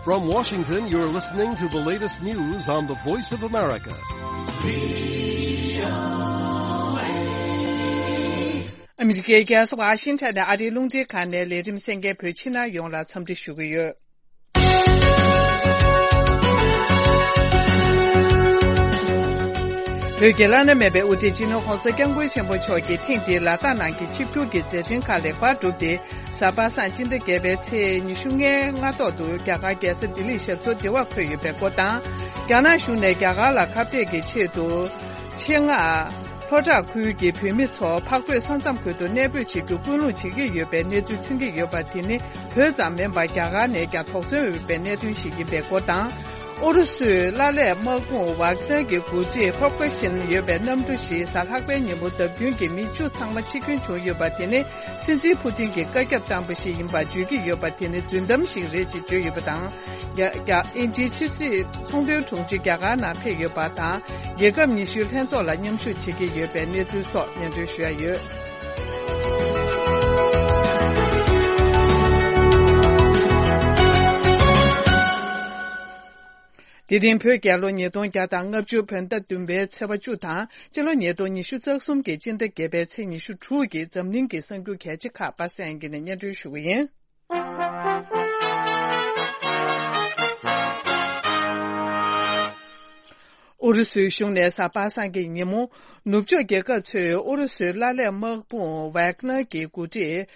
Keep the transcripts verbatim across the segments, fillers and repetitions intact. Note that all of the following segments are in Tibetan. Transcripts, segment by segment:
From Washington, you're listening to the latest news on the Voice of America. ཨ་མི་རི་ཀའི་རྒྱལ་ས་ཝ་ཤིང་ཊོན་ནས་ཨ་རིའི་རླུང་འཕྲིན་ཁང་ནས་ལས་རིམ་གསན་མཁན་བོད་ཕྱི་ནང་ཡོངས་ལ་འཚམས་འདྲི་ཞུ་གི་ཡོད། བོད་ཀྱི་བླ་ན་མེད་པའི་དབུ་ཁྲིད་སྤྱི་ནོར་༸གོང་ས་༸སྐྱབས་མགོན་ཆེན་པོ་མཆོག་གིས་ཐེངས་འདིའི་ལ་དྭགས་ནང་གི་ཆིབས་བསྒྱུར་གྱི་མཛད་འཕྲིན་ཁག་ལེགས་པར་གྲུབ་སྟེ། གཟའ་པ་སངས་སྤྱི་ཟླ་བརྒྱད་པའི་ཚེས་ཉི་ཤུ་ལྔའི་སྔ་ཐོག་ཏུ་རྒྱ་གར་རྒྱལ་ས་ལྡི་ལིའི་ཞབས་སོར་བདེ་བར་འཁོད་ཡོད་པའི་སྐོར་དང་། རྒྱ་ནག་གཞུང་ནས་རྒྱ་གར་ལ་ཁ་གཏད་ཀྱི་ཆེད་དུ། ཆེད་མངགས། ལྷོ་བྲག་ཁུལ་གྱི་བོད་མི་ཚོ་འཕགས་བོད་ས་མཚམས་ཁུལ་དུ་གནས་སྤོས་བྱེད་རྒྱུ་སྐུལ་སློང་བྱེད་ཀྱི་ཡོད་པའི་གནས་ཚུལ་ཐོན་གྱི་ཡོད་པ་དེ་ནི་བོད་ཙམ་མིན་པར་རྒྱ་གར་ནས་ཀྱང་དོགས་ཟོན་འོས་པའི་གནད་དོན་ཞིག་ཡིན་པའི་སྐོར་དང་། ཨུ་རུ་སུའི་བླ་ལྷག་དམག་དཔུང་ཝག་ནར་གྱི་འགོ་ཁྲིད་ཕོ་ཀོ་ཤིན་ཡོད་པའི་གནམ་གྲུ་ཞིག་གཟའ་ལྷག་པའི་ཉིན་མོ་བརྡབ་སྐྱོན་གྱིས་མི་བཅུ་ཚང་མ་འཆི་སྐྱོན་བྱུང་ཡོད་པ་དེ་ནི་སྲིད་འཛིན་ཕུ་ཏིན་གྱིས་བཀའ་ཁྱབ་བཏང་པ་ཞིག་ཡིན་པར་བརྗོད་ཀྱི་ཡོད་པ་དེ་ནི་རྫུན་གཏམ་ཞིག་རེད་ཅེས་བརྗོད་ཡོད་པ་དང་། རྒྱ་རྒྱ་དབྱིན་ཇིའི་ཕྱི་སྲིད་ཚོང་དོན་དྲུང་ཆེ་རྒྱ་གར་ནང་ཕེབས་ཡོད་པ་དང་། རྒྱལ་ཁབ་ཉི་ཤུའི་ལྷན་ཚོགས་ལ་མཉམ་ཞུགས་བྱེད་ཀྱི་ཡོད་པའི་གནས་ཚུལ་སོགས་སྙན་སྒྲོན་ཞུ་ཡ་ཡོད། དེ་རིང་བོད་རྒྱལ་ལོ་ཉིས་སྟོང་བརྒྱ་དང་ལྔ་བཅུ་བོད་ཟླ་བདུན་པའི་ཚེས་པ་བཅུ་དང་། སྤྱི་ལོ་ཉིས་སྟོང་ཉི་ཤུ་རྩ་གསུམ་གྱི་སྤྱི་ཟླ་བརྒྱད་པའི་ཚེས་ཉི་ཤུ་དྲུག་གི་འཛམ་གླིང་གི་གསར་འགྱུར་གལ་ཆེ་ཁག་པ་སངས་ཀྱིས་ནས་སྙན་སྒྲོན་ཞུ་གི་ཡིན། ཨུ་རུ་སུའི་གཞུང་ནས་གཟའ་པ་སངས་ཀྱི་ཉིན་མོ། ནུབ་ཕྱོགས་རྒྱལ་ཁབ་ཚོས་ཨུ་རུ་སུའི་བླ་ལྷག་དམག་དཔུང་ཝག་ནར་གྱི་འགོ་ཁྲིད་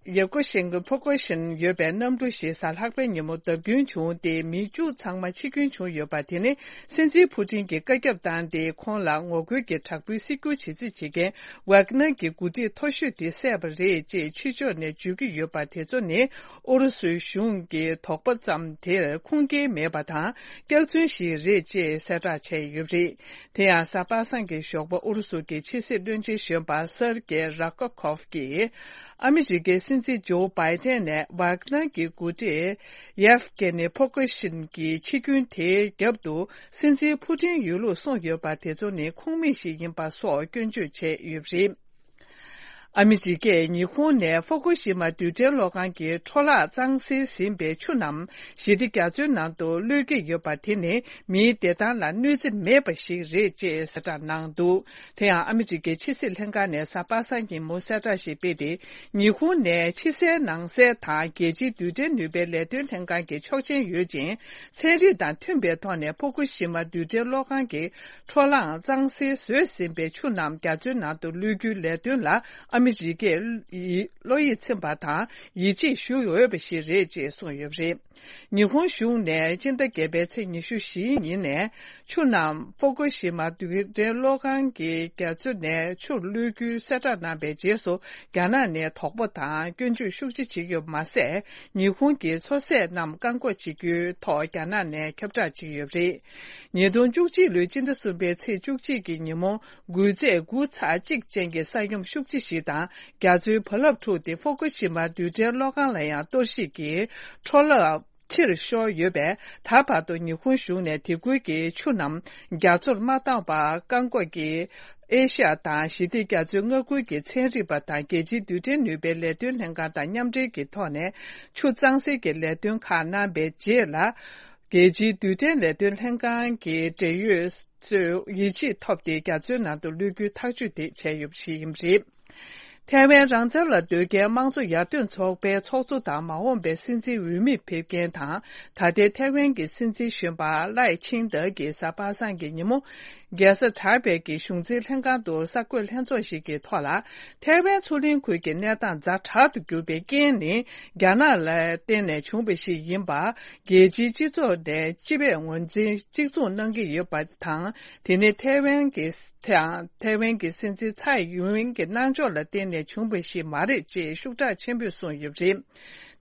ཡེ་ཀོ་ཤིན་ཕོ་ཀོ་ཤིན་ཡོད་པའི་གནམ་གྲུ་ཞིག་གཟའ་ལྷག་པའི་ཉིན་མོ་བརྡབ་སྐྱོན་བྱུང་སྟེ། མི་བཅུ་ཚང་མ་འཆི་སྐྱོན་བྱུང་ཡོད་པ་དེ་ནི་སྲིད་འཛིན་ཕུ་ཏིན་གྱིས་བཀའ་ཁྱབ་བཏང་སྟེ། ཁོང་ལ་ངོ་རྒོལ་གྱི་དྲག་པོའི་སྲིད་སྐྱོང་བྱེད་རྩིས་བྱེད་མཁན་ཝག་ནར་གྱི་འགོ་ཁྲིད་མཐོ་ཤོས་དེ་བསད་པ་རེད་ཅེས་ཕྱི་ཕྱོགས་ནས་བརྗོད་ཀྱི་ཡོད་པ་དེ་ཚོ་ནི། ཨུ་རུ་སུའི་གཞུང་གི་དོགས་པ་ཙམ་དེར་ཁུངས་སྐྱེལ་མེད་པ་དང་། སྐྱག་རྫུན་ཞིག་རེད་ཅེས་གསལ་བསྒྲགས་བྱས་ཡོད་པ་རེད། དེ་ཡང་གཟའ་པ་སངས་ཀྱི་ཞོགས་པ་ཨུ་རུ་སུ་གྱི་ཕྱི་སྲིད་བློན་ཆེན་གཞོན་པ་སར་གེ་ར་ཀོ་ཁོབ་ཀྱིས། ཨ་མི་རི་ཀའི་སྲིད་འཛིན་ཇོ་བྷའི་ཏན་ནས་ཝག་ནར་གྱི་འགོ་ཁྲིད་ཡེབ་གེ་ནི་ཕོ་ཀོ་ཤིན་གྱི་འཆི་སྐྱོན་དེའི་རྒྱབ་ཏུ་སྲིད་འཛིན་ཕུ་ཏིན་ཡོད་ལུགས་གསུངས་ཡོད་པ་དེ་ཚོ་ནི་ཁུངས་མེད་ཞིག་ཡིན་པ་སོགས་སྐྱོན་བརྗོད་བྱས་ཡོད་པ་རེད། ཨ་མི་རི་ཀས་ཉི་ཧོང་ནས་ཧྥུ་ཀུ་ཤི་མ་རྡུལ་ཕྲན་གློག་ཁང་གི་འཕྲོ་བརླག་གཙང་སེལ་ཟིན་པའི་ཆུ་རྣམས་ཞི་བདེ་རྒྱ་མཚོའི་ནང་དུ་གློད་ཀྱི་ཡོད་པ་དེ་ནི་མིའི་བདེ་ཐང་ལ་གནོད་འཚེ་མེད་པ་ཞིག་རེད་ཅེས་གསལ་བསྒྲགས་གནང་འདུག་དེ་ཡང་ཨ་མི་རི་ཀའི་ཕྱི་སྲིད་ལྷན་ཁང་ནས་གཟའ་པ་སངས་ཀྱི་མོ་གསལ་བསྒྲགས་ཤིག་སྤེལ་ཏེ། ཉི་ཧོང་ནས་ཕྱི་གསལ་ནང་གསལ་དང་རྒྱལ་སྤྱིའི་རྡུལ་ཕྲན་ནུས་པའི་ལས་དོན་ལྷན་ཁང་གི་ཆོག་མཆན་ཡོད་ཅིང་། ཚན་རིག་དང་མཐུན་པའི་ཐོག་ནས་ཧྥུ་ཀུ་ཤི་མ་རྡུལ་ཕྲན་གློག་ཁང་གི་འཕྲོ་བརླག་གཙང་སེལ་བཟོས་ཟིན་པའི་ཆུ་རྣམས་རྒྱ་མཚོའི་ནང་དུ་གློད་རྒྱུའི་ལས་དོན་ལ་ཨ་མི་རི་ཀས་བློ་ཡིད་ཚིམ་པ་དང་ཡིད་ཆེས་ཞུ་འོས་པ་ཞིག་རེད་ཅེས་གསུངས་ཡོད་པ་རེད། ཉི་ཧོང་གཞུང་ནས་སྤྱི་ཟླ་བརྒྱད་པའི་ཚེས་ཉི་ཤུ་བཞིའི་ཉིན་ནས་ཆུ་རྣམས་ཧྥུ་ཀུ་ཤི་མ་རྡུལ་ཕྲན་གློག་ཁང་གི་རྒྱ་མཚོ་ནས་ཆུར་གློད་རྒྱུའི་གསལ་བསྒྲགས་གནང་པའི་རྗེས་སུ། རྒྱ་ནག་ནས་དོགས་པ་དང་སྐྱོན་བརྗོད་ཤུགས་ཆེ་བྱེད་ཡོད་མ་ཟད། ཉི་ཧོང་གི་མཚོ་ཟས་རྣམས་བཀག་འགོག་བྱེད་རྒྱུའི་ཐོག་རྒྱ་ནག་ནས་ཁྱབ་བསྒྲགས་བྱེད་ཀྱི་ཡོད་པ་རེད། ཉིས་སྟོང་བཅུ་གཅིག་ལོའི་སྤྱི་ཟླ་གསུམ་པའི་ཚེས་བཅུ་གཅིག་གི་ཉིན་མོ། འགུལ་ཚད་དགུ་ཚེག་གཅིག་ཅན་གྱི་ས་ཡོམ་ཤུགས་ཆེ་ཞིག་དང་རྒྱ་མཚོའི་བར་སླབ་འཁྲུགས་ཏེ། ཧྥུ་ཀུ་ཤི་མ་རྡུལ་ཕྲན་གློག་ཁང་ལ་ཡང་གཏོར་བཤིག་གིས་འཕྲོ་བརླག་ཕྱིར་ཤོར་ཡོད་པས། ད་བར་དུ་ཉི་ཧོང་གཞུང་ནས་དེ་ཁུལ་གྱི་ཆུ་རྣམས་རྒྱ་མཚོར་མ་བཏང་བར་བཀག་འགོག་གིས། ཨེ་ཤ་ཡ་དང་ཞི་བདེ་རྒྱ་མཚོའི་མངའ་ཁུལ་གྱི་ཚན་རིག་པ་དང་རྒྱལ་སྤྱིའི་རྡུལ་ཕྲན་ནུས་པའི་ལས་དོན་ལྷན་ཁང་དང་མཉམ་འབྲེལ་གྱི་ཐོག་ནས་ཆུ་གཙང་སེལ་གྱི་ལས་དོན་ཁག་གནང་པའི་རྗེས་ལ། རྒྱལ་སྤྱིའི་རྡུལ་ཕྲན་ལས་དོན་ལྷན་ཁང་གི་འབྲེལ་ཡོད་ཚོས་ཡིད་ཆེས་ཐོབ་སྟེ་རྒྱ་མཚོའི་ནང་དུ་གློད་རྒྱུའི་ཐག་གཅོད་དེ་བྱས་ཡོད་པ་ཞིག་ཡིན་པ་རེད། ཐའེ་ཝན་རང་བཙན་ལ་འདོད་མཁན་དམངས་གཙོ་ཡར་ཐོན་ཚོགས་པའི་ཚོགས་གཙོ་དང་མ་འོངས་པའི་སྲིད་འཛིན་འོས་མི་ཕེབས་མཁན་དང་། ད་ལྟའི་ཐའེ་ཝན་གྱི་སྲིད་འཛིན་གཞོན་པ་ལའེ་ཆིང་ཏེ་གིས་གཟའ་པ་སངས་ཀྱི་ཉིན་མོ། རྒྱལ་ས་ཐའེ་པེ་གི་གཞུང་འཛིན་ལྷན་ཁང་དུ་གསར་འགོད་ལྷན་ཚོགས་ཤིག་གི་ཐོག་ལ། ཐའེ་ཝན་མཚོ་གླིང་ཁུལ་གྱི་གནས་སྟངས་ཛ་དྲག་ཏུ་གྱུར་པའི་རྐྱེན་ནི་རྒྱ་ནག་ལ་བརྟེན་ནས་བྱུང་བ་ཞིག་ཡིན་པ། རྒྱལ་སྤྱིའི་སྤྱི་ཚོགས་ནས་སྤྱི་པའི་ངོས་འཛིན་གཅིག་མཚུངས་གནང་གི་ཡོད་པ་དང་། དེ་ནི་ཐའེ་ཝན་གྱི་དང་ཐའེ་ཝན་གྱི་སྲིད་འཛིན་ཚའེ་ཡུན་གྱི་གནང་ཕྱོགས་ལ་བརྟེན་ནས་བྱུང་བ་ཞིག་མ་རེད་ཅེས་ཤུགས་དྲག་ཆེན་པོས་གསུངས་ཡོད་པ་རེད།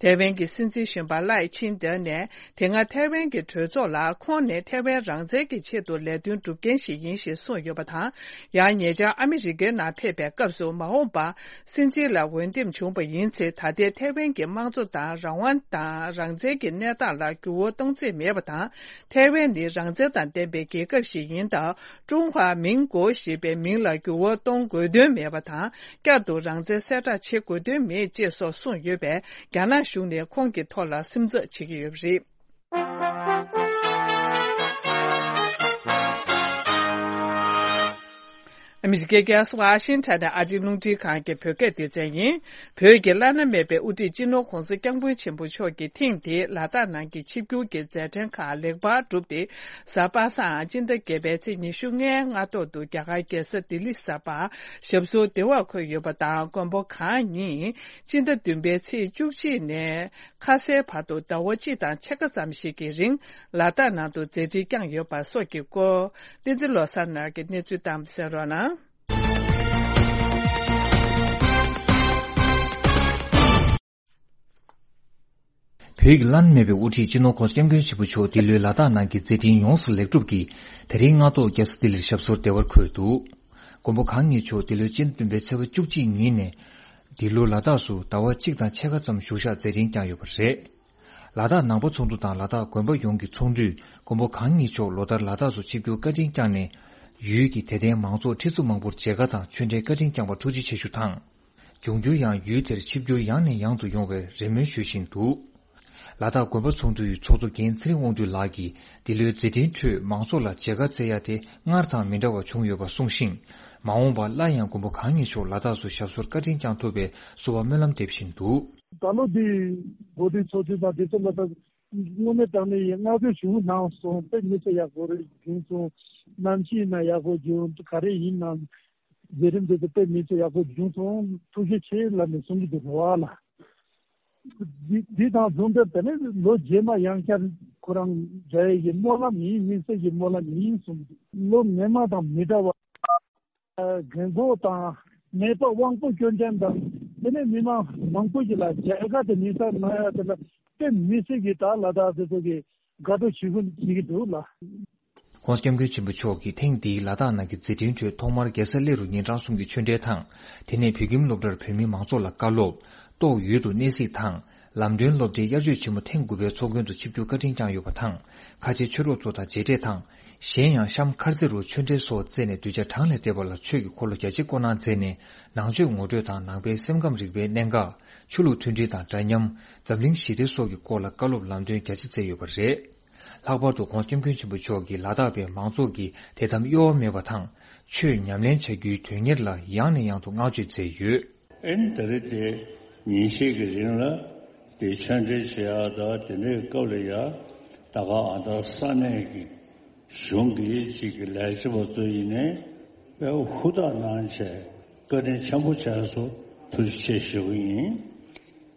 ཐའེ་ཝན་གྱི་སྲིད་འཛིན་གཞོན་པ་ལའེ་ཆིང་ཏེ་ནས། དེ་སྔ་ཐའེ་ཝན་གྱི་གྲོས་ཚོགས་ལ་ཁོང་ནི་ཐའེ་ཝན་རང་བཙན་གྱི་ཆེད་དུ་ལས་དོན་སྒྲུབ་མཁན་ཞིག་ཡིན་ཞེས་གསུངས་ཡོད་པ་དང་། ཡང་ཉེ་ཆར་ཨ་མི་རི་ཀའི་ནང་ཕེབས་པའི་སྐབས་སུ་མ་འོངས་པར་སྲིད་འཛིན་ལ་འོས་འདེམས་བྱུང་བ་ཡིན་ཚེ། ད་ལྟའི་ཐའེ་ཝན་གྱི་དམངས་གཙོ་དང་རང་དབང་དང་རང་བཙན་གྱི་གནས་སྟངས་ལ་འགྱུར་བ་གཏོང་རྩིས་མེད་པ་དང་། ཐའེ་ཝན་ནི་རང་བཙན་དང་ལྡན་པའི་རྒྱལ་ཁབ་ཞིག་ཡིན་སྟབས། ཀྲུང་ཧྭ་མིང་གོ་ཞེས་པའི་མིང་ལ་འགྱུར་བ་གཏོང་དགོས་དོན་མེད་པ་དང་། བསྐྱར་དུ་རང་བཙན་གསལ་བསྒྲགས་བྱེད་དགོས་དོན་མེད་ཅེས་སོགས་གསུངས་ཡོད་པས། རྒྱ་ནག་གཞུང་ནས་ཁོང་གི་ཐོག་ལ་སེམས་འཚབ་བྱེད་ཀྱི་ཡོད་པ་རེད། ཨ་མི་རི་ཀའི་རྒྱལ་ས་ཝ་ཤིང་ཊོན་ནས་ཨ་རིའི་རླུང་འཕྲིན་ཁང་གི་བོད་སྐད་སྡེ་ཚན་ཡིན། བོད་ཀྱི་བླ་ན་མེད་པའི་དབུ་ཁྲིད་སྤྱི་ནོར་༧གོང་ས་༧སྐྱབས་མགོན་ཆེན་པོ་མཆོག་གིས་ཐེངས་འདིའི་ལ་དྭགས་ནང་གི་ཆིབས་བསྒྱུར་གྱི་མཛད་འཕྲིན་ཁག་ལེགས་པར་གྲུབ་སྟེ། གཟའ་པ་སངས་སྤྱི་ཟླ་བརྒྱད་པའི་ཚེས་ཉི་ཤུ་ལྔའི་སྔ་ཐོག་ཏུ་རྒྱ་གར་རྒྱལ་ས་ལྡི་ལི་གསར་པར་ཞབས་སོར་བདེ་བར་འཁོད་ཡོད་པ་དང་། མགོན་པོ་གང་ཉིད་སྤྱི་ཟླ་བདུན་པའི་ཚེས་བཅུ་གཅིག་ནས་ཁ་སའི་བར་དུ་ཟླ་བ་གཅིག་དང་ཕྱེད་ཀ་ཙམ་ཞིག་གི་རིང་ལ་དྭགས་ནང་དུ་མཛད་འཕྲིན་བསྐྱངས་ཡོད་པ་སོགས་ཀྱི་སྐོར། བསྟན་འཛིན་བློ་བཟང་ནོར་གྱིས་གནས་ཚུལ་བཏང་བ་གསན་རོགས་གནང་། བོད་ཀྱི་བླ་ན་མེད་པའི་དབུ་ཁྲིད་སྤྱི་ནོར་༧གོང་ས་༧སྐྱབས་མགོན་ཆེན་པོ་མཆོག་འདི་ལོའི་ལ་དྭགས་ནང་གི་མཛད་འཕྲིན་ཡོངས་སུ་ལེགས་གྲུབ་ཀྱིས། དེ་རིང་སྔ་ཐོག་རྒྱལ་ས་ལྡི་ལིར་ཞབས་སོར་བདེ་བར་འཁོད་འདུག། མགོན་པོ་གང་ཉིད་མཆོག་འདི་ལོའི་སྤྱི་ཟླ་བདུན་པའི་ཚེས་པ་བཅུ་གཅིག་ཉིན་ནས། འདི་ལོ་ལ་དྭགས་སུ་ཟླ་བ་གཅིག་དང་ཕྱེད་ཀ་ཙམ་བཞུགས་བཞག་མཛད་འཕྲིན་བསྐྱངས་ཡོད་པ་རེད། ལ་དྭགས་ནང་པ་ཚོགས་འདུ་དང་ལ་དྭགས་དགོན་པ་ཡོངས་ཀྱི་ཚོགས་འདུས་མགོན་པོ་གང་ཉིད་མཆོག་ལོ་ལྟར་ལ་དྭགས་སུ་ཆིབས་བསྒྱུར་བཀའ་དྲིན་བསྐྱངས་ནས། ཡུལ་གྱི་དད་ལྡན་མང་ཚོགས་ཁྲི་ཚོ་མང་པོར་མཇལ་ཁ་དང་ཆོས་འབྲེལ་བཀའ་དྲིན་བསྐྱངས་པར་ཐུགས་རྗེ་ཆེ་ཞུ་དང་། འབྱུང་འགྱུར་ཡང་ཡུལ་དེར་ཆིབས་བསྒྱུར་ཡང་ནས་ཡང་དུ་ཡོང་བའི་རེ་སྨོན་ཞུ་བཞིན་འདུག། ལ་དྭགས་དགོན་པ་ཚོགས་འདུའི་ཚོགས་གཙོ་རྒན་ཚེ་རིང་དབང་འདུས་ལགས་ཀྱིས་འདི་ལོའི་མཛད་འཕྲིན་ཁྲོད་མང་ཚོགས་ལ་མཇལ་ཁ་བསྩལ་ཡ་དེ་སྔར་དང་མི་འདྲ་བ་བྱུང་ཡོད་པ་གསུངས་ཤིང་། མ་འོངས་པར་སླར་ཡང་མགོན་པོ་གང་ཉིད་མཆོག་ལ་དྭགས་སུ་ཞབས་སོར་བཀའ་དྲིན་བསྐྱངས་ཐུབ་པའི་བསུ་བ་སྨོན་ལམ་འདེབས་བཞིན་འདུག། ད་ལོ་འདི་འགོ་ཁྲིད་ཚོགས་ཆུང་དང་སྡེ་ཚན་ལ་དྭགས་དངོས་གནས་དྲང་གནས་ཡིན་བསྔགས་བརྗོད་ཞུ་གནང་སོང་། དཔེ་མི་སྲིད་ཡག་པོ་རེད་བྱུང་སོང་། གནམ་གཤིས་ན་ཡག་པོ་བྱུང་། ག་རེ་ཡིན་ནའང་མཛད་རིམ་དེ་ཚོ་དཔེ་མི་སྲིད་ཡག་པོ་བྱུང་སོང་། ཐུགས་རྗེ་ཆེ་ལབ་ནས་གསུང་གི་འདུག་རེད་བ་ལ། འདི་འདི་དང་མཚུངས་པར་དེ་ནས་ལོ་རྗེས་མ་ཡང་བསྐྱར་ཁོ་རང་མཇལ་ཡས་ཀྱི་སྨོན་ལམ་ཡིན། དམིགས་བསལ་གྱི་སྨོན་ལམ་ཡིན་གསུངས་འདུག། ལོ་སྔོན་མ་དང་མི་འདྲ་བ། རྒན་གོག་དང་ནད་པ་དབང་པོ་སྐྱོན་ཅན་དང་དེ་ནས་མི་མང་མང་པོ་ཞིག་ལ་མཇལ་ཁ་དེ་ཉིན་ལྟར་གནང་ཡ་དེ་ལ་དཔེ་མི་སྲིད་ཀྱི་ད་ལ་དྭགས་དེ་ཚོ་གི་དགའ་སྤྲོ་ཞེ་པོ་བྱེད་ཀྱི་འདུག་ལ། ྋགོང་ས་ྋསྐྱབས་མགོན་ཆེན་པོ་མཆོག་གིས་ཐེངས་འདིའི་ལ་དྭགས་ནང་གི་མཛད་འཕྲིན་ཁྲོད་ཐོག་མར་རྒྱལ་ས་གླེ་རུ་ཉིན་གྲངས་གསུམ་གྱི་ཆོས་འབྲེལ་དང་། དེ་ནས་བོད་ཁྱིམ་སློབ་གྲྭར་བོད་མི་མང་ཚོགས་ལ་བཀའ་སློབ། ཏོག་དབྱིབས་དུ་གནས་གཟིགས་དང་། ལམ་སྒྲོན་སློབ་གྲྭའི་དབྱར་ཆོས་ཆེན་མོ་ཐེངས་དགུ་པའི་ཚོགས་མགོན་དུ་ཆིབས་བསྒྱུར་བཀའ་དྲིན་བསྐྱངས་ཡོད་པ་དང་། ཁ་ཆེ་ཆོས་གྲོགས་ཚོ་དང་མཇལ་འཕྲད་དང་། གཞན་ཡང་གཤམ་མཁར་རྩེ་རུ་ཆོས་འབྲེལ་སོགས་བསྩལ་ནས་གདུལ་བྱ་གྲངས་ལས་འདས་པ་ལ་ཆོས་ཀྱི་འཁོར་ལོ་རྒྱ་ཆེ་བསྐོར་གནང་མཛད་ནས། ནང་ཆོས་ངོ་སྤྲོད་དང་ནང་པའི་སེམས་ཁམས་རིག་པའི་གནད་འགག། ཆོས་ལུགས་མཐུན་སྒྲིལ་དང་འདྲ་མཉམ། འཛམ་གླིང་ཞི་བདེ་སོགས་ཀྱི་སྐོར་ལ་བཀའ་སློབ་ལམ་སྟོན་རྒྱ་ཆེ་བསྩལ་ཡོད་པ་རེད། ལྷག་པར་དུ་ྋགོང་ས་ྋསྐྱབས་མགོན་ཆེན་པོ་མཆོག་གིས་ལ་དྭགས་པའི་མང་ཚོགས་ཀྱིས་དད་དམ་གཡོ་བ་མེད་པ་དང་། ཆོས་ཉམས་ལེན་བྱ་རྒྱུའི་དོན་གཉེར་ལ་ཡང་ནས་ཡང་དུ་བསྔགས་བརྗོད་མཛད་ཡོད། ཨེ་ནི་ད་རེས་དེ་ཉིན་ཤས་ཀྱི་རིང་ལ་དེ་ཆོས་འབྲེལ་བྱེད་ཡག་དང་དེ་འདྲའི་སྐབས་ལ་ཡ་ད་ག་ཨ་ད་ས་གནས་ཀྱི་གཞུང་གི་ཅིག་གི་ལས་བྱེད་པ་ཚོ་ཡིན་ནའི་དཔེ་ཧུར་ཐག་གནང་བྱས་བཀའ་དྲིན་ཆེན་པོ་བྱས་སོང་། ཐུགས་རྗེ་ཆེ་ཞུ་གི་ཡིན།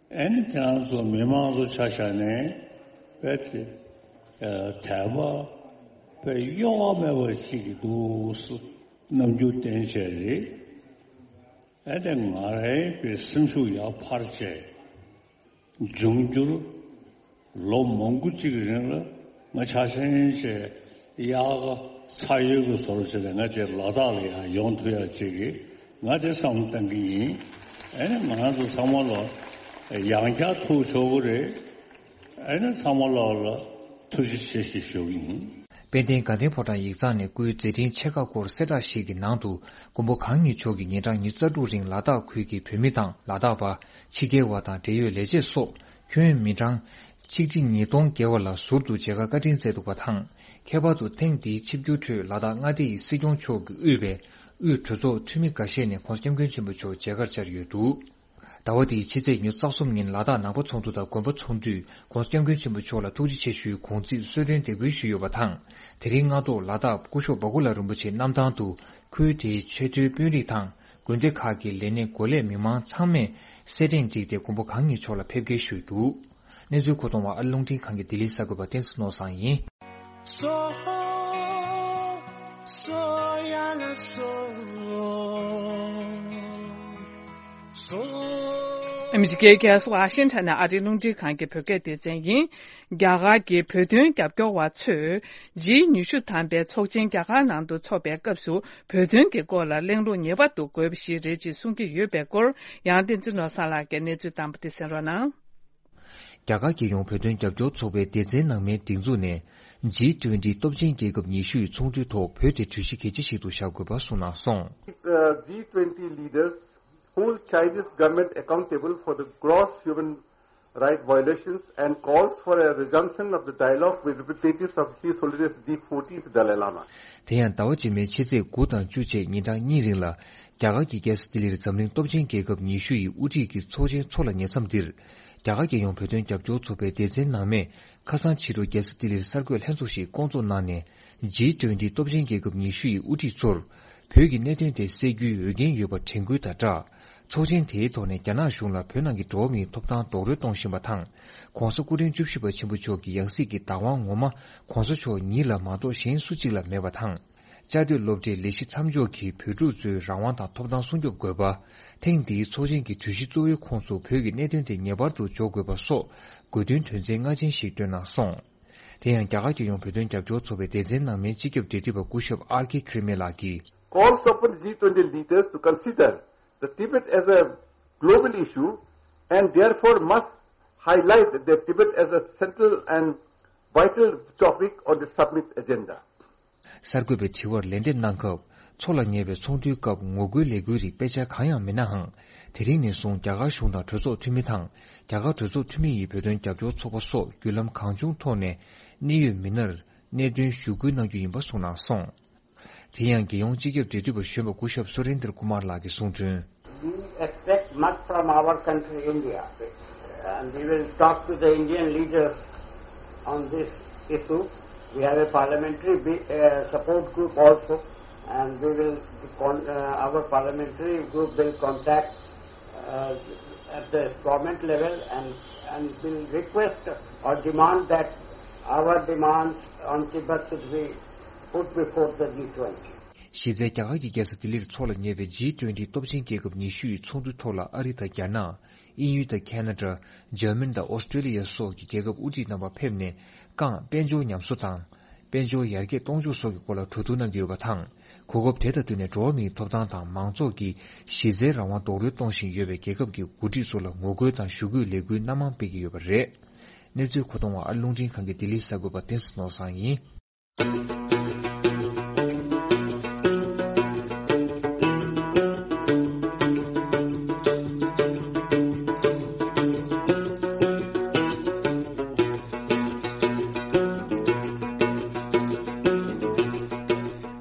ཨེ་ནི་ཁྱེད་རང་ཚོ་མི་མང་ཚོ་ཆ་བཞག་ནས་དཔེ་དེ་དད་པ་དཔེ་གཡོ་བ་མེད་པ་ཅིག་གི་འདུག་སེ་རྣམ་འགྱུར་བསྟན་བྱས་རེད། ཨེ་ནི་ང་རའི་དཔེ་སེམས་ཤུགས་ཡར་འཕར་བྱས། འབྱུང་འགྱུར་ལོ་མང་པོ་གཅིག་གི་རིང་ལ་ང་ཆ་ཤས་ཆེ་དབྱར་ཁ་ཚ་ཡོལ་གྱི་བཟོ་འདྲ་བྱས་ནས་ང་དེ་ལ་དྭགས་ལ་ཡང་ཡོང་ཐུབ་ཡག་ཅིག་གི་ང་དེ་བསམ་བློ་བཏང་གི་ཡིན། ཨེ་ནི་ང་རང་ཚོ་ཚང་མ་ལ་ཡང་བསྐྱར་ཐུག་ཆོག་གི་རེད། ཨེ་ནི་ཚང་མ་ལ་ལ་ཐུགས་རྗེ་ཆེ་ཞེས་ཞུ་གི་ཡིན། དཔལ་ལྡན་དགའ་ལྡན་ཕོ་བྲང་ཡིག་ཚང་ནས་སྐུའི་མཛད་འཕྲིན་ཆེ་ཁག་སྐོར་གསལ་བསྒྲགས་ཤིག་གི་ནང་དུ། མགོན་པོ་གང་ཉིད་མཆོག་གིས་ཉིན་གྲངས་ཉི་ཤུ་རྩ་དྲུག་རིང་ལ་དྭགས་ཁུལ་གྱི་བོད་མི་དང་ལ་དྭགས་པ། ཕྱི་རྒྱལ་བ་དང་འབྲེལ་ཡོད་ལས་བྱེད་སོགས་ཁྱོན་མི་གྲངས་ཆིག་ཁྲི་ཉིས་སྟོང་བརྒལ་བ་ལ་ཟུར་དུ་མཇལ་ཁ་བཀའ་དྲིན་སྩལ་འདུག་པ་དང་། ཁྱད་པར་དུ་ཐེངས་འདིའི་ཆིབས་བསྒྱུར་ཁྲོད་ལ་དྭགས་མངའ་སྡེ་ཡི་སྲིད་སྐྱོང་མཆོག་གིས་དབུས་པའི་དབུས་གྲོས་ཚོགས་འཐུས་མི་འགའ་ཤས་ནས་ྋགོང་ས་ྋསྐྱབས་མགོན་ཆེན་པོ་མཆོག་མཇལ་ཁར་བཅར་ཡོད་འདུག། ཟླ་བ་འདིའི་ཕྱི་ཚེས་ཉི་ཤུ་རྩ་གསུམ་ཉིན་ལ་དྭགས་ནང་པ་ཚོགས་འདུ་དང་དགོན་པ་ཚོགས་འདུས་ྋགོང་ས་ྋསྐྱབས་མགོན་ཆེན་པོ་མཆོག་ལ་ཐུགས་རྗེ་ཆེ་ཞུའི་དགོངས་ཚིག་གསོལ་སྟོན་དེབ་འབུལ་ཞུས་ཡོད་པ་དང་། དེ་རིང་སྔ་དྲོ་ལ་དྭགས་སྐུ་ཞབས་སྦ་ཀུ་ལ་རིན་པོ་ཆེའི་གནམ་ཐང་དུ་ཁུལ་དེའི་ཆེས་མཐོའི་དཔོན་རིགས་དང་། དགོན་སྡེ་ཁག་གི་ལས་སྣེ་འགོ་ལས་མི་མང་ཚང་མས་གསེར་ཕྲེང་བསྒྲིགས་ཏེ་མགོན་པོ་གང་ཉིད་མཆོག་ལ་ཕེབས་སྐྱེལ་ཞུས་འདུག། གནས་ཚུལ་མཁོ་གཏོང་བ་ཨ་རི་རླུང་འཕྲིན་ཁང་གི་ལྡི་ལིའི་གསར་འགོད་པ་བསྟན་འཛིན་ནོར་བཟང་ཡིན། སོ། སོ་ཡ་ལ་སོ། སོ། ཨ་མི་རི་ཀའི་རྒྱལ་ས་ཝ་ཤིང་ཊོན་ནས་ཨ་རིའི་རླུང་འཕྲིན་ཁང་གི་བོད་སྐད་སྡེ་ཚན་ཡིན། རྒྱ་གར་གྱི་བོད་དོན་རྒྱབ་སྐྱོར་བ་ཚོས་ཇི་ཉི་ཤུ་ཐམ་པའི་ཚོགས་ཆེན་རྒྱ་གར་ནང་དུ་འཚོགས་པའི་སྐབས་སུ་བོད་དོན་གྱི་སྐོར་ལ་གླེང་སློང་ངེས་པར་དུ་དགོས་པ་ཞིག་རེད་ཅེས་གསུང་གི་ཡོད་པའི་སྐོར། ཡང་བསྟན་འཛིན་ནོར་བཟང་ལགས་ཀྱིས་གནས་ཚུལ་བཏང་པ་དེ་གསན་རོགས་གནང་། རྒྱ་གར་རྒྱལ་ཡོངས་བོད་དོན་རྒྱབ་སྐྱོར་ཚོགས་པའི་སྡེ་ཚན་ནང་མའི་སྒྲིག་འཛུགས་ནས་ཇི་ཊུ་ཝེན་ཊི་སྟོབས་ཆེན་རྒྱལ་ཁབ་ཉི་ཤུ་ཡི་ཚོགས་འདུའི་ཐོག་བོད་དེ་གྲོས་གཞི་གལ་ཆེ་ཞིག་ཏུ་བཞག་དགོས་པ་གསུངས་གནང་སོང་། Uh, G twenty leaders hold Chinese government accountable for the gross human right violations and calls for a resumption of the dialogue with representatives of His Holiness the fourteenth Dalai Lama. དེ་ཡང་ཟླ་བ་རྗེས་མའི་ཕྱི་ཚེས་དགུ་དང་བཅུ་བཅས་ཉིན་གྲངས་གཉིས་རིང་ལ་རྒྱ་གར་གྱི་རྒྱལ་ས་ལྡི་ལིར་འཛམ་གླིང་སྟོབས་ཆེན་རྒྱལ་ཁབ་ཉི་ཤུ་ཡི་དབུ་ཁྲིད་ཀྱི་ཚོགས་ཆེན་འཚོགས་ལ་ཉེ་མཚམས་འདིར། རྒྱ་གར་རྒྱལ་ཡོངས་བོད་དོན་རྒྱབ་སྐྱོར་ཚོགས་པའི་སྡེ་ཚན་ནང་མས་ཁ་སང་ཕྱི་དྲོ་རྒྱལ་ས་ལྡི་ལིར་གསར་འགོད་ལྷན་ཚོགས་ཤིག་བསྐོང་ཚོགས་གནང་ནས། ཇི་ཊུ་ཝེན་ཊི་སྟོབས་ཆེན་རྒྱལ་ཁབ་ཉི་ཤུ་ཡི་དབུ་ཁྲིད་ཚོར་བོད་ཀྱི་གནད་དོན་དེ་སེལ་རྒྱུའི་འོས་འགན་ཡོད་པ་དྲན་སྐུལ་དང་སྦྲགས། ཚོགས་ཆེན་དེའི་ཐོག་ནས་རྒྱ་ནག་གཞུང་ལ་བོད་ནང་གི་འགྲོ་བ་མིའི་ཐོབ་ཐང་རྡོག་རོལ་གཏོང་བཞིན་པ་དང་། ༸གོང་ས་སྐུ་ཕྲེང་བཅུ་བཞི་པ་ཆེན་པོ་མཆོག་གི་ཡང་སྲིད་ཀྱི་བདག་དབང་ངོ་མ་༸གོང་ས་མཆོག་ཉིད་ལ་མ་གཏོགས་གཞན་སུ་གཅིག་ལ་མེད་པ་དང་། བཅའ་སྡོད་སློབ་གྲྭའི་ལས་གཞི་མཚམས་འཇོག་གིས་བོད་ཕྲུག་ཚོའི་རང་དབང་དང་ཐོབ་ཐང་སྲུང་སྐྱོབ་དགོས་པ། ཐེངས་འདིའི་ཚོགས་ཆེན་གྱི་གྲོས་གཞི་གཙོ་བོའི་ཁོངས་སུ་བོད་ཀྱི་གནད་དོན་དེ་ངེས་པར་དུ་འཇོག་དགོས་པ་སོགས་དགོས་འདུན་དོན་ཚན་ལྔ་ཅན་ཞིག་བཏོན་གནང་སོང་། དེ་ཡང་རྒྱ་གར་རྒྱལ་ཡོངས་བོད་དོན་རྒྱབ་སྐྱོར་ཚོགས་པའི་སྡེ་ཚན་ནང་མའི་སྤྱི་ཁྱབ་འབྲེལ་མཐུད་པ་སྐུ་ཞབས་ཨར་ཀེ་ཁི་རི་མེ་ལགས་ཀྱིས། Calls upon G twenty leaders to consider the Tibet as a global issue and therefore must highlight the Tibet as a central and vital topic on the summit's agenda. གསར་འགོད་པའི་དྲི་བར་ལན་འདེབས་གནང་སྐབས། འཚོགས་ལ་ཉེ་བའི་ཚོགས་འདུའི་སྐབས་ངོ་རྒོལ་ལས་འགུལ་རིགས་སྤེལ་འཆར་གང་ཡང་མེད་ནའང་། དེ་རིང་ནས་བཟུང་རྒྱ་གར་གཞུང་དང་གྲོས་ཚོགས་འཐུས་མི་དང་། རྒྱ་གར་གྲོས་ཚོགས་འཐུས་མི་ཡི་བོད་དོན་རྒྱབ་སྐྱོར་ཚོགས་པ་སོགས་བརྒྱུད་ལམ་གང་བྱུང་ཐོག་ནས་གནད་ཡོད་མི་སྣར་གནད་དོན་ཞུ་སྐུལ་གནང་རྒྱུ་ཡིན་པ་གསུངས་གནང་སོང་། དེ་ཡང་རྒྱལ་ཡོངས་སྤྱི་ཁྱབ་འབྲེལ་མཐུད་པ་གཞོན་པ་སྐུ་ཞབས་སུ་རེན་དར་ཀུ་མར་ལགས་ཀྱིས་གསུངས་དོན། We expect much from our country India, and we will talk to the Indian leaders on this issue. We have a parliamentary be- uh, support group also, and we will con- uh, our parliamentary group will contact uh, at the government level and and will request or demand that our demands on Tibet should be put before the G twenty. གཞི་རྩའི་རྒྱ་གར་གྱི་རྒྱལ་ས་ལྡི་ལིར་འཚོགས་ལ་ཉེ་བའི་ཇི་ཊུ་ཝེན་ཊི་སྟོབས་ཆེན་རྒྱལ་ཁབ་ཉི་ཤུ་ཡི་ཚོགས་འདུའི་ཐོག་ལ་ཨ་རི་དང་རྒྱ་ནག་དབྱིན་ཡུལ་དང་ཁེ་ན་ཌ། འཇར་མན་དང་ཨོ་སི་ཀྲེ་ལི་ཡ་སོགས་ཀྱི་རྒྱལ་ཁབ་དབུ་ཁྲིད་རྣམ་པ་ཕེབས་ནས་རྐང་དཔལ་འབྱོར་ཉམས་གསོ་དང་། དཔལ་འབྱོར་ཡར་རྒྱས་གཏོང་ཕྱོགས་སོགས་ཀྱི་སྐོར་ལ་གྲོས་བསྡུར་གནང་གི་ཡོད་པ་དང་། གོ་སྐབས་དེ་དང་བསྟུན་ནས་འགྲོ་བ་མིའི་ཐོབ་ཐང་དང་མང་ཚོགས་ཀྱི་གཞི་རྩའི་རང་དབང་རྡོག་རོལ་གཏོང་བཞིན་ཡོད་པའི་རྒྱལ་ཁབ་ཀྱི་འགོ་ཁྲིད་ཚོ་ལ་ངོ་རྒོལ་དང་ཞུ་སྐུལ་ལས་འགུལ་སྣ་མང་སྤེལ་གྱི་ཡོད་པ་རེད། གནས་ཚུལ་མཁོ་གཏོང་བ་ཨ་རླུང་འཕྲིན་ཁང་གི་ལྡི་ལི་གསར་འགོད་པ་བསྟན་འཛིན་ནོར་བཟང་ཡིན།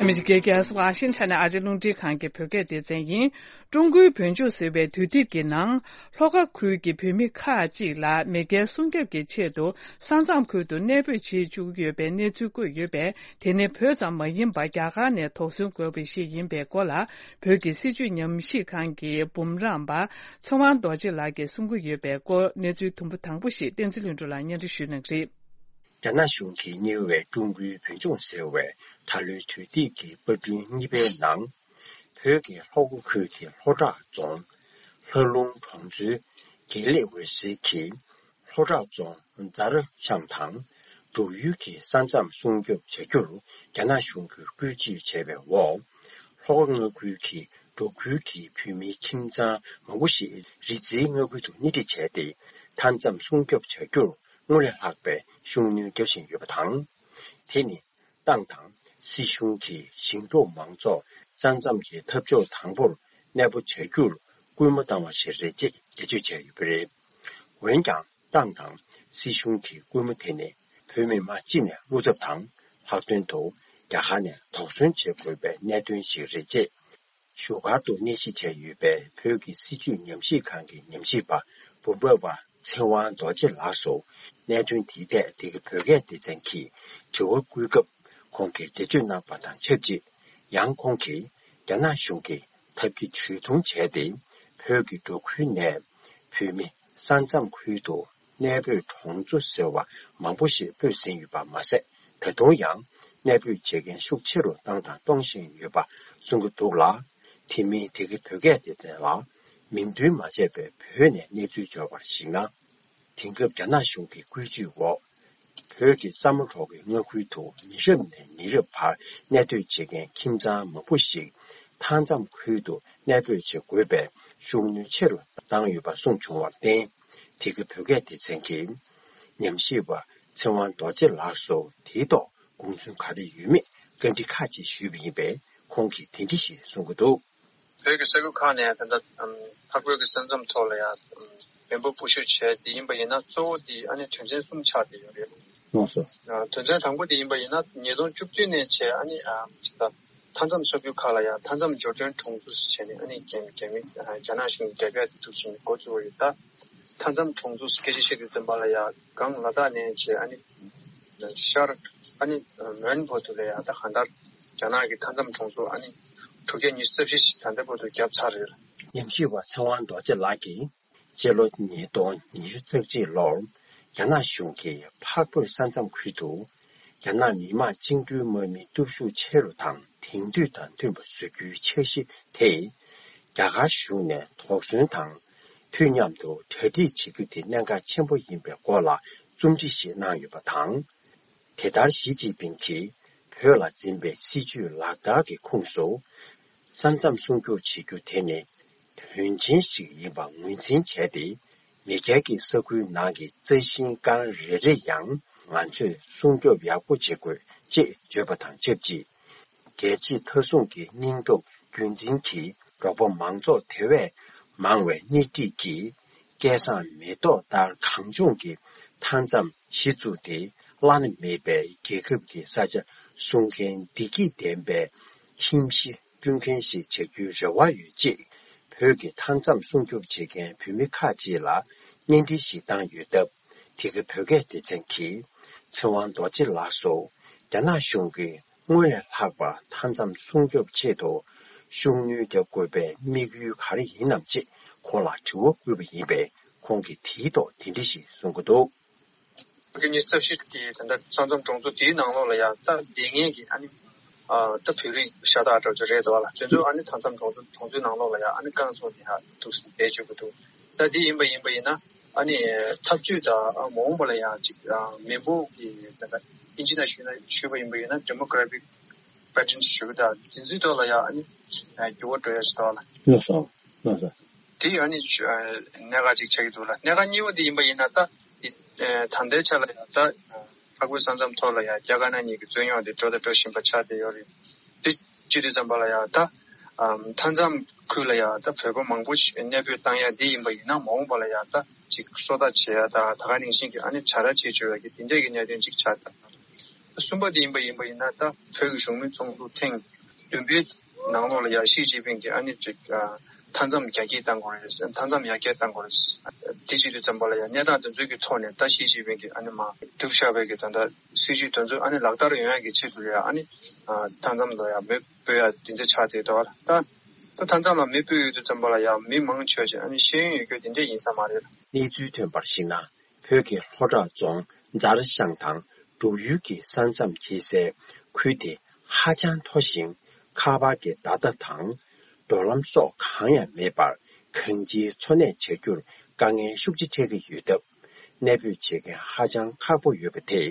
ཨ་མི་རི་ཀའི་རྒྱལ་ས་ཝ་ཤིང་ཊོན་ནས་ཨ་རིའི་རླུང་འཕྲིན་ཁང་གི་བོད་སྐད་སྡེ་ཚན་ཡིན། ཀྲུང་གོའི་བོད་ལྗོངས་ཟེར་བའི་དུས་དེབ་ཀྱི་ནང་། ལྷོ་ཁ་ཁུལ་གྱི་བོད་མི་ཁག་ཅིག་ལ་མེས་རྒྱལ་སྲུང་སྐྱོབ་ཀྱི་ཆེད་དུ་ས་མཚམས་ཁུལ་དུ་གནས་སྤོས་བྱེད་བཅུག་ཡོད་པའི་གནས་ཚུལ་བཀོད་ཡོད་པས། དེ་ནི་བོད་ཙམ་མ་ཡིན་པར་རྒྱ་གར་ནས་དོགས་ཟོན་དགོས་པ་ཞིག་ཡིན་པའི་སྐོར་ལ། བོད་ཀྱི་སྲིད་བྱུས་ཉམས་ཞིབ་ཁང་གི་འབུམ་རམས་པ་ཚེ་དབང་རྡོ་རྗེ་ལགས་ཀྱིས་གསུང་གི་ཡོད་པའི་སྐོར་གནས་ཚུལ་དུམ་བུ་དང་པོ་ཞིག་བསྟན་འཛིན་ལྷུན་གྲུབ་ལགས་སྙན་སྒྲོན་ཞུ་གནང་གི་རེད། རྒྱ་ནག་གཞུང་གིས་གཉེར་བའི་ཀྲུང་གོའི་བོད་ལྗོངས་ཟེར་བའི་ད་ལོའི་དུས་དེབ་ཀྱི་པར་སྐྲུན་གཉིས་པའི་ནང་། བོད་ཀྱི་ལྷོ་ཁ་ཁུལ་གྱི་ལྷོ་བྲག་རྫོང་། ལྷ་ལུང་གྲོང་ཚོའི་དགེ་ལེགས་འོད་ཟེར་གྱིས། ལྷོ་བྲག་རྫོང་ཛ་ར་ཤམ་དང་འབྲུག་ཡུལ་གྱི་ས་མཚམས་སྲུང་སྐྱོབ་བྱ་རྒྱུར་རྒྱ་ནག་གཞུང་གིས་བཀོལ་སྤྱོད་བྱས་པའི་འོག་ལྷོ་ཁ་མངའ་ཁུལ་གྱི་འབྲོག་ཁུལ་གྱི་བོད་མིའི་ཁྱིམ་ཚང་མང་པོ་ཞིག་རི་རྩེའི་མངའ་ཁུལ་དུ་གཉེན་སྒྲིག་བྱས་ཏེ། མཐའ་མཚམས་སྲུང་སྐྱོབ་བྱ་རྒྱུར་སྔོན་ལས་ལྷག་པའི་ཤུགས་སྣོན་རྒྱག་བཞིན་ཡོད་པ་དང་། དེ་ནི་ཏང་དང་སྲིད་གཞུང་གིས་ཞིང་འབྲོག་མང་ཚོགས་ས་མཚམས་ཀྱི་འཐབ་ཕྱོགས་དང་པོར་གནས་སྤོ་བྱ་རྒྱུར་སྐུལ་མ་བཏང་བ་ཞིག་རེད་ཅེས་འགྲེལ་བརྗོད་བྱས་ཡོད་པ་རེད། འོན་ཀྱང་། ཏང་དང་སྲིད་གཞུང་གི་སྐུལ་མ་དེ་ནི་བོད་མི་མང་སྤྱི་ནས་བློ་འཚབ་དང་ལྷག་དོན་དུ་རྒྱ་གར་ནས་དོགས་ཟོན་བྱེད་དགོས་པའི་གནད་དོན་ཞིག་རེད་ཅེས། བཞུགས་སྒར་དུ་གནས་གཞིས་བྱས་ཡོད་པའི་བོད་ཀྱི་སྲིད་བྱུས་ཉམས་ཞིབ་ཁང་གི་ཉམས་ཞིབ་པ་འབུམ་རམས་པ་ཚེ་དབང་རྡོ་རྗེ་ལགས་སུ་གནད་དོན་དེའི་ཐད་འདི་གའི་བོད་སྐད་སྡེ་ཚན་གྱིས་དྲི་བ་བཀོད་སྐབས། ཁོང་གིས་འགྲེལ་བརྗོད་གནང་བ་དང་ཆབས་ཅིག་ཡང་ཁོང་གིས་རྒྱ་ནག་གཞུང་གིས་ཐབས་ཀྱི་ཇུས་གཏོང་བྱས་ཏེ། བོད་ཀྱི་འབྲོག་ཁུལ་ནས་བོད་མི་ས་མཚམས་ཁུལ་དུ་གནས་སྤོས་གྲོང་ཚོ་ཟེར་བ་མང་པོ་ཞིག་སྤོས་ཟིན་ཡོད་པ་མ་ཟད། ད་དུང་ཡང་གནས་སྤོས་བྱེད་མཁན་ཤུགས་ཆེ་རུ་བཏང་དང་གཏོང་བཞིན་ཡོད་པ་གསུང་གི་འདུག་ལ། དེ་མིན་འདི་གའི་བོད་སྐད་སྡེ་ཚན་ལ་མིང་འདོན་མ་བྱས་པའི་བོད་ནས་གནས་ཚུལ་འབྱོར་བར་གཞིགས་ན། དེང་སྐབས་རྒྱ་ནག་གཞུང་གི་བཀོད་ཇུས་འོག་བོད་ཀྱི་ས་མ་གྲོགས་ཀྱི་མངའ་ཁུལ་དུ་མི་རབས་ནས་མི་རབས་བར་གནས་སྡོད་བྱེད་མཁན་ཁྱིམ་ཚང་མང་པོ་ཞིག་མཐའ་མཚམས་ཁུལ་དུ་གནས་སྤོས་བྱེད་དགོས་པའི་ཤུགས་སྣོན་ཆེ་རུ་བཏང་ཡོད་པ་གསུངས་བྱུང་བར་བརྟེན། དེ་གའི་བོད་སྐད་སྡེ་ཚན་གྱི་ཉམས་ཞིབ་པ་ཚེ་དབང་རྡོ་རྗེ་ལགས་སུ་དེའི་ཐོག་དགོངས་ཚུལ་ག་རེ་ཡོད་མེད་བཀའ་འདྲི་ཁག་ཅིག་ཞུས་པ་ཡིན་པས། ཁོང་གིས་དེ་འདྲ་ཞིག་གསུང་གི་འདུག་བོད་ཀྱི་ས་ཁུལ་ཁག་ནས་ད་ལྟ་ཨམ་འཐབ་རྒོལ་གྱི་ས་མཚམས་ཐོག་ལ་ཡང་ཨམ་ མི་འབོར་སྤོ་བཤུད་བྱས་དེ་ཡིན་པ་ཡིན་ན་གཙོ་བོ་དེ་ཨ་ནི་དོན་ཚན་གསུམ་ཆགས་བསྡད་ཡོད་རེད། ལགས་སོ། ཨ། དོན་ཚན་དང་པོ་དེ་ཡིན་པ་ཡིན་ན་ཉིས་སྟོང་བཅུ་བདུན་ནས་བྱས་ཨ་ནི་ཨ་ཅིག་ད་མཐའ་མཚམས་སོ་རྒྱུ་ཁག་ལ་ཡང་མཐའ་མཚམས་འབྱོར་སྐྲུན་གྲོང་ཚོ་ཟེར་བྱས་ནས་ཨ་ནི་རྒྱ་རྒྱ་མི་རྒྱ་ནག་གཞུང་གིས་རྒྱ་བསྐྱེད་དེ་འདུག་ཟེར་ནས་འགོ་བཙུགས་པ་ཡོད། ད་མཐའ་མཚམས་གྲོང་ཚོ་སྐད་ཆ་བཤད་དུས་ཙམ་པ་ལ་ཡང་སྒང་ལ་དྭགས་ནས་བྱས་ཨ་ནི་ཤར་ཨ་ནི་མོན་བར་དུ་ལ་ཡང་ད་གང་ལྟར་རྒྱ་ནག་གི་མཐའ་མཚམས་གྲོང་ཚོ་ཨ་ནི་དྲུག་བརྒྱ་ཉི་ཤུ་རྩ་བཞི་ཞིག་ད་ལྟ་བར་དུ་བརྒྱབ་ཚར་རེད། ཉམས་ཞིབ་པ་ཚེ་དབང་རྡོ་རྗེ་ལགས་ཀྱིས། སྤྱི་ལོ་ཉིས་སྟོང་ཉི་ཤུ་རྩ་གཅིག་ལོར་རྒྱ་ནག་གཞུང་གིས་འཕགས་བོད་ས་མཚམས་ཁུལ་དུ་རྒྱ་ནག་མི་དམངས་བཅིངས་འགྲོལ་དམག་མི་སྟོབས་ཤུགས་ཆེ་རུ་དང་དེང་དུས་དང་མཐུན་པ་བཟོ་རྒྱུའི་འཆར་གཞི་དེ་རྒྱ་གར་གཞུང་ནས་དོགས་ཟོན་དང་དུས་མཉམ་དུ་གྲ་སྒྲིག་བྱེད་རྒྱུ་དེ་གནད་འགག་ཆེན་པོ་ཡིན་པའི་སྐོར་ལ་རྩོམ་སྒྲིག་ཞིག་གནང་ཡོད་པ་དང་། དེ་ལྟར་ཞི་ཅིན་ཕིང་གིས་བོད་ལ་འཛིན་པའི་སྲིད་བྱུས་ལག་བསྟར་གྱི་ཁོངས་སུ། ས་མཚམས་སྲུང་སྐྱོབ་བྱེད་རྒྱུ་དེ་ནི་དོན་ཆེན་ཞིག་ཡིན་པ་ངོས་འཛིན་བྱས་ཏེ། མི་སྒེར་གྱི་ས་ཁུལ་ནང་གི་རྩྭ་ཤིང་རྐང་རེ་རེ་ཡང་ང་ཚོས་སྲུང་སྐྱོབ་ཡག་པོ་བྱེད་དགོས་ཅེས་བརྗོད་པ་དང་ཆབས་ཅིག་རྒྱལ་སྤྱིའི་མཐའ་སྲུང་གི་སྙིང་སྟོབས་རྒྱུན་འཛིན་གྱིས་འབྲོག་པ་མང་ཚོགས་དེ་བས་མང་བའི་སྣེ་ཁྲིད་ཀྱིས། སྐལ་བཟང་མེ་ཏོག་ལྟར་གངས་ལྗོངས་ཀྱི་མཐའ་མཚམས་གཞི་བཙུགས་ཏེ། བླ་ན་མེད་པའི་རྒྱལ་ཁབ་ཀྱི་ས་ཆ་སྲུང་མཁན་བདེ་སྐྱིད་ལྡན་པའི་ཁྱིམ་གཞི་བསྐྲུན་མཁན་ཞིག་བྱ་རྒྱུའི་རེ་བ་ཡོད་ཅེས། བོད་ཀྱི་མཐའ་མཚམས་སྲུང་སྐྱོབ་བྱེད་མཁན་བོད་མི་ཁག་ཅིག་ལ་བརྙན་འཕྲིན་ཞིག་བཏང་ཡོད་སྟབས། དེ་གའི་བོད་སྐད་སྡེ་ཚན་གྱིས། ཚེ་དབང་རྡོ་རྗེ་ལགས་སུ། རྒྱ་ནག་གཞུང་གིས། སྔོན་ལས་ལྷག་པར་མཐའ་མཚམས་སྲུང་སྐྱོབ་ཆེད་དུ་ཤུགས་སྣོན་རྒྱག་དགོས་པའི་དམིགས་ཡུལ་ག་རེ་ཡིན་ནམ་ཅེས་ཁོང་ལ་དྲི་བ་བཀོད་པ་ཡིན་པས། ཁོང་གིས་དེའི་ཐོག་དེ་འདྲ་ཞིག་གསུང་གི་འདུག་ཕ་གི་ཉི་ཤུ་རྩ་བཞི་དེ་ད་ལྟ་ས་མཚམས་གྲོང་ཚོ་དེའི་ནང་ལོགས་ལ་ཡང་སྟབས་བདེ་ངེས་ཀྱི་ཨ་ནི་ཨ་ད་བོད་རིགས་ཤ་སྟག་འདྲ་བོ་ཅིག་རེད་འདུག་བ་ལ། དེ་ཚོ་ཨ་ནི་མཐའ་མཚམས་གྲོང་ཚོ་གྲོང་ཚོའི་ནང་ལོགས་ལ་ཡང་ཨ་ནི་རྐང་བཙུགས་ནས་ཡང་འདུག་སེ་བསྡད་བཅུག་གི་འདུག་ད་དེ་ཡིན་པ་ཡིན་པ་ཡིན་ན། ཨ་ནི་འཐབ་ཇུས་དང་ཨ་མ་འོངས་པ་ལ་ཡང་ཅིག་ཨ་མི་འབོར་གྱི་ད་ལྟ་ཨིན་ཇི་ནང་ཞུས་ན་ཞུས་པ་ཡིན་པ་ཡིན་ན་demographic pattern་ཞུ་གི་ད་དེ་ཚོའི་ཐོག་ལ་ཡང་ཨ་ནི་ཨ་འགྱུར་བ་འགྲོ་ཡ་ཞིག་འདུག་ལ། ལགས་སོ། ལགས་སོ། དེ་ཨ་ནི་ཨ་གནད་འགག་ཅིག་ཆགས་ཀྱི་འདུག་ལ། གནད་འགག་གཉིས་པ་དེ་ཡིན་པ་ཡིན་ན་ད་དེ་ཨ་ད་ལྟའི་ཆ་ལ་ཡང་ད་འཕགས་བོད་ས་མཚམས་ཐོག་ལ་ཡང་རྒྱ་དཀར་ནག་གཉིས་ཀྱི་རྩོད་རྙོག་དེ་འགྲོ་དང་འགྲོ་བཞིན་པ་ཆགས་བསྡད་ཡོད་རེད། དེ་བྱེད་དུས་ཙམ་པ་ལ་ཡང་ད་ཨམ་མཐའ་མཚམས་ཁུལ་ལ་ཡང་ད་བོད་པ་མང་པོ་ཞིག་གནས་སྤོས་བཏང་ཡ་འདི་ཡིན་པ་ཡིན་ན་མ་འོངས་པ་ལ་ཡང་ད་ཅིག་སོ་ལྟ་བྱེད་ཡ་ད་ད་ག་ནང་བཞིན་གྱི་ཨ་ནི་བྱ་ར་བྱེད་བཅུག་ཡ་གི་དེ་འདྲས་ཀྱི་གནད་དོན་ཅིག་ཆགས་ད། གསུམ་པ་དེ་ཡིན་པ་ཡིན་པ་ཡིན་ན་ད་བོད་ཀྱི་གཞུང་མིན་ཚོགས་འདུ་ཐེངས་བདུན་པའི་ནང་ལོགས་ལ་ཡང་ཞི་ཅིན་ཕིང་གིས་ཨ་ནི་ཅིག་ཨ་མཐའ་མཚམས་རྒྱ་སྐྱེད་བཏང་དགོས་རེད། མཐའ་མཚམས་ཡར་རྒྱས་བཏང་དགོས་རེད། དེ་བྱེད་དུས་ཙམ་པ་ལ་ཡང་གནས་སྟངས་དེ་ཚོའི་གི་ཐོག་ནས་ད་ཞི་ཅིན་ཕིང་གིས་ཨ་ནི་མ་གྲུབ་བཞག་པའི་གི་ད་ལྟ་སྲིད་ཇུས་དེ་ཚོ་ཨ་ནི་ལག་བསྟར་ཡོང་ཡ་གི་ཆེད་དུ་ཡང་ཨ་ནི་ཨ་མཐའ་མཚམས་ལ་ཡང་མི་སྤོ་ཡ་དེ་འདྲ་ཆགས་བསྡད་འདུག་ད། ད་མཐའ་མཚམས་ལ་མི་སྤོ་ཡོང་དུས་ཙམ་པ་ལ་ཡང་མི་མང་ཆེ་ཆེ་ཨ་ནི་ཤེས་ཡོན་ཡོད་རྒྱུ་དེ་འདྲ་ཡིན་ས་མ་རེད། གནས་ཚུལ་ཐོན་པར་གཞིགས་ན། བོད་ཀྱི་ལྷོ་བྲག་རྫོང་ཛར་ཤང་དང་འབྲུག་ཡུལ་གྱི་ས་མཚམས་འཁེལ་སའི་ཁུལ་དེ་ཧ་ཅང་མཐོ་ཞིང་། ཁ་པར་གྱི་བརྡ་རྟགས་དང་འགྲོ་ལམ་སོགས་གང་ཡང་མེད་པར་གང་ཅིའི་འཚོ་གནས་བྱ་རྒྱུར་དཀའ་ངལ་ཤུགས་ཆེ་འཕྲད་ཀྱི་ཡོད་སྟབས། གནས་སྤོས་བྱེད་མཁན་ཧ་ཅང་ཁག་པོ་ཡོད་པ་དེས་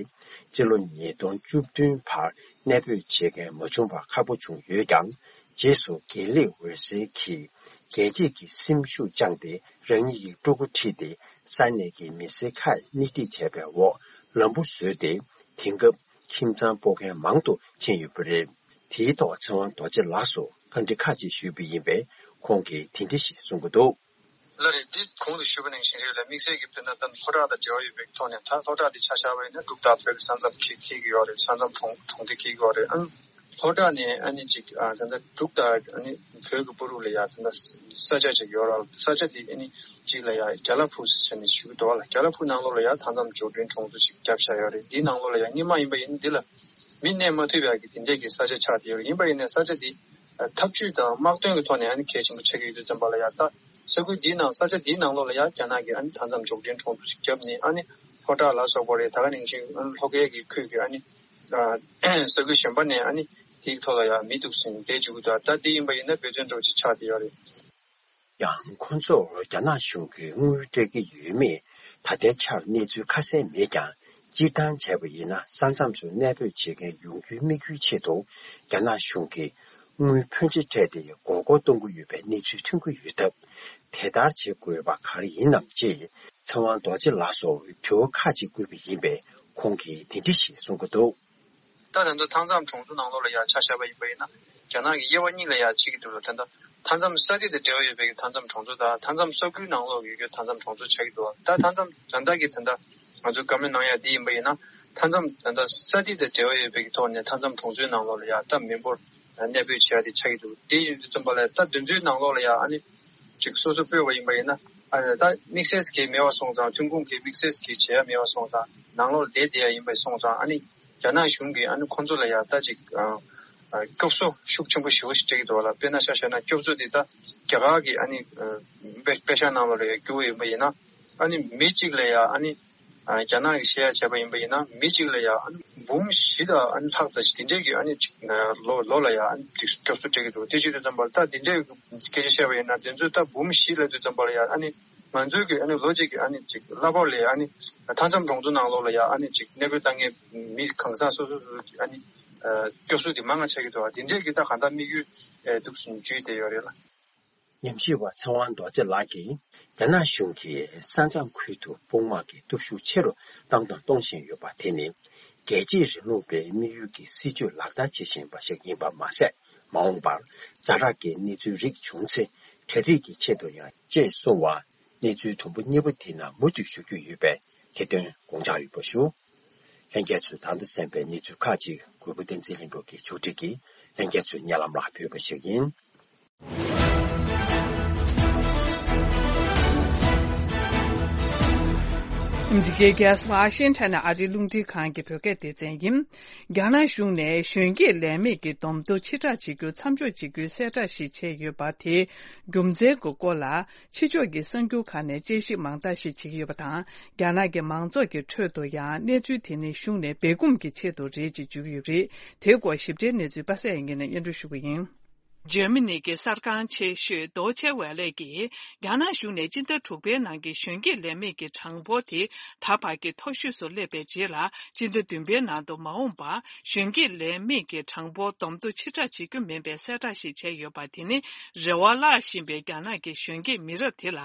སྤྱི་ལོ་ཉིས་སྟོང་བཅུ་བདུན་བར་གནས་སྤོས་བྱེད་མཁན་མ་བྱུང་བར་ཁག་པོ་བྱུང་ཡོད་ཀྱང་། རྗེས་སུ་དགེ་ལེགས་འོད་ཟེར་གྱིས་རྒྱལ་གཅེས་ཀྱི་སེམས་ཤུགས་བཅངས་ཏེ། རང་ཉིད་ཀྱི་ཕྲུ་གུ་ཁྲིད་དེ་ས་གནས་ཀྱི་མི་སེར་ཁག་སྣེ་ཁྲིད་བྱས་པའི་འོག་ལམ་བུ་བཟོས་ཏེ། དེང་སྐབས་ཁྱིམ་ཚང་སྤོ་མཁན་མང་དུ་ཕྱིན་ཡོད་པ་རེད། དེའི་ཐོག་ཚེ་དབང་རྡོ་རྗེ་ལགས་སུ་བཀའ་འདྲི་ཁག་ཅིག་ཞུས་པ་ཡིན་པས། ཁོང་གིས་དེ་འདྲ་ཞིག་གསུང་གི་འདུག་ལགས་རེད། འདི་གོང་དུ་ཞུས་པ་ནང་བཞིན་རེད་ལ། དམིགས་བསལ་གྱི་དཔེར་ན་ད་ལྷོ་བྲག་དང་འབྲེལ་བ་ཡོད་པའི་ཐོག་ནས། ད་ལྷོ་བྲག་འདི་ཆ་བཞག་པ་ཡིན་ན་འབྲུག་དང་བོད་ཀྱི་ས་མཚམས་འཁེལ་འཁེལ་གྱི་ཡོད་རེད། ས་མཚམས་གྲོང་གྲོང་སྡེ་འཁེལ་གྱི་ཡོད་རེད། ཨང་། ལྷོ་བྲག་ནས་ཨ་ནི་ཅིག་ཨ་ད་ལྟ་འབྲུག་དང་ཨ་ནི་བོད་ཀྱི་བར་དུ་ལ་ཡ་ད་ལྟ་ས་ཆ་ཅིག་ཡོད་རེད། ས་ཆ་དེ་ཨ་ནི་ཅིག་ལ་ཡ་རྒྱ་ལ་ཕུག་ཟེར་ནས་ཞུ་གི་འདུག་ལ། རྒྱ་ལ་ཕུག་ནང་ལོགས་ལ་ཡ་མཐའ་མཚམས་འབྱོར་འབྲིང་གྲོང་ཚོ་ཅིག་བརྒྱབ་བཞག་ཡོད་རེད། འདིའི་ནང་ལོགས་ལ་ཡ་སྔོན་མ་ཡིན་པ་ཡིན་ན་འདི་ལ་མི་གནས་མ་ཐུབ་ཡ་གི་དེ་འདྲས་ཀྱི་ས་ཆ་ཆགས་བསྡད་ཡོད་རེད། ཡིན་པ་ཡིན་ནའི་ས་ཆ་འདི་འཐབ་ཇུས་དང་དམག་དོན་གྱི་ཐོག་ནས་ཨ་ནི་གལ་ཆེན་པོ་ཆགས་ཀྱི་ཡོད་དུས་ཙམ་པ་ལ་ཡ། ད་ས་ཁུལ་འདིའི་ནང་ས་ཆ་འདིའི་ནང་ལོགས་ལ་ཡ་རྒྱ་ནག་གིས་ཨ་ནི་མཐའ་མཚམས་འཇོག་འདྲེན་གྲོང་ཚོ་ཞིག་བརྒྱབ་ནས། ཨ་ནི་ལྷོ་བྲག་ལ་སོགས་པ་རེད། ད་ག་ནང་བཞིན་ལྷོ་ཁའི་གི་ཁུལ་གྱི་ཨ་ནི་ས་ཁུལ་གཞན་པ་ནས་ཨ་ནི་དེའི་ཐོག་ལ་ཡ་མི་འདུག་ཟེར་ནས་བསྡད་བཅུག་གི་འདུག་ད་དེ་ཡིན་པ་ཡིན་ན་འབད་བརྩོན་འདྲ་བོ་ཅིག་ཆགས་བསྡད་ཡོད་རེད། ཡང་ཁོ་ཚོར་རྒྱ་ནག་གཞུང་གིས་དངུལ་སྤྲད་ཀྱི་ཡོད་མེད་ད་ལྟའི་ཆར་གནས་ཚུལ་ཁ་གསལ་མེད་ཀྱང་། སྤྱིར་བཏང་བྱས་པ་ཡིན་ན། ས་མཚམས་སུ་གནས་སྤོས་བྱེད་མཁན་ཡོང་རྒྱུའི་དམིགས་ཡུལ་ཆེད་དུ། རྒྱ་ནག་གཞུང་གིས་དངུལ་ཕོན་ཆེ་སྤྲད་དེ་མགོ་སྐོར་གཏོང་གི་ཡོད་པའི་གནས་ཚུལ་ཐོན་གྱི་ཡོད་སྟབས། དེ་ལྟར་བྱེད་དགོས་པ་ག་རེ་ཡིན་ནམ་ཅེས། ཚེ་དབང་རྡོ་རྗེ་ལགས་སུ་དྲི་བ་ཁག་ཅིག་བཀོད་པ་ཡིན་པས། ཁོང་གིས་འདི་འདྲ་ཞིག་གསུང་གི་འདུག་ད་ད་ལྟ་མཐའ་མཚམས་གྲོང་ཚོ་ནང་ལོགས་ལ་ཡ་ཆ་བཞག་པ་ཡིན་པ་ཡིན་ན། རྒྱ་ནག་གི་དབྱེ་བ་གཉིས་ལ་ཡ་ཕྱེ་གི་འདུག་ལ། ད་ལྟ་ མཐའ་མཚམས་ས་དེ་དང་འབྲེལ་བ་ཡོད་པའི་གི་མཐའ་མཚམས་གྲོང་ཚོ་དང་མཐའ་མཚམས་ས་ཁུལ་ནང་ལོགས་ཀྱི་གི་མཐའ་མཚམས་གྲོང་ཚོ་ཆགས་ཀྱི་འདུག་ད་མཐའ་མཚམས་ད་ལྟ་གི་ད་ལྟ་ང་ཚོ་བཀའ་མོལ་གནང་ཡ་འདི་ཡིན་པ་ཡིན་ན། མཐའ་མཚམས་ད་ལྟ་ས་དེ་དང་འབྲེལ་བ་ཡོད་པའི་གི་ཐོག་ནས་མཐའ་མཚམས་གྲོང་ཚོའི་ནང་ལོགས་ལ་ཡ་ད་མི་འབོར་གནས་སྤོས་བྱེད་ཡ་དེ་ཆགས་ཀྱི་འདུག་དེ་ཡིན་དུས་ཙམ་པ་ལ་ད་དེ་ཚོའི་ནང་ལོགས་ལ་ཡ་ཨ་ནི་ཅིག་སོ་སོ་སྤོས་པ་ཡིན་པ་ཡིན་ན། ཨ་ནི་ད་དམིགས་བསལ་གྱི་མེད་པ་སོང་ཙང་ཐོན་ཁུངས་ཀྱི་དམིགས་བསལ་གྱི་བྱེད་ཡ་མེད་པ་སོང་ཙང་ནང་ལོགས་བསྡད་བསྡད་ཡ་ཡིན་པ་སོང་ཙང་ཨ་ནི་རྒྱ་ནག་གཞུང་གིས་ཨ་ནི་ཁོང་ཚོ་ལ་ཡ་ད་ཅིག་ཨ་ཨ་སྐྱོབ་གསོ་ཤུགས་ཆེན་པོ་ཞེ་པོ་ཞིག་སྤྲད་ཀྱི་འདུག་བ་ལ། དཔེར་ན་ཆ་བཞག་ན་སྐྱོབ་གསོ་དེ་ད་རྒྱ་གར་གྱི་ཨ་ནི་ཨ་པེ་པེ་ཤ་ནང་ལོགས་ལ་ཡ་རྒྱུག་པ་ཡིན་པ་ཡིན་ན་ཨ་ནི་མི་གཅིག་ལ་ཡ་ཨ་ནི་ཨ་རྒྱ་ནག་གི་བཤད་ཡ་བྱས་པ་ཡིན་པ་ཡིན་ན་མི་གཅིག་ལ་ཡ་ཨ་ནི་འབུམ་བཞི་དང་ཨ་ནི་ལྷག་ཙམ་ཞིག་དེ་འདྲས་ཀྱི་ཨ་ནི་ཅིག་ལོ་ལོ་ལ་ཡ་ཨ་ནི་ཅིག་སྐྱོབ་གསོ་སྤྲད་ཀྱི་འདུག་དེ་བྱེད་དུས་ཙམ་པ་ལ་ད་དེ་འདྲས་ཀྱི་སྐད་ཆ་བཤད་པ་ཡིན་ན་དེ་ཚོ་ད་འབུམ་བཞི་ལབ་དུས་ཙམ་པ་ལ་ཡ་ཨ་ནི་ང་ཚོའི་གི་ཨ་ནི་ལོ་གཅིག་གི་ཨ་ནི་ཅིག་གླ་ཕོགས་ལས་ཨ་ནི་མཐའ་མཚམས་གྲོང་ཚོ་ནང་ལོགས་ལ་ཡ་ཨ་ནི་ཅིག་གནས་སྤོས་བཏང་མཁན་མི་གང་ཟག་སོ་སོ་སོ་སོ་གི་ཨ་ནི་སྐྱོབ་གསོ་དེ་མང་ང་ཆགས་ཀྱི་འདུག་དེ་འདྲས་ཀྱི་ད་གང་ལྟར་དམིགས་ཡུལ་འདུག་སེ་བརྗོད་བསྡད་ཡོད་རེད་ལ། ཉམས་ཞིབ་པ་ཚེ་དབང་རྡོ་རྗེ་ལགས་ཀྱིས་རྒྱ་ནག་གཞུང་གིས་ས་མཚམས་ཁུལ་དུ་དཔུང་དམག་གི་སྟོབས་ཤུགས་ཆེ་རུ་བཏང་དང་གཏོང་བཞིན་ཡོད་པ་དེ་ནི་རྒྱལ་གཅེས་རིང་ལུགས་པའི་དམིགས་ཡུལ་གྱི་སྲིད་ཇུས་ལག་བསྟར་བྱེད་བཞིན་པ་ཞིག་ཡིན་པ་མ་ཟད། མ་འོངས་པར་ཛ་དྲག་གི་གནས་ཚུལ་རིགས་བྱུང་ཚེ་གྲ་སྒྲིག་གི་ཆེད་དུ་ཡང་ཅེས་གསུངས་བ། གནས་ཚུལ་དུམ་བུ་གཉིས་པ་དེ་ནང་མུ་མཐུད་ཞུ་རྒྱུ་ཡོད་པས་དེ་དོན་དགོངས་འཇགས་ཡོད་པ་ཞུ། ལྷན་རྒྱས་ཚོས་ད་ལྟ་གསན་པའི་གནས་ཚུལ་ཁག་ཅིག་གུས་པ་བསྟན་འཛིན་ལྷུན་གྲུབ་ཀྱིས་ཕྱོགས་སྒྲིག་གིས་ལྷན་རྒྱས་ཚོའི་སྙན་ལམ་ལ་ཕུལ་བ་ཞིག་ཡིན། ཨ་མི་རི་ཀའི་རྒྱལ་ས་ཝ་ཤིང་ཊོན་ནས་ཨ་རིའི་རླུང་འཕྲིན་ཁང་གི་བོད་སྐད་སྡེ་ཚན་ཡིན། རྒྱ་ནག་གཞུང་ནས་གཞོན་སྐྱེས་ལས་མེད་ཀྱི་སྡོམ་ཐོ་ཕྱིར་བསྒྲགས་བྱེད་རྒྱུ་མཚམས་འཇོག་བྱེད་རྒྱུའི་གསལ་བསྒྲགས་ཤིག་བྱས་ཡོད་པ་དེའི་རྒྱུ་མཚན་གྱི་སྐོར་ལ་ཕྱི་ཕྱོགས་ཀྱི་གསར་འགྱུར་ཁག་ནས་དཔྱད་ཞིབ་མང་དག་ཞིག་བྱེད་ཀྱི་ཡོད་པ་དང་། རྒྱ་ནག་གི་མང་ཚོགས་ཀྱི་ཁྲོད་དུ་ཡང་གནས་ཚུལ་དེ་ནི་གཞུང་ནས་སྦས་སྐུང་གི་ཆེད་དུ་རེད་ཅེས་བརྗོད་ཀྱི་ཡོད་པ་རེད། དེའི་སྐོར་ཞིབ་ཕྲའི་གནས་ཚུལ་པ་སངས་དབྱངས་སྐྱིད་ནས་སྙན་སྒྲོན་ཞུ་གི་ཡིན། འཇར་མ་ནི་གི་གསར་ཁང་ཆེ་ཤོས་Deutsche Welle་གིས་རྒྱ་ནག་གཞུང་ནས་སྤྱི་ཟླ་དྲུག་པའི་ནང་གི་གཞོན་སྐྱེས་ལས་མེད་ཀྱི་གྲངས་འབོར་དེ་ད་བར་གྱི་མཐོ་ཤོས་སུ་སླེབས་པའི་རྗེས་ལ་སྤྱི་ཟླ་བདུན་པའི་ནང་དུ་མ་འོངས་པར་གཞོན་སྐྱེས་ལས་མེད་ཀྱི་གྲངས་འབོར་སྡོམ་ཐོ་ཕྱིར་བསྒྲགས་བྱེད་རྒྱུ་མིན་པའི་གསལ་བསྒྲགས་ཤིག་བྱས་ཡོད་པ་དེ་ནི་རེ་བ་བརླག་བཞིན་པའི་རྒྱ་ནག་གི་གཞོན་སྐྱེས་མི་རབས་དེ་ལ་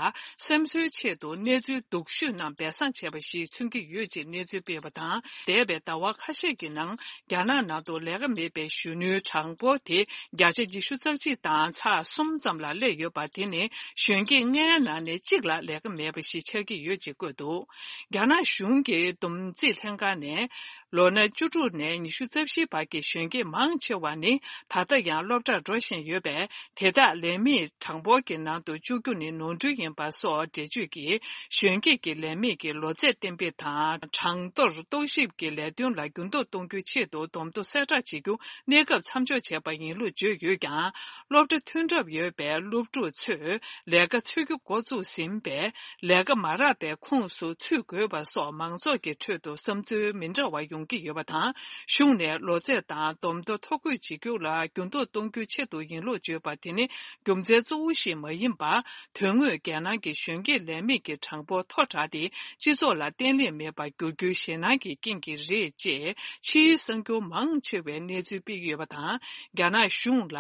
སེམས་གསོའི་ཆེད་དུ་གནས་ཚུལ་སྡུག་ཤོས་རྣམས་སྦས་གསང་བྱས་པ་ཞིག་མཚོན་གྱི་ཡོད་ཅེས་གནས་ཚུལ་སྤེལ་བ་དང་། འདས་པའི་ཟླ་བ་ཁ་ཤས་ཀྱི་ནང་རྒྱ་ནག་ནང་དུ་ལས་ཀ་མེད་པའི་གཞོན་ནུའི་གྲངས་འབོར་དེ་བརྒྱ་ཆ་ཉི་ཤུ་རྩ་གཅིག་དང་ཚེག་གསུམ་ཙམ་ལ་སླེབས་ཡོད་པ་དེ་ནི་གཞོན་སྐྱེས་ལྔའི་ནང་ནས་གཅིག་ལ་ལས་ཀ་མེད་པ་ཞིག་ཆགས་ཀྱི་ཡོད་ཅེས་བཀོད་འདུག་རྒྱ་ནག་གཞུང་གི་བསྡོམས་རྩིས་ལྷན་ཁང་ནས་ལོ་ན་བཅུ་དྲུག་ནས་ཉི་ཤུ་རྩ་བཞི་བར་གྱི་གཞོན་སྐྱེས་མང་ཆེ་བ་ནི་ད་ལྟ་ཡང་སློབ་གྲྭར་འགྲོ་བཞིན་ཡོད་པས། དེ་དག་ལས་མེད་གྲངས་འབོར་གྱི་ནང་དུ་བཅུག་རྒྱུ་ནི་ནོར་འཁྲུལ་ཡིན་པ་སོགས་འགྲེལ་བརྗོད་ཀྱིས། གཞོན་སྐྱེས་ཀྱི་ལས་མེད་ཀྱི་ལོ་ཚད་གཏན་འབེབས་དང་། གྲངས་ཐོར་རྟོག་ཞིབ་ཀྱི་ལས་དོན་ལ་འགྱུར་ལྡོག་གཏོང་རྒྱུའི་ཆེད་དུ་སྡོམ་ཐོ་གསལ་བསྒྲགས་བྱེད་རྒྱུ་གནས་སྐབས་མཚམས་འཇོག་བྱས་པ་ཡིན་ལུགས་བརྗོད་ཡོད་ཀྱང་། སློབ་གྲྭ་མཐུན་གྲབས་ཡོད་པའི་སློབ་ཕྲུག་ཚོས་ལས་ཀ་འཚོལ་རྒྱུ་འགོ་བཙུགས་ཟིན་པས། ལས་ཀ་མ་རག་པའི་ཁོངས་སུ་ཚུད་དགོས་པ་སོགས་མང་ཚོགས་ཀྱི་ཁྲོད་དུ་བསམ་ཚུལ་མི་འདྲ་བ་ཡོང་གི་ཡོད་པ་དང་། གཞུང་ནས་ལོ་ཚད་དང་སྡོམ་ཐོ་ཐོ་འགོད་བྱེད་རྒྱུ་ལ་འགྱུར་ལྡོག་གཏོང་རྒྱུའི་ཆེད་དུ་ཡིན་ལུགས་བརྗོད་པ་དེ་ནི་རྒྱུ་མཚན་གཙོ་བོ་ཞིག་མ་ཡིན་པར། དོན་དངོས་རྒྱལ་ནང་གི་གཞོན་སྐྱེས་ལས་མེད་ཀྱི་གྲངས་འབོར་མཐོ་དྲགས་ཏེ་སྤྱི་ཚོགས་ལ་བརྟན་ལྷིང་མེད་པར་འགྱུར་རྒྱུའི་ཞེད་སྣང་གི་རྐྱེན་གྱིས་རེད་ཅེས་ཕྱིའི་གསར་འགྱུར་མང་ཆེ་བས་གནས་ཚུལ་སྤེལ་ཡོད་པ་དང་། རྒྱ་ནག་གཞུང་ལ།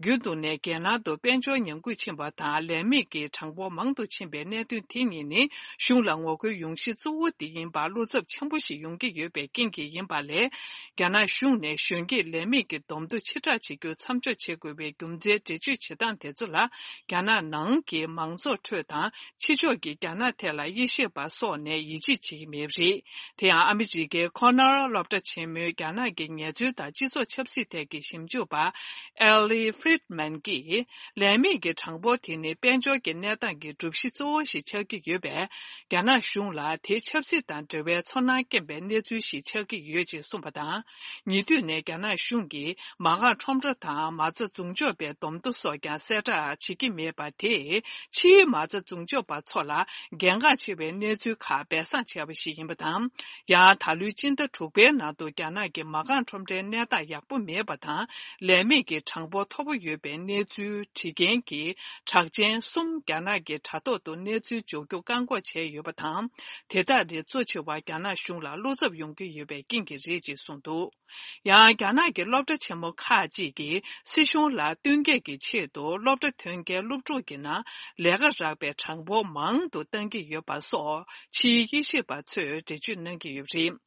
རྒྱུན་དུ་ནས་རྒྱལ་ནང་དུ་དཔལ་འབྱོར་ཉམས་རྒུད་ཕྱིན་པ་དང་ལས་མེད་ཀྱི་གྲངས་འབོར་མང་དུ་ཕྱིན་པའི་གནད་དོན་དེ་གཉིས་ནི་གཞུང་ལ་ངོ་རྒོལ་ཡོང་གཞི་གཙོ་བོ་དེ་ཡིན་པར་བློ་འཚབ་ཆེན་པོ་ཞིག་ཡོང་གི་ཡོད་པའི་རྐྱེན་གྱིས་ཡིན་པ་ལས། རྒྱ་ནག་གཞུང་ནས་གཞོན་སྐྱེས་ལས་མེད་ཀྱི་སྡོམ་ཐོ་ཕྱིར་བསྒྲགས་བྱེད་རྒྱུ་མཚམས་འཇོག་བྱེད་དགོས་པའི་རྒྱུ་མཚན་འགྲེལ་བརྗོད་བྱེད་སྟངས་དེ་ཚོ་ལ་རྒྱ་ནག་ནང་གི་མང་ཚོགས་ཁྲོད་དང་། ཕྱི་ཕྱོགས་ཀྱིས་རྒྱ་ནག་ཐད་ལ་དབྱེ་ཞིབ་པ་སོགས་ནས་ཡིད་ཆེས་བྱེད་ཀྱི་མེད་པ་རེད། དེ་ཡང་ཨ་མི་རི་ཀའི་ཁོ་ནར་སློབ་གྲྭ་ཆེན་མོའི་རྒྱ་ནག་གི་ངལ་རྩོལ་དང་སྤྱི་ཚོགས་ཆབ་སྲིད་ཐད་ཀྱི་ཞིབ་འཇུག་པ་Ellie Friedman་གྱིས་ལས་མེད་ཀྱི་གྲངས་འབོར་དེ་ནི་དཔལ་འབྱོར་གྱི་གནས་སྟངས་ཀྱི་གྲུབ་གཞི་གཙོ་བོ་ཞིག་ཆགས་ཀྱི་ཡོད་པས། རྒྱ་ནག་གཞུང་ལ་དེ་ཆབ་སྲིད་དང་འབྲེལ་བའི་ཚོར་སྣང་སྐྱེན་པའི་གནས་ཚུལ་ཞིག་ཆགས་ཀྱི་ཡོད་ཅེས་གསུངས་པ་དང་། ཉེ་དུས་ནས་རྒྱ་ནག་གཞུང་གིས་མ་རྐང་ཁྲོམ་ར་དང་མ་རྩ་འཛུགས་འཇོག་པའི་སྡོམ་ཐོ་སོགས་ཀྱང་གསལ་བསྒྲགས་བྱེད་ཀྱི་མེད་པ་དེས་ཕྱིའི་མ་རྩ་འཛུགས་འཇོག་པ་ཚོ་ལ་འགན་ཁག་ཆེ་བའི་གནས་ཚུལ་ཁག་སྦས་གསང་བྱས་པ་ཞིག་ཡིན་པ་དང་། ཡང་ད་ལོའི་སྤྱི་ཟླ་དྲུག་པའི་ནང་དུ་རྒྱ་ནག་གི་མ་རྐང་ཁྲོམ་རའི་གནས་སྟངས་ཡག་པོ་མེད་པ་དང་། ལས་མེད་ཀྱི་གྲངས་འབོར་མཐོ་པོ་ཡོད་པའི་གནས་ཚུལ་བྲིས་མཁན་གྱི་གྲགས་ཅན་གསུམ་རྒྱ་ནག་གི་དྲ་ཐོག་ཏུ་གནས་ཚུལ་འཇོག་རྒྱུ་བཀག་འགོག་བྱས་ཡོད་པ་དང་། དེ་དག་ནི་གཙོ་ཆེ་བ་རྒྱ་ནག་གཞུང་ལ་བློ་འཚབ་ཡོང་གི་ཡོད་པའི་རྐྱེན་གྱིས་རེད་ཅེས་གསུངས་འདུག་ཡང་རྒྱ་ནག་གི་སློབ་གྲྭ་ཆེན་མོ་ཁག་ཅིག་གིས་སྲིད་གཞུང་ལ་བསྟུན་མཁས་ཀྱི་ཆེད་དུ་སློབ་གྲྭ་ཐོན་མཁན་སློབ་ཕྲུག་གི་ནང་ལས་ཀ་རག་པའི་གྲངས་འབོར་མང་དུ་བཏང་གི་ཡོད་པ་སོགས་ཕྱིའི་དབྱེ་ཞིབ་པ་ཚོས་འགྲེལ་བརྗོད་གནང་གི་ཡོད་པ་རེད།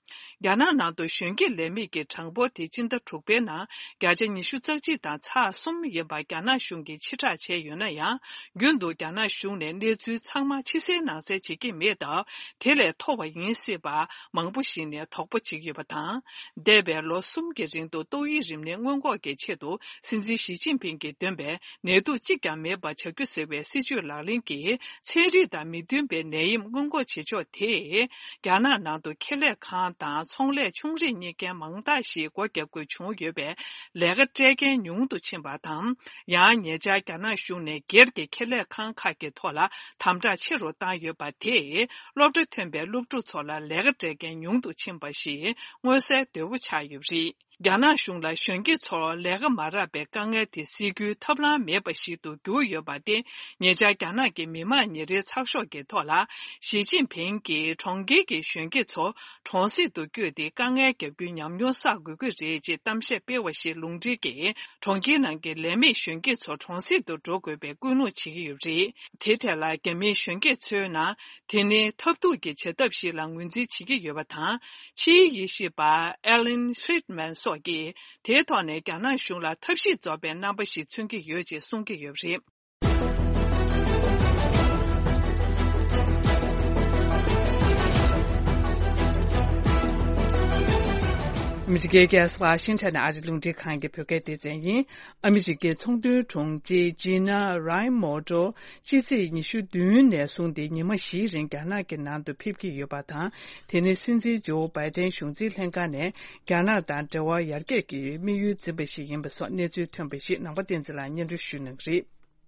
རྒྱ་ནག་ནང་དུ་གཞོན་སྐྱེས་ལས་མེད་ཀྱི་གྲངས་འབོར་དེ་སྤྱི་ཟླ་དྲུག་པའི་ནང་བརྒྱ་ཆ་ཉི་ཤུ་རྩ་གཅིག་དང་ཚེག་གསུམ་ཡིན་པ་རྒྱ་ནག་གཞུང་གིས་ཕྱིར་བསྒྲགས་བྱས་ཡོད་ན་ཡང་། རྒྱུན་དུ་རྒྱ་ནག་གཞུང་ནས་གནས་ཚུལ་ཚང་མ་ཕྱི་གསལ་ནང་གསལ་བྱེད་ཀྱི་མེད་སྟབས། དེ་ལས་མཐོ་བ་ཡིན་སྲིད་པ་མང་པོ་ཞིག་ནས་དོགས་པ་བྱེད་ཀྱི་ཡོད་པ་དང་། འདས་པའི་ལོ་གསུམ་གྱི་རིང་དུ་ཏོག་དབྱིབས་རིམས་ནད་སྔོན་འགོག་གི་ཆེད་དུ་སྲིད་འཛིན་ཞི་ཅིན་ཕིང་གིས་འདོན་པའི། ནད་དུག་གཅིག་ཀྱང་མེད་པ་བྱ་རྒྱུ་ཟེར་བའི་སྲིད་ཇུས་ལག་ལེན་གྱིས། ཚན་རིག་དང་མི་མཐུན་པའི་ནད་ཡམས་སྔོན་འགོག་བྱེད་ཕྱོགས་དེས། རྒྱ་ནག་ནང་དུ་ཁེ་ལས་ཁང་དང་ཚོང་ལས་ཆུང་རིགས་གཉེར་མཁན་མང་དག་ཞིག་སྒོ་བརྒྱབ་དགོས་བྱུང་ཡོད་པས། ལས་ཀ་སྤྲད་མཁན་ཉུང་དུ་ཕྱིན་པ་དང་། ཡང་ཉེ་ཆར་རྒྱ་ནག་གཞུང་ནས་སྒེར་གྱི་ཁེ་ལས་ཁང་ཁག་གི་ཐོག་ལ་དམ་དྲག་ཆེ་རུ་བཏང་ཡོད་པ་དེས། སློབ་གྲྭ་ཐོན་པའི་སློབ་ཕྲུག་ཚོ་ལ་ལས་ཀ་སྤྲད་མཁན་ཉུང་དུ་ཕྱིན་པ་ཞིག་མངོན་གསལ་དོད་པོ་ཆགས་ཡོད་པ་རེད། རྒྱ་ནག་གཞུང་ལ་གཞོན་སྐྱེས་ཚོར་ལས་ཀ་མ་རག་པའི་དཀའ་ངལ་དེ་སེལ་རྒྱུའི་ཐབས་ལམ་མེད་པ་ཞིག་ཏུ་གྱུར་ཡོད་པ་སྟེ། ཉེ་ཆར་རྒྱ་ནག་གི་མི་དམངས་ཉིན་རེའི་ཚགས་ཤོག་གི་ཐོག་ལ། ཞི་ཅིན་ཕིང་གིས་གྲོང་ཁྱེར་གྱི་གཞོན་སྐྱེས་ཚོ་གྲོང་གསེབ་ཏུ་བསྐྱོད་དེ་དཀའ་ངལ་བརྒྱབ་རྒྱུའི་ཉམས་མྱོང་བསགས་དགོས་ཀྱི་རེད་ཅེས་གཏམ་བཤད་སྤེལ་བ་ཞིག་ལུང་འདྲེན་གྱིས། གྲོང་ཁྱེར་ནང་གི་ལས་མེད་གཞོན་སྐྱེས་ཚོ་གྲོང་གསེབ་ཏུ་འགྲོ་དགོས་པའི་སྐུལ་སློང་བྱེད་ཀྱི་ཡོད་པ་རེད། དེ་ཐད་ལ་རྒྱ་མིའི་གཞོན་སྐྱེས་ཚོའི་ནང་། དེ་ནི་ཐབས་སྡུག་གི་བྱེད་ཐབས་ཤིག་ལ་ངོས་འཛིན་བྱེད་ཀྱི་ཡོད་པ་དང་། ཕྱིའི་དབྱེ་ཞིབ་པ་Alan Friedman་སོགས་ཀྱིས། དེའི་ཐོག་ནས་རྒྱ་ནག་གཞུང་ལ་ཐབས་ཤེས་རྫོགས་པའི་རྣམ་པ་ཞིག་མཚོན་གྱི་ཡོད་ཅེས་གསུང་གི་ཡོད་པ་རེད། ཨ་མི་རི་ཀའི་རྒྱལ་ས་ཝ་ཤིང་ཊོན་ནས་ཨ་རི་རླུང་འཕྲིན་ཁང་གི་བོད་སྐད་སྡེ་ཚན་ཡིན། ཨ་མི་རི་ཀའི་ཚོང་དོན་དྲུང་ཆེ་ཇི་ན་རའི་མོ་ཏོ་ཕྱི་ཚེས་ཉི་ཤུ་བདུན་ནས་བཟུང་སྟེ་ཉི་མ་བཞིའི་རིང་རྒྱ་ནག་གི་ནང་དུ་ཕེབས་ཀྱི་ཡོད་པ་དང་། དེ་ནི་སྲིད་འཛིན་ཇོ་བྷའི་ཏན་གཞུང་འཛིན་ལྷན་ཁང་ནས་རྒྱ་ནག་དང་འབྲེལ་བ་ཡར་རྒྱས་ཀྱི་དམིགས་ཡུལ་འཛིན་པ་ཞིག་ཡིན་པ་སོགས་གནས་ཚུལ་ཐོན་པ་ཞིག་ནང་པ་བསྟན་འཛིན་ལགས་སྙན་སྒྲོན་ཞུ་གནང་གི་རེད།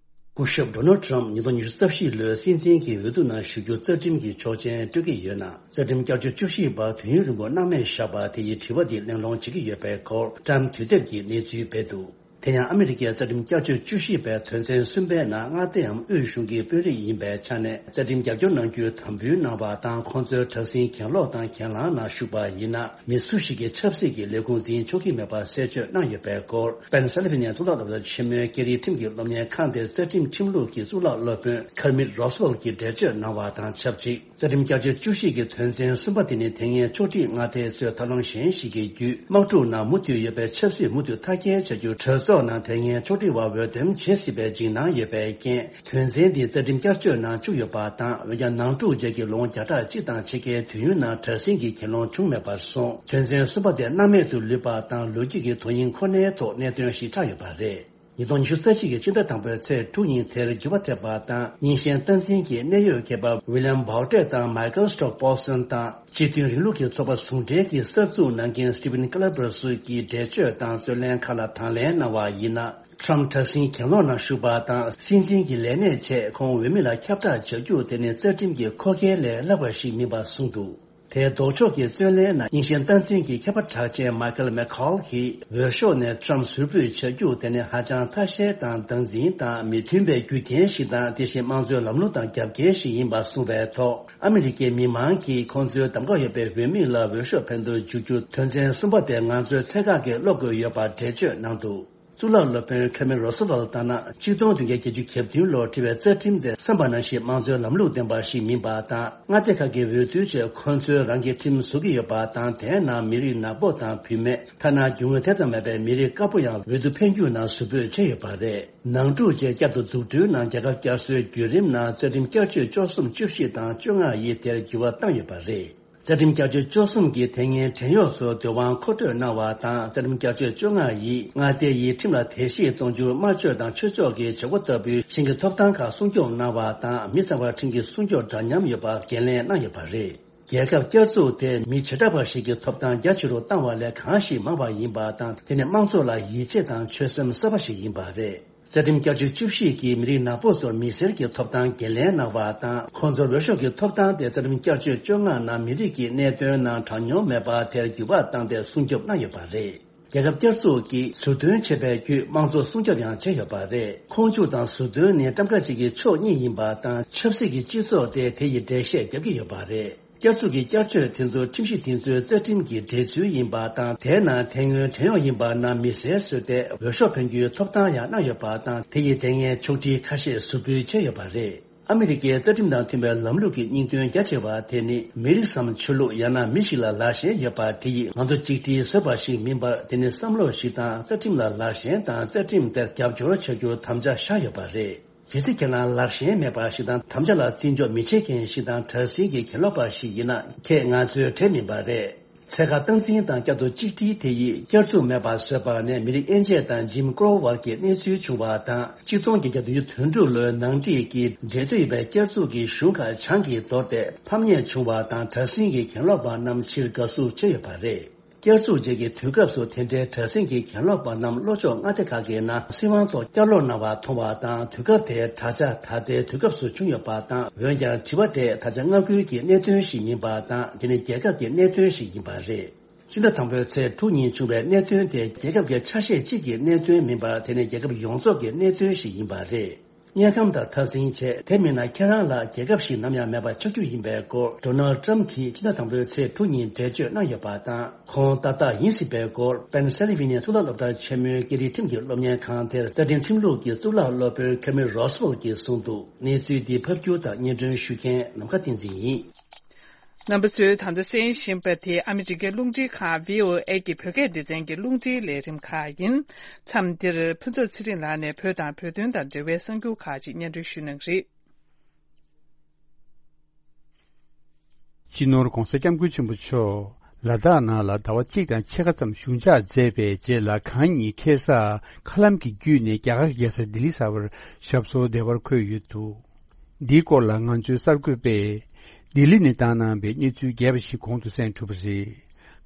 སྐུ་ཞབས་ཌོ་ནལ་ཊམ་ཉིས་སྟོང་ཉི་ཤུ་རྩ་བཞི་ལོའི་སྲིད་འཛིན་གྱི་འོས་བསྡུ་ནང་ཞུགས་རྒྱུ་རྩ་ཁྲིམས་ཀྱི་ཆོག་མཆན་སྤྲོད་ཀྱི་ཡོད་ན། རྩ་ཁྲིམས་བསྐྱར་བཅོས་བཅུ་བཞི་པ་དུས་ཡུན་རིང་པོ་སྣང་མེད་བཞག་པ་དེ་ཡི་དྲི་བ་འདི་གླེང་སློང་བྱེད་ཀྱི་ཡོད་པའི་སྐོར་ཊམ་དུས་དེབ་ཀྱིས་གནས་ཚུལ་སྤེལ་འདུག་དེ་ཡང་ཨ་མི་རི་ཀའི་རྩ་ཁྲིམས་བསྐྱར་བཅོས་བཅུ་བཞི་པའི་དོན་ཚན་གསུམ་པའི་ནང་མངའ་སྡེའམ་དབུས་གཞུང་གི་དཔོན་རིགས་ཡིན་པའི་ཆ་ནས་རྩ་ཁྲིམས་རྒྱབ་སྐྱོར་གནང་རྒྱུའི་དམ་འབུལ་གནང་བ་དང་། ཁོང་ཚོའི་དྲག་ཟིང་གྱེན་ལོག་དང་གྱེན་ལངས་ནང་ཞུགས་པ་ཡིན་ན། མི་སུ་ཞིག་གིས་ཆབ་སྲིད་ཀྱི་ལས་ཁུངས་འཛིན་ཆོག་གི་མེད་པ་གསལ་བརྗོད་གནང་ཡོད་པའི་སྐོར། པེན་སེལ་ཝ་ནི་གཙུག་ལག་སློབ་གྲྭ་ཆེན་མོའི་སྐད་རིགས་ཁྲིམས་ཀྱི་སློབ་གཉེར་ཁང་དེའི་རྩ་ཁྲིམས་ཁྲིམས་ལུགས་ཀྱི་གཙུག་ལག་སློབ་དཔོན་ཁར་མིད་རོ་སི་ཝེལ་གྱིས་འགྲེལ་བརྗོད་གནང་བ་དང་ཆབས་ཅིག་རྩ་ཁྲིམས་བསྐྱར་བཅོས་བཅུ་བཞི་གི་དོན་ཚན་གསུམ་པ་དེ་ནི་དེ་སྔའི་ཕྱོགས་སྒྲིག་མངའ་སྡེ་ཚོས་ཐབས་ལམ་གཞན་ཞིག་གི་བརྒྱུད་དམག་འཁྲུག་ནང་མུ་མཐུད་ཡོད་པའི་ཆབ་སྲིད་མུ་མཐུད་མཐའ་སྐྱེལ་བྱ་རྒྱུ་གྲོས་ཚོགས་ནང་དེ་སྔའི་ཕྱོགས་སྒྲིག་པ་འོས་འདེམས་བྱེད་སྲིད་པའི་འཇིགས་སྣང་ཡོད་པའི་རྐྱེན། དོན་ཚན་འདི་རྩ་ཁྲིམས་བསྐྱར་བཅོས་ནང་བཅུག་ཡོད་པ་དང་། འོན་ཀྱང་ནང་འཁྲུག་རྗེས་ཀྱི་ལོ་ངོ་བརྒྱ་ཕྲག་གཅིག་དང་ཕྱེད་ཀའི་དུས་ཡུན་ནང་དྲག་ཟིང་གི་གྱེན་ལངས་བྱུང་མེད་པར་སོང་། དོན་ཚན་གསུམ་པ་དེ་སྣང་མེད་དུ་ལུས་པ་དང་ལོ་རྒྱུས་ཀྱི་དོ་དབྱིངས་ཁོ་ནའི་ཐོག་གནད་དོན་ཞིག་ཆགས་ཡོད་པ་རེད། ཉིས་སྟོང་ཉི་ཤུ་རྩ་གཅིག་གི་སྤྱི་ཟླ་དང་པོའི་ཚེས་དྲུག་ཉིན་དེར་འགྱུར་བ་ཐེབས་པ་དང་། རྙིང་ཞེན་སྟངས་འཛིན་གྱི་གནད་ཡོད་མཁས་པ་ཝི་ལི་ཡམ་བྷའོ་ཏེ་དང་མའི་ཁལ་སི་ཊོག་པོལ་སོན་དང་། སྤྱི་མཐུན་རིང་ལུགས་ཀྱི་ཚོགས་པ་ཟུང་འབྲེལ་གྱི་གསར་འཛུགས་གནང་མཁན་སི་ཊི་ཝན་ཀ་ལ་བར་སི་གྱི་འགྲེལ་བརྗོད་དང་རྩོད་ལེན་ཁག་ལ་དང་ལེན་གནང་བ་ཡིན་ན། ཊམ་དྲག་ཟིང་གྱེན་ལོག་ནང་ཞུགས་པ་དང་། སྲིད་འཛིན་གྱི་ལས་གནས་ཆེད་ཁོང་འོས་མི་ལ་ཁྱབ་བསྒྲགས་བྱ་རྒྱུ་དེ་ནི་རྩ་ཁྲིམས་ཀྱི་ཁོག་ཁའི་ལས་སླ་བ་ཞིག་མིན་པ་གསུངས་འདུག་དེའི་ལྡོག་ཕྱོགས་ཀྱི་རྩོད་ལེན་ནང་རྙིང་ཞེན་སྟངས་འཛིན་གྱི་མཁས་པ་གྲགས་ཅན་མའི་ཁལ་མེ་ཁོལ་གྱིས་འོས་ཤོག་ནས་ཊམ་ཟུར་ཕུད་བྱ་རྒྱུ་དེ་ནི་ཧ་ཅང་ཐ་ཤལ་དང་སྟངས་འཛིན་དང་མི་མཐུན་པའི་རྒྱུ་རྐྱེན་ཞིག་དང་། དེ་བཞིན་དམངས་གཙོའི་ལམ་ལུགས་དང་རྒྱབ་འགལ་ཞིག་ཡིན་པ་གསུངས་པའི་ཐོག་ཨ་མི་རི་ཀའི་མི་མང་གིས་ཁོང་ཚོའི་གདམ་ག་ཡོད་པའི་འོས་མི་ལ་འོས་ཤོག་འཕེན་དུ་འཇུག་རྒྱུ་དོན་ཚན་གསུམ་པ་དེ་ང་ཚོའི་ཚད་བཀག་གིས་སློག་དགོས་ཡོད་པར་འགྲེལ་བརྗོད་གནང་འདུག་གཙུག་ལག་སློབ་དཔོན་ཁེ་མེ་རོ་སི་ཝེལ་ལྟར་ན། ཆིག་སྟོང་བདུན་བརྒྱ་བརྒྱད་ཅུ་གྱ་བདུན་ལོར་བྲིས་པའི་རྩ་ཁྲིམས་དེ་བསམ་པ་ནང་བཞིན་དམངས་གཙོའི་ལམ་ལུགས་ལྡན་པ་ཞིག་མིན་པ་དང་། མངའ་སྡེ་ཁག་གི་འོས་བསྡུའི་ཆེད་ཁོ་ཚོས་རང་གི་ཁྲིམས་བཟོ་གི་ཡོད་པ་དང་། དེའི་ནང་མི་རིགས་ནག་པོ་དང་བུད་མེད། ཐ་ན་རྒྱུ་དངོས་དེ་ཙམ་མེད་པའི་མི་རིགས་དཀར་པོ་ཡང་འོས་བསྡུ་འཕེན་རྒྱུ་ནང་ཟུར་ཕུད་བྱས་ཡོད་པ་རེད། ནང་འཁྲུག་རྗེས་བསྐྱར་དུ་འཛུགས་སྐྲུན་ནང་རྒྱལ་ཁབ་བསྐྱར་གསོའི་བརྒྱུད་རིམ་ནང་རྩ་ཁྲིམས་བསྐྱར་བཅོས་བཅུ་གསུམ། བཅུ་བཞི་དང་བཅོ་ལྔ་ཡིས་དེར་འགྱུར་བ་བཏང་ཡོད་པ་རེད། རྩ་ཁྲིམས་བསྐྱར་བཅོས་བཅུ་གསུམ་གྱིས་དེ་སྔའི་བྲན་གཡོག་ཚོར་སྡོད་དབང་མཁོ་སྤྲོད་གནང་བ་དང་། རྩ་ཁྲིམས་བསྐྱར་བཅོས་བཅོ་ལྔ་ཡིས་མངའ་སྡེ་ཡི་ཁྲིམས་ལ་དད་གཤིས་གཏོང་རྒྱུ། དམར་མཆོད་དང་ཆོས་ཕྱོགས་ཀྱི་བྱེད་སྒོ་ལྟ་བུའི་གཞན་གྱི་ཐོབ་ཐང་ཁག་སྲུང་སྐྱོབ་གནང་བ་དང་། མི་ཚང་མར་ཁྲིམས་ཀྱི་སྲུང་སྐྱོབ་འདྲ་མཉམ་ཡོད་པ་འགན་ལེན་གནང་ཡོད་པ་རེད། རྒྱལ་ཁབ་བསྐྱར་འཛུགས་དེས་མི་བྱེ་བྲག་པ་ཞིག་གི་ཐོབ་ཐང་རྒྱ་ཆེ་རུ་བཏང་བ་ལས་གང་ཞིག་མང་བ་ཡིན་པ་དང་། དེ་ནི་དམངས་གཙོ་ལ་ཡིད་ཆེས་དང་ཆོད་སེམས་གསར་པ་ཞིག་ཡིན་པ་རེད། རྩ་ཁྲིམས་བསྐྱར་བཅོས་བཅུ་བཞི་གིས་མི་རིགས་ནག་པོ་ཚོར་མི་སེར་གྱི་ཐོབ་ཐང་འགན་ལེན་གནང་བ་དང་། ཁོང་ཚོར་འོས་ཤོག་གི་ཐོབ་ཐང་དེ་རྩ་ཁྲིམས་བསྐྱར་བཅོས་བཅོ་ལྔ་ནང་མི་རིགས་ཀྱི་གནད་དོན་ནང་གྲངས་ཉུང་མེད་པ་དེར་འགྱུར་བ་བཏང་སྟེ་སྲུང་སྐྱོབ་གནང་ཡོད་པ་རེད། རྒྱལ་ཁབ་བསྐྱར་འཛུགས་ཀྱིས་ཟུར་འདོན་བྱས་པའི་བརྒྱུད་དམངས་གཙོ་སྲུང་སྐྱོབ་ཡང་བྱས་ཡོད་པ་རེད། ཁོངས་འཇུག་དང་ཟུར་འདོན་ནི་ཊམ་ཊ་གཅིག་གི་ཕྱོགས་གཉིས་ཡིན་པ་དང་། ཆབ་སྲིད་ཀྱི་སྤྱི་ཚོགས་དེ་དེ་ཡི་འགྲེལ་བཤད་རྒྱབ་ཀྱི་ཡོད་པ་རེད། བསྐྱར་འཛུགས་ཀྱི་བསྐྱར་བཅོས་དེ་ཚོ་ཁྲིམས་གཞི་དེ་ཚོའི་རྩ་ཁྲིམས་ཀྱི་འགྲེལ་ཚུལ་ཡིན་པ་དང་། དེའི་ནང་དེ་སྔོན་བྲན་གཡོག་ཡིན་པ་རྣམས་མི་སེར་བཟོས་ཏེ་འོས་ཤོག་འཕེན་རྒྱུའི་ཐོབ་ཐང་ཡང་གནང་ཡོད་པ་དང་། དེ་ཡི་དེ་སྔའི་ཕྱོགས་སྒྲིག་ཁ་ཤས་ཟུར་འབུལ་བྱས་ཡོད་པ་རེད། ཨ་མི་རི་ཀའི་རྩ་ཁྲིམས་དང་མཐུན་པའི་ལམ་ལུགས་ཀྱི་སྙིང་དོན་རྒྱ་ཆེ་བ་དེ་ནི། མི་རིགས་སམ་ཆོས་ལུགས། ཡང་ན་མི་ཞིག་ལ་ལར་ཞེན་ཡོད་པ་དེ་ཡིས་ང་ཚོ་གཅིག་སྒྲིལ་བཟོས་པ་ཞིག་མིན་པར། དེ་ནི་བསམ་བློ་ཞིག་དང་རྩ་ཁྲིམས་ལ་ལར་ཞེན་དང་། རྩ་ཁྲིམས་དེར་རྒྱབ་སྐྱོར་བྱ་རྒྱུར་དམ་བཅའ་བཞག་ཡོད་པ་རེད། གལ་སྲིད་ཁྱེད་རང་ལར་ཞེན་མེད་པ་ཞིག་དང་། དམ་བཅའ་ལ་བརྩི་འཇོག་མི་བྱེད་མཁན་ཞིག་དང་། དྲག་ཟིང་གི་གྱེན་ལོག་པ་ཞིག་ཡིན་ན། ཁྱེད་ང་ཚོའི་གྲས་མིན་པ་རེད། ཚད་བཀག་སྟངས་འཛིན་དང་བསྐྱར་དུ་གཅིག་སྒྲིལ་དེ་ཡིས་བསྐྱར་འཛུགས་མེད་པར་བཟོས་པ་ནས། མི་རིགས་དབྱེ་འབྱེད་དང་ཇིམ་ཀྲོ་བར་གྱི་གནས་ཚུལ་བྱུང་བ་དང་། ཆིག་སྟོང་བརྒྱད་བརྒྱ་བདུན་ཅུ་དོན་དྲུག་ལོའི་ནང་འགྲིག་གི་འབྲེལ་མཐུད་ཡིན་པའི་བསྐྱར་འཛུགས་ཀྱི་གཞུང་ཁག་ཆང་གིས་འདོར་ཏེ་ཕམ་ཉེས་བྱུང་བ་དང་། དྲག་ཟིང་གི་གྱེན་ལོག་པ་རྣམས་ཕྱིར་དགའ་བསུ་བྱས་ཡོད་པ་རེད། བསྐྱར་འཛུགས་རྗེས་ཀྱི་དུས་སྐབས་སུ། དེ་འདྲའི་དྲག་ཟིང་གི་གྱེན་ལོག་པ་རྣམས་ལྷོ་ཕྱོགས་མངའ་སྡེ་ཁག་གི་ནང་སྲིད་དབང་ཐོག་བསྐྱར་ལོག་གནང་བ་མཐོང་བ་དང་། དུས་སྐབས་དེའི་དྲ་བྱ་ད་ལྟའི་དུས་སྐབས་སུ་བྱུང་ཡོད་པ་དང་། འོན་ཀྱང་དྲི་བ་དེ་ད་ཆ་མངའ་ཁུལ་གྱི་གནད་དོན་ཞིག་མིན་པ་དང་། དེ་ནི་རྒྱལ་ཁབ་ཀྱི་གནད་དོན་ཞིག་ཡིན་པ་རེད། སྤྱི་ཟླ་དང་པོའི་ཚེས་དྲུག་ཉིན་བྱུང་བའི་གནད་དོན་དེ་རྒྱལ་ཁབ་ཀྱི་ཆ་ཤས་གཅིག་གི་གནད་དོན་མིན་པར། དེ་ནི་རྒྱལ་ཁབ་ཡོངས་རྫོགས་ཀྱི་གནད་དོན་ཞིག་ཡིན་པ་རེད། དམྱལ་ཁམས་དང་འཐབ་འཛིང་བྱས། དེ་མིན་ན་ཁྱེད་རང་ལ་རྒྱལ་ཁབ་ཞིག་ནམ་ཡང་མེད་པ་ཆགས་རྒྱུ་ཡིན་པའི་སྐོར། ཌོ་ནལ་ཊམ་གྱིས་སྤྱི་ཟླ་དང་པོའི་ཚེས་དྲུག་ཉིན་འགྲེལ་བརྗོད་གནང་ཡོད་པ་དང་། ཁོང་ཏག་ཏག་ཡིན་སྲིད་པའི་སྐོར། པེན་སེལ་ཝེ་ནི་གཙུག་ལག་སློབ་གྲྭ་ཆེན་མོའི་སྐད་རིགས་ཁྲིམས་ཀྱི་སློབ་གཉེར་ཁང་དེར་རྩ་ཁྲིམས་ཁྲིམས་ལུགས་ཀྱི་གཙུག་ལག་སློབ་དཔོན་ཁེ་མི་རོ་སི་ཝེལ་གྱིས་གསུངས་འདུག། གནས་ཚུལ་འདི་ཕབ་སྒྱུར་དང་སྙན་སྒྲོན་ཞུ་མཁན་ནམ་མཁའ་བསྟན་འཛིན་ཡིན། རྣམ་པ་ཚོས་ད་ལྟ་གསན་བཞིན་པ་དེ་ཨ་མི་རི་ཀའི་རླུང་འཕྲིན་ཁང་བྷི་ཨོ་ཨེ་གི་བོད་སྐད་སྡེ་ཚན་གྱི་རླུང་འཕྲིན་ལས་རིམ་ཁག་ཡིན། མཚམས་འདིར་ཕུན་ཚོགས་ཚེ་རིང་ལགས་ནས་བོད་དང་བོད་དོན་དང་འབྲེལ་བའི་གསར་འགྱུར་ཁག་ཅིག་སྙན་སྒྲོན་ཞུ་གནང་གི་རེད། སྤྱི་ནོར་༧གོང་ས་༧སྐྱབས་མགོན་ཆེན་པོ་མཆོག་ལ་དྭགས་ནང་ལ་ཟླ་བ་གཅིག་དང་ཕྱེད་ཀ་ཙམ་བཞུགས་འཇགས་མཛད་པའི་རྗེས་ལ། གང་ཉིད་ཁ་སང་མཁའ་ལམ་གྱི་བརྒྱུད་ནས་རྒྱ་གར་རྒྱལ་ས་ལྡི་ལི་གསར་པར་ཞབས་སོར་བདེ་བར་འཁོད་ཡོད་འདུག། འདིའི་སྐོར་ལ་ང་ཚོའི་གསར་འགོད་པས་ལྡི་ལི་ནས་བཏང་གནང་བའི་གནས་ཚུལ་རྒྱས་པ་ཞིག་གོང་དུ་གསན་གྲུབ་པ་རེད།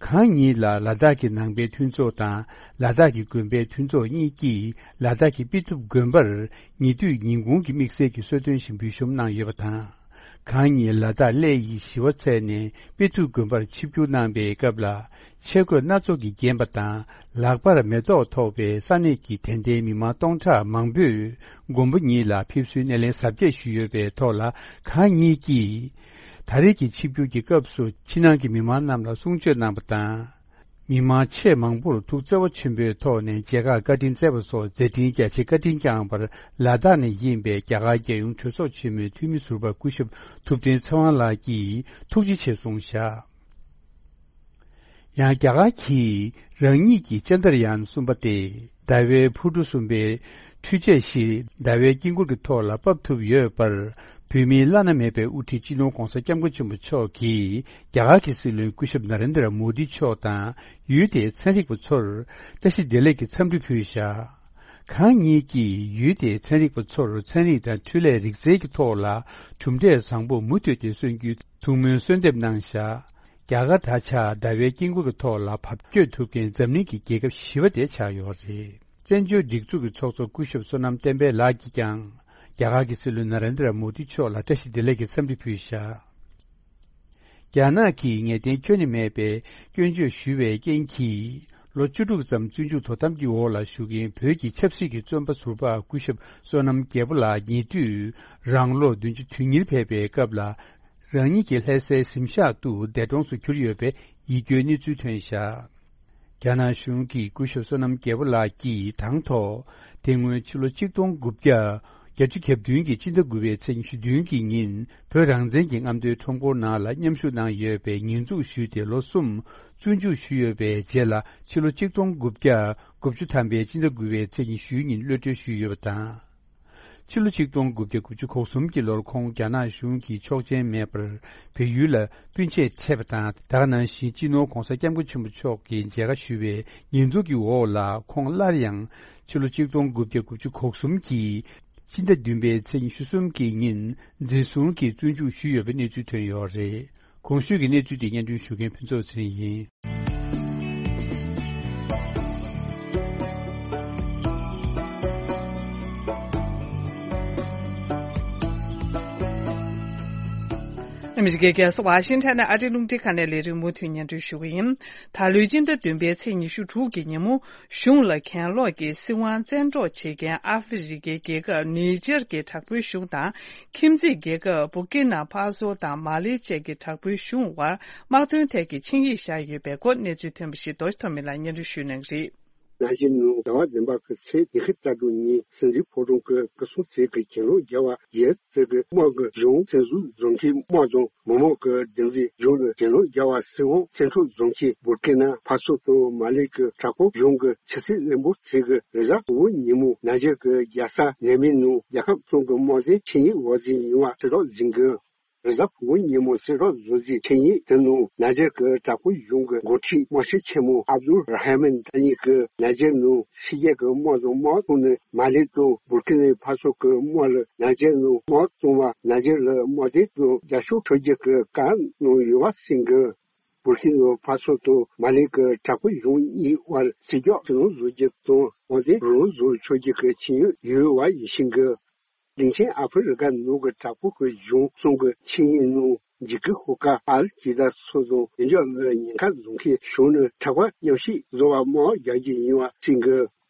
གང་ཉིད་ལ་ལ་དྭགས་ཀྱི་ནང་པའི་མཐུན་ཚོགས་དང་ལ་དྭགས་ཀྱི་དགོན་པའི་མཐུན་ཚོགས་གཉིས་ཀྱིས་ལ་དྭགས་ཀྱི་དཔེ་ཐུབ་དགོན་པར་ཉེ་དུས་ཉིན་གུང་གི་དམིགས་བསལ་གྱི་གསོལ་སྟོན་ཞིག་འབུལ་ཞུམ་གནང་ཡོད་པ་དང་། གང་ཉིད་ལ་དྭགས་གླེ་ཡི་ཞི་བ་འཚལ་ནས་དཔེ་ཐུབ་དགོན་པར་ཆིབས་བསྒྱུར་གནང་པའི་སྐབས་ལ། ཆས་གོས་སྣ་ཚོགས་ཀྱིས་བརྒྱན་པ་དང་། ལག་པར་མེ་ཏོག་ཐོགས་པའི་ས་གནས་ཀྱི་དད་ལྡན་མི་མང་སྟོང་ཕྲག་མང་པོས་མགོན་པོ་ཉིད་ལ་ཕེབས་བསུའི་སྣེ་ལེན་གཟབ་རྒྱས་ཞུས་ཡོད་པའི་ཐོག་ལ། གང་ཉིད་ཀྱིས་ད་རེས་ཀྱི་ཆིབས་བསྒྱུར་གྱི་སྐབས་སུ་ཕྱི་ནང་གི་མི་མང་རྣམས་ལ་གསུང་ཆོས་གནང་བ་དང་། མི་མང་ཆེས་མང་པོར་ཐུགས་བརྩེ་བ་ཆེན་པོའི་ཐོག་ནས་མཇལ་ཁ་བཀའ་དྲིན་སྩལ་བ་སོགས་མཛད་འཕྲིན་རྒྱ་ཆེ་བཀའ་དྲིན་བསྐྱངས་པར། ལ་དྭགས་ནས་ཡིན་པའི་རྒྱ་གར་རྒྱལ་ཡོངས་གྲོས་ཚོགས་ཆེན་མོའི་འཐུས་མི་ཟུར་པ་སྐུ་ཞབས་ཐུབ་བསྟན་ཚེ་དབང་ལགས་ཀྱིས་ཐུགས་རྗེ་ཆེ་གསུངས་བཞག། ཡང་རྒྱ་གར་གྱིས་རང་ཉིད་ཀྱི་ཅན་དར་ཡཱན་གསུམ་པ་སྟེ། ཟླ་བའི་འཕུར་གྲུ་གསུམ་པའི་འཕྲུལ་ཆས་ཤིག་ཟླ་བའི་དཀྱིལ་འཁོར་གྱི་ཐོག་ལ་ཕབ་ཐུབ་ཡོད་པར། བོད་མིའི་བླ་ན་མེད་པའི་དབུ་ཁྲིད་སྤྱི་ནོར་༧གོང་ས་༧སྐྱབས་མགོན་ཆེན་པོ་མཆོག་གིས་རྒྱ་གར་གྱི་སྲིད་བློན་སྐུ་ཞབས་ན་རེན་དྲ་མོ་དི་མཆོག་དང་ཡུལ་དེའི་ཚན་རིག་པ་ཚོར་བཀྲ་ཤིས་བདེ་ལེགས་ཀྱི་འཚམས་འདྲི་ཕུལ་བཞག། གང་ཉིད་ཀྱིས་ཡུལ་དེའི་ཚན་རིག་པ་ཚོར་ཚན་རིག་དང་འཕྲུལ་ལས་རིག་རྩལ་གྱི་ཐོག་ལ་གྲུབ་འབྲས་བཟང་པོ་མུ་མཐུད་དེ་སོན་རྒྱུའི་ཐུགས་སྨོན་གསོལ་འདེབས་གནང་བཞག། རྒྱ་གར་ད་ཆ་ཟླ་བའི་དཀྱིལ་འཁོར་གྱི་ཐོག་ལ་བབ་བསྐྱོད་ཐུབ་མཁན་འཛམ་གླིང་གི་རྒྱལ་ཁབ་བཞི་པ་དེ་ཆགས་ཡོད་རེད། བཙན་བྱོལ་སྒྲིག་འཛུགས་ཀྱི་ཚོགས་གཙོ་སྐུ་ཞབས་བསོད་ནམས་བསྟན་འཕེལ་ལགས་ཀྱིས་ཀྱང་རྒྱ་གར་གྱི་སྲིད་བློན་ན་རེན་དྲ་མོ་དི་མཆོག་ལ་བཀྲ་ཤིས་བདེ་ལེགས་ཀྱི་འཚམས་འདྲི་ཕུལ་བཞག། རྒྱ་ནག་གིས་ངེས་གཏན་ཁྱོན་ནས་མེད་པའི་སྐྱོན་བརྗོད་ཞུས་པའི་རྐྱེན་གྱིས། ལོ་བཅུ་དྲུག་ཙམ་བཙོན་འཇུག་དོ་དམ་གྱི་འོག་ལ་བཞུགས་མཁན་བོད་ཀྱི་ཆབ་སྲིད་ཀྱི་བཙོན་པ་ཟུར་པ་སྐུ་ཞབས་བསོད་ནམས་རྒྱལ་པོ་ལགས་ཉེ་དུས་རང་ལོ་བདུན་ཅུ་དོན་གཉིས་ཕེབས་པའི་སྐབས་ལ། རང་ཉིད་ཀྱི་ལྷ་སའི་གཟིམ་ཤག་ཏུ་འདས་གྲོངས་སུ་གྱུར་ཡོད་པའི་ཡིད་སྐྱོའི་གནས་ཚུལ་ཐོན་བཞག། རྒྱ་ནག་གཞུང་གིས་སྐུ་ཞབས་བསོད་ནམས་རྒྱལ་པོ་ལགས་ཀྱིས་དང་ཐོག་དེ་སྔོན་ཕྱི་ལོ་ཆིག་སྟོང་དགུ་བརྒྱ་བརྒྱད་ཅུ་གྱ་བདུན་གྱི་སྤྱི་ཟླ་དགུ་པའི་ཚེས་ཉི་ཤུ་བདུན་གྱི་ཉིན་བོད་རང་བཙན་གྱི་རྔམ་སྟོན་ཁྲོམ་སྐོར་ནང་ལ་མཉམ་ཞུགས་གནང་ཡོད་པའི་ཉེས་འཛུགས་ཞུས་ཏེ་ལོ་གསུམ་བཙོན་འཇུག་ཞུས་ཡོད་པའི་རྗེས་ལ། ཕྱི་ལོ་ཆིག་སྟོང་དགུ་བརྒྱ་དགུ་བཅུ་ཐམ་པའི་སྤྱི་ཟླ་དགུ་པའི་ཚེས་ཉི་ཤུའི་ཉིན་གློད་གྲོལ་ཞུས་ཡོད་པ་དང་། ཕྱི་ལོ་ཆིག་སྟོང་དགུ་བརྒྱ་དགུ་བཅུ་གོ་གསུམ་གྱི་ལོར་ཁོང་རྒྱ་ནག་གཞུང་གིས་ཆོག་མཆན་མེད་པར་བལ་ཡུལ་ལ་སྤུན་མཆེད་འཕྲད་པ་དང་། ད་ག་ནང་བཞིན་སྤྱི་ནོར་༧གོང་ས་༧སྐྱབས་མགོན་ཆེན་པོ་མཆོག་གིས་མཇལ་ཁ་ཞུས་པའི་ཉེས་འཛུགས་ཀྱི་འོག་ལ། ཁོང་སླར་ཡང་ཕྱི་ལོ་ཆིག་སྟོང་དགུ་བརྒྱ་དགུ་བཅུ་གོ་གསུམ་གྱི་སྤྱི་ཟླ་བདུན་པའི་ཚེས་ཉི་ཤུ་གསུམ་གྱི་ཉིན་འཛིན་བཟུང་གིས་བཙོན་འཇུག་ཞུས་ཡོད་པའི་གནས་ཚུལ་ཐོན་ཡོད་རེད། གོང་ཞུས་ཀྱི་གནས་ཚུལ་དེ་སྙན་སྒྲོན་ཞུ་མཁན་ཕུན་ཚོགས་ཚེ་རིང་ཡིན། ཨ་མི་རི་ཀའི་རྒྱལ་ས་ཝ་ཤིང་ཊོན་ནས་ཨ་རིའི་རླུང་འཕྲིན་ཁང་ནས་ལས་རིམ་མུ་མཐུད་སྙན་སྒྲོན་ཞུ་གི་ཡིན། ད་ལོའི་སྤྱི་ཟླ་བདུན་པའི་ཚེས་ཉི་ཤུ་དྲུག་གི་ཉིན་མོ། གཞུང་ལ་གྱེན་ལོག་གི་སྲིད་དབང་བཙན་འཕྲོག་བྱེད་མཁན་ཨ་ཧྥེ་རི་ཁའི་རྒྱལ་ཁབ་ནི་ཇར་གྱི་དྲག་པོའི་གཞུང་དང་། ཁྱིམ་མཚེས་རྒྱལ་ཁབ་བུར་ཀི་ན་ཕ་སོ་དང་མ་ལི་བཅས་ཀྱི་དྲག་པོའི་གཞུང་དབར་དམག་དོན་ཐད་ཀྱི་ཆིངས་ཡིག་བཞག་ཡོད་པའི་སྐོར་གནས་ཚུལ་ཐོན་པ་ཞིག་རྡོ་རྗེ་ཐོགས་མེད་ལགས་སྙན་སྒྲོན་ཞུ་གནང་གི་རེད། ནང་བཞིན་ནང་ཟླ་བ་བདུན་པ་གི་ཚེས་ཉི་ཤུ་རྩ་དྲུག་ཉིན་སྲིད་འཛིན་ཕོ་བྲང་གི་སྐུ་སྲུང་ཚོས་ཀྱི་གྱེན་ལོག་རྒྱལ་བ་ཡི་ཙི་གི་དམག་གི་གཞུང་བཙན་འཛུལ་བཟོ་མཁན་དམག་དང་མི་མང་གི་སྡེ་འཛིན་གཞུང་ལ་གྱེན་ལོག་རྒྱལ་བ་སྲིད་དབང་བཙན་འཕྲོག་བཟོ་མཁན་བུར་ཀི་ན་ཕ་སོ་དང་མ་ལི་གི་དྲག་པོ་གཞུང་གི་ཕྱི་སྲིད་བློན་པོ་ཚོས་ཀྱི་རེས་གཟའ་ཕུར་བུ་ཉིན་མོ་ནཱ་ཇར་གྱི་རྒྱལ་ས་ནེ་མི་ནང་རྒྱལ་ཁབ་གསུམ་གྱི་དམག་དོན་ཆིངས་ཡིག་འོག་འཛིན་ཡོང་བ་གསལ་བསྒྲགས་ཟིན་གི། རེས་གཟའ་ཕུར་བུ་ཉིན་མོ་གསལ་བསྒྲགས་བཟོ་རྩིས་ཆིངས་ཡིག་དེ་ནང་ནཱ་ཇར་གྱི་དྲག་པོའི་གཞུང་གི་འགོ་ཁྲིད་དམག་སྤྱི་ཆེན་མོ་ཨབ་དུལ་ར་ཧ་མན་ཏཱ་ནི་གིས་ནཱ་ཇར་ནང་ཕྱི་རྒྱལ་གྱི་དམག་དང་དམག་ཚོགས་ནས་མ་ལི་དང་བུར་ཀི་ནེ་ཕ་སོ་གྱི་དམག་ལ་ནཱ་ཇར་ནང་དམག་བཙོང་བ་ནཱ་ཇར་ལ་དམག་དོན་དང་རྒྱབ་སྐྱོར་སྤྲོད་རྒྱུ་གི་བཀའ་གནང་ཡོད་པ་གསུངས་གི། བུར་ཀི་ནེ་ཕ་སོ་དང་མ་ལི་གི་དྲག་པོའི་གཞུང་གཉིས་དབར་རྩིས་རྒྱག་ཕྱིར་ལོག་བཟོ་རྒྱུ་དང་དམག་དོན་རོགས་རམ་བཟོ་ཆོག་རྒྱུ་གི་ཆིངས་ཡིག་ཡོད་པ་ཡིན་ཞིང་གི། གླིང་ཆེན་ཨ་ཧྥེ་རི་ཁ་ནང་གི་དྲག་པོ་གི་གཞུང་གསུམ་གྱི་ཆིངས་ཡིག་ནང་འཇིགས་སྐུལ་ཤོག་ཁག་ཨལ་ཀི་ད་སོགས་དང་བདེ་འཇགས་ལ་ཉེན་ཁ་བཟོ་མཁན་གཞུང་ནི་དྲག་པ་མཉམ་བཤིག་བཟོ་བར་དམག་རྒྱག་རྒྱུ་ཡིན་པ་བརྩི་གི།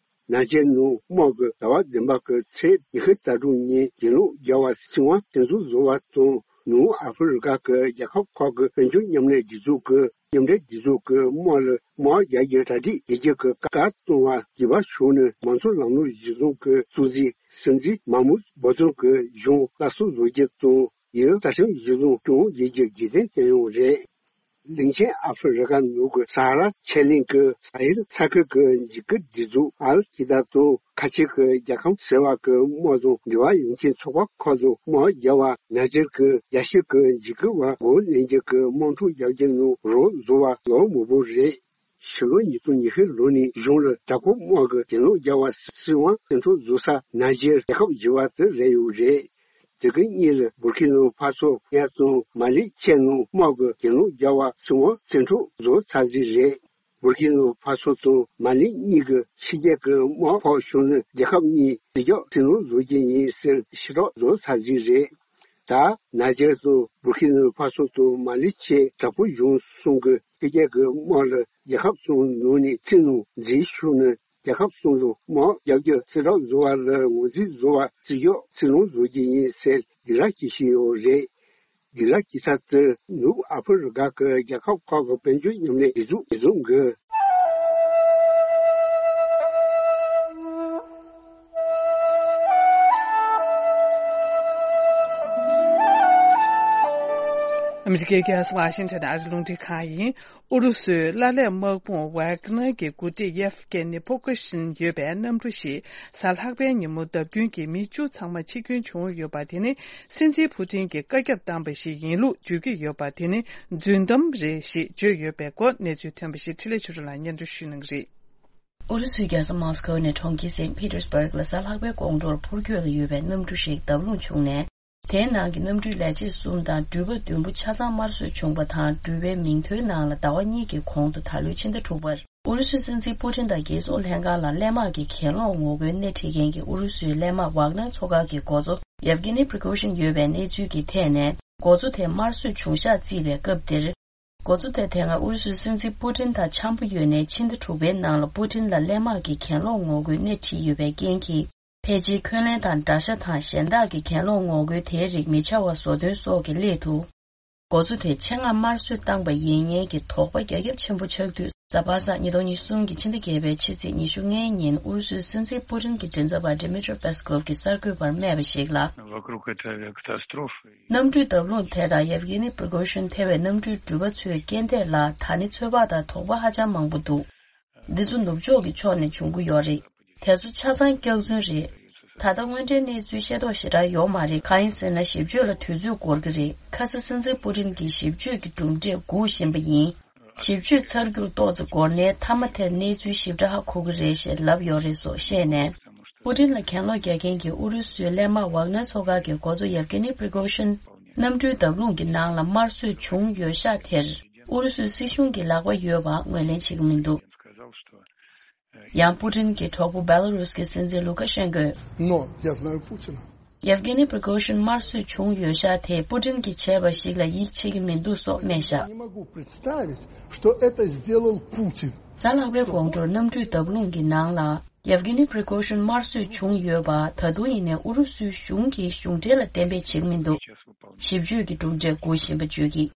ནཱ་ཇར་ནང་དམག་གི་ཟླ་བ་བདུན་པ་གི་ཚེས་ཉི་ཤུ་རྩ་དྲུག་ཉིན་གྱེན་ལོག་རྒྱལ་བ་སྲིད་དབང་བཙན་འཛུལ་བཟོ་བ་དང་ནུབ་ཨ་ཧྥེ་རི་ཁ་གི་རྒྱལ་ཁབ་ཁག་གི་དཔལ་འབྱོར་མཉམ་ལས་སྒྲིག་འཛུགས་ཀྱི་མཉམ་འབྲེལ་སྒྲིག་འཛུགས་ཀྱི་དམག་ལ་དམག་རྒྱག་རྒྱུ་གྲ་སྒྲིག་བྱེད་རྒྱུ་གི་བཀའ་གཏོང་བ་གྱིས་པ་ཤོག་ནི་མང་གཙོ་ལམ་ལུགས་གཞི་བཟུང་གི་གཙོ་འཛིན་སྲིད་འཛིན་མཱ་མུད་བོ་ཐོན་གྱི་གཞུང་སླར་གསོ་བཟོ་རྒྱུ་དང་ཡུལ་རྩ་ཁྲིམས་གཞི་བཟུང་སྐྱོང་བྱེད་རྒྱུ་རྒྱུན་གཏན་བཏོན་ཡོད་རེད། གླིང་ཆེན་ཨ་ཧྥེ་རི་ཁ་ནང་གི་ས་ཧ་ར་ཆེ་གླིང་གི་ས་ཧེལ་ས་ཁུལ་གྱི་འཇིགས་སྐུལ་སྒྲིག་འཛུགས་ཨལ་ཀི་ད་དང་ཁ་ཆེ་གི་རྒྱལ་ཁམས་ཟེར་བ་གི་དམག་དང་འབྲེལ་བ་ཡོད་མཁན་ཚོགས་པ་ཁག་དང་དམག་རྒྱག་པ་ནཱ་ཇར་གྱི་རྒྱལ་སྤྱི་གི་འཇིགས་སྐུལ་བ་འགོ་ལེན་རྒྱུ་གི་དམག་འཁྲུག་རྒྱག་རྒྱུ་ནང་རོགས་བཟོ་བ་ལོ་མང་པོ་རེད། ཕྱི་ལོ་ཉིས་སྟོང་ཉི་ཤུ་ལོ་ནས་གཞུང་ལ་དྲག་པོ་དམག་གི་གྱེན་ལོག་རྒྱལ་བ་སྲིད་དབང་བཙན་འཕྲོག་བཟོ་ས་ནཱ་ཇར་རྒྱལ་ཁབ་བཞི་པ་དེ་རེད་ཡོད་རེད། དེ་གི་གཉིས་ལ་བུར་ཀི་ནོ་ཕ་སོ་ཡ་དང་མ་ལི་བཅས་ནང་དམག་གི་གྱེན་ལོག་རྒྱལ་བ་སྲིད་དབང་བཙན་འཕྲོག་བཟོ་ཚར་རྩིས་རེད། བུར་ཀི་ནོ་ཕ་སོ་དང་མ་ལི་གཉིས་ཀྱི་ཕྱི་རྒྱལ་གྱི་དམག་ཕོག་བྱུང་ན་རྒྱལ་ཁབ་གཉིས་དེ་རྒྱག་ཕྱིར་ལོག་བཟོ་རྒྱུ་ཡིན་ཟེར་ཕྱིར་ལོག་བཟོ་ཚར་རྩིས་རེད། ད་ནཱ་ཇར་དང་བུར་ཀི་ནོ་ཕ་སོ་དང་མ་ལི་བཅས་དྲག་པོ་གཞུང་གསུམ་གྱི་ཕྱི་རྒྱལ་གྱི་དམག་ལ་རྒྱལ་ཁབ་གསུམ་ནང་ནས་ཚིག་ནང་འཛུལ་ཤོག་ནི་རྒྱལ་ཁབ་གསུམ་ལ་དམག་རྒྱག་རྒྱུ་གསལ་བསྒྲགས་བཟོ་བ་ལ་ངོས་འཛིན་བཟོ་བ་རྩིས་རྒྱག་ཚིག་ལོངས་བཟོ་རྒྱུ་ཡིན་ཟེར་སྡིགས་ར་བྱེད་བཞིན་ཡོད་རེད། སྡིགས་ར་བྱེད་ས་དེ་ནུབ་ཨ་ཧྥེ་རི་ཁ་གི་རྒྱལ་ཁབ་ཁག་གི་དཔལ་འབྱོར་མཉམ་ལས་སྒྲིག་འཛུགས་ནས་བཟུང་གི། ཨ་མི་རི་ཀའི་རྒྱལ་ས་ཝ་ཤིང་ཊོན་ཨ་རི་རླུང་འཕྲིན་ཁང་ཡིན། ཨུ་རུ་སུའི་ཀླད་ཀོར་དམག་དཔུང་ཝག་ནར་གྱི་འགོ་ཁྲིད་ཡེབ་ཀེ་ནི་པོ་ཀི་ཤིན་ཡོད་པའི་གནམ་གྲུ་ཞིག་གཟའ་ལྷག་པའི་ཉིན་མོ་བརྡབ་སྐྱོན་གྱིས་མི་བཅུ་ཚང་མ་འཆི་སྐྱོན་བྱུང་ཡོད་པ་དེ་ནི་སྲིད་འཛིན་ཕུ་ཏིན་གྱིས་བཀའ་ཁྱབ་བཏང་པ་ཞིག་ཡིན་ལུགས་བརྗོད་ཀྱི་ཡོད་པ་དེ་ནི་རྫུན་གཏམ་རེད་ཞེས་བརྗོད་ཡོད་པའི་སྐོར་གནས་ཚུལ་ཐོན་པ་ཞིག་འཕྲིན་ལས་ཆོས་སྒྲོན་ལགས་སྙན་སྒྲོན་ཞུ་གནང་གི་རེད། ཨུ་རུ་སུའི་རྒྱལ་ས་མོ་སི་ཁོ་ནས་གྲོང་ཁྱེར་སེན་པི་ཏེར་སྦུག་ལ་གཟའ་ལྷག་པའི་དགོང་དྲོར་འཕུར་སྐྱོད་ལ་ཡོད་པའི་གནམ་གྲུ་ཞིག་བརྡབ་ལྷུང་བྱུང་ནས། དེའི་ནང་གི་གནམ་གྲུའི་ལས་བྱེད་གསུམ་དང་འགྲུལ་པ་བདུན་པོ་ཆ་ཚང་དམར་གསོད་བྱུང་བ་དང་། འགྲུལ་པའི་མིང་ཐོའི་ནང་ལ་ཟླ་བ་གཉིས་ཀྱི་གོང་དུ་ད་ལོའི་ཕྱི་ཟླ་དྲུག་པར་ཨུ་རུ་སུའི་སྲིད་འཛིན་པུ་ཏིན་དང་རྒྱལ་སྲུང་ལྷན་ཁང་ལ་གླས་དམག་གི་གྱེན་ལོག་ངོ་རྒོལ་སྣེ་ཁྲིད་མཁན་གྱི་ཨུ་རུ་སུའི་གླས་དམག་ཝག་ནར་ཚོགས་ཁག་གི་འགོ་གཙོ་ཡེབ་གེ་ནི་པྲི་གོ་ཤིན་ཡོད་པའི་གནས་ཚུལ་གྱི་ཐད་ནས། འགོ་གཙོ་དེ་དམར་གསོད་བྱུང་ཤག་བརྩིས་པའི་སྐབས་འདིར། འགོ་གཙོ་དེ་དེ་སྔ་ཨུ་རུ་སུའི་སྲིད་འཛིན་པུ་ཏིན་དང་འཆམ་པོ་ཡོད་ནས། ཕྱི་ཟླ་དྲུག་པའི་ནང་ལ་པུ་ཏིན་ལ་གླས་དམག་གི་གྱེན་ལོག་ངོ་རྒོལ་སྣེ་ཁྲིད་ཡོད་པའི་རྐྱེན་གྱིས། ཕལ་ཆེར་འཁོན་ལན་དང་དགྲ་ཤ་དང་གཞན་དག་གི་གྱེན་ལོག་ངོ་རྒོལ་དེའི་རིགས་མི་བྱ་བ་བཟོ་དོན་སོགས་ཀྱི་སླད་དུ། འགོ་གཙོ་དེ་ཆེད་མངགས་དམར་གསོད་བཏང་པ་ཡིན་ཉེན་གྱི་དོགས་པ་རྒྱ་ཁྱབ་ཆེན་པོ་ཆགས་དུས། གཟའ་པ་སངས་ཉིས་སྟོང་ཉི་ཤུ་གསུམ་གྱི་ཕྱི་ཟླ་བརྒྱད་པའི་ཕྱི་ཚེས་ཉི་ཤུ་ལྔའི་ཉིན་ཨུ་རུ་སུའི་སྲིད་འཛིན་པུ་ཏིན་གྱི་མགྲིན་ཚབ་པ་ཌི་མི་ཏྲི་པེ་སི་ཀོབ་ཀྱིས་གསར་འགོད་པར་སྨྲས་པ་ཞིག་ལ། Вокруг этой авиакатастрофы. གནམ་གྲུའི་བརྡབ་ལྷུང་དེ་དང་ཡེབ་གེ་ནི་པྲི་གོ་ཤིན་ཐེ་བའི་གནམ་གྲུའི་འགྲུལ་པ་ཚོའི་རྐྱེན་འདས་ལ་ད་ནི་ཚོད་དཔག་དང་དོགས་པ་ཧ་ཅང་མང་པོ་འདུག་འདི་ཚོ་ནུབ་ཕྱོགས་ཀྱི་ཕྱོགས་ནས་བྱུང་གི་ཡོད་རེད། དེ་ཚོ་ཆ་ཚང་སྐྱག་རྫུན་རེད། ད་ལྟ་དངོས་འབྲེལ་གནས་ཚུལ་ཤེས་རྟོགས་ཞེ་དྲག་ཡོད་མ་རེད། གང་ཡིན་ཟེར་ན། ཞིབ་དཔྱོད་ལ་དུས་ཚོད་འགོར་གྱི་རེད། ཁ་སང་སྲིད་འཛིན་པུ་ཏིན་གྱིས་ཞིབ་དཔྱོད་ཀྱི་གྲུབ་འབྲས་སྒུག་བཞིན་པ་ཡིན། ཞིབ་དཔྱོད་ཚར་རྒྱུར་ཏོག་ཙམ་འགོར་ནའི་མཐའ་མ་དེར་གནས་ཚུལ་ཞིབ་ཕྲ་ཧ་གོ་གི་རེད་ཞེས་ལབ་ཡོད་རེད་སོགས་བཤད་ནས། པུ་ཏིན་ལ་གྱེན་ལོག་རྒྱག་མཁན་གྱི་ཨུ་རུ་སུའི་གླས་དམག་ཝག་ནར་ཚོགས་ཁག་གི་འགོ་གཙོ་ཡེབ་གེ་ནི་པྲི་གོ་ཤིན་གནམ་གྲུའི་བརྡབ་ལྷུང་གི་ནང་ལ་དམར་གསོད་བྱུང་ཡོད་ཤག་དེར་ཨུ་རུ་སུའི་སྲིད་གཞུང་གི་ལག་པ་ཡོད་པ་ངོས་ལེན་བྱེད་ཀྱི་མི་འདུག་ཡང་པུ་ཏིན་གྱི་གྲོགས་པོ་བེ་ལ་རུས་ཀྱི་སྲིད་འཛིན་ལུ་ཀ་ཤན་ཀོས། Но я знаю Путина. ཡེབ་གེ་ནི་པྲི་གོ་ཤིན་དམར་གསོད་བྱུང་ཡོད་ཤག་དེས་པུ་ཏིན་གྱིས་བྱས་པ་ཞིག་ལ་ཡིད་ཆེས་ཀྱི་མི་འདུག་སོགས་སྨྲས་ཤག Не могу представить, что это сделал Путин. གཟའ་ལྷག་པའི་དགོང་དྲོར་གནམ་གྲུའི་བརྡབ་ལྷུང་གི་ནང་ལ་ཡེབ་གེ་ནི་པྲི་གོ་ཤིན་དམར་གསོད་བྱུང་ཡོད་པ་ད་དུང་ཡིན་ནའི་ཨུ་རུ་སུའི་གཞུང་གིས་གཞུང་འབྲེལ་ལ་གཏན་འབེབས་བྱེད་ཀྱི་མི་འདུག་ཞིབ་དཔྱོད་ཀྱི་གྲུབ་འབྲས་སྒུག་བཞིན་པ་བརྗོད་ཀྱིས།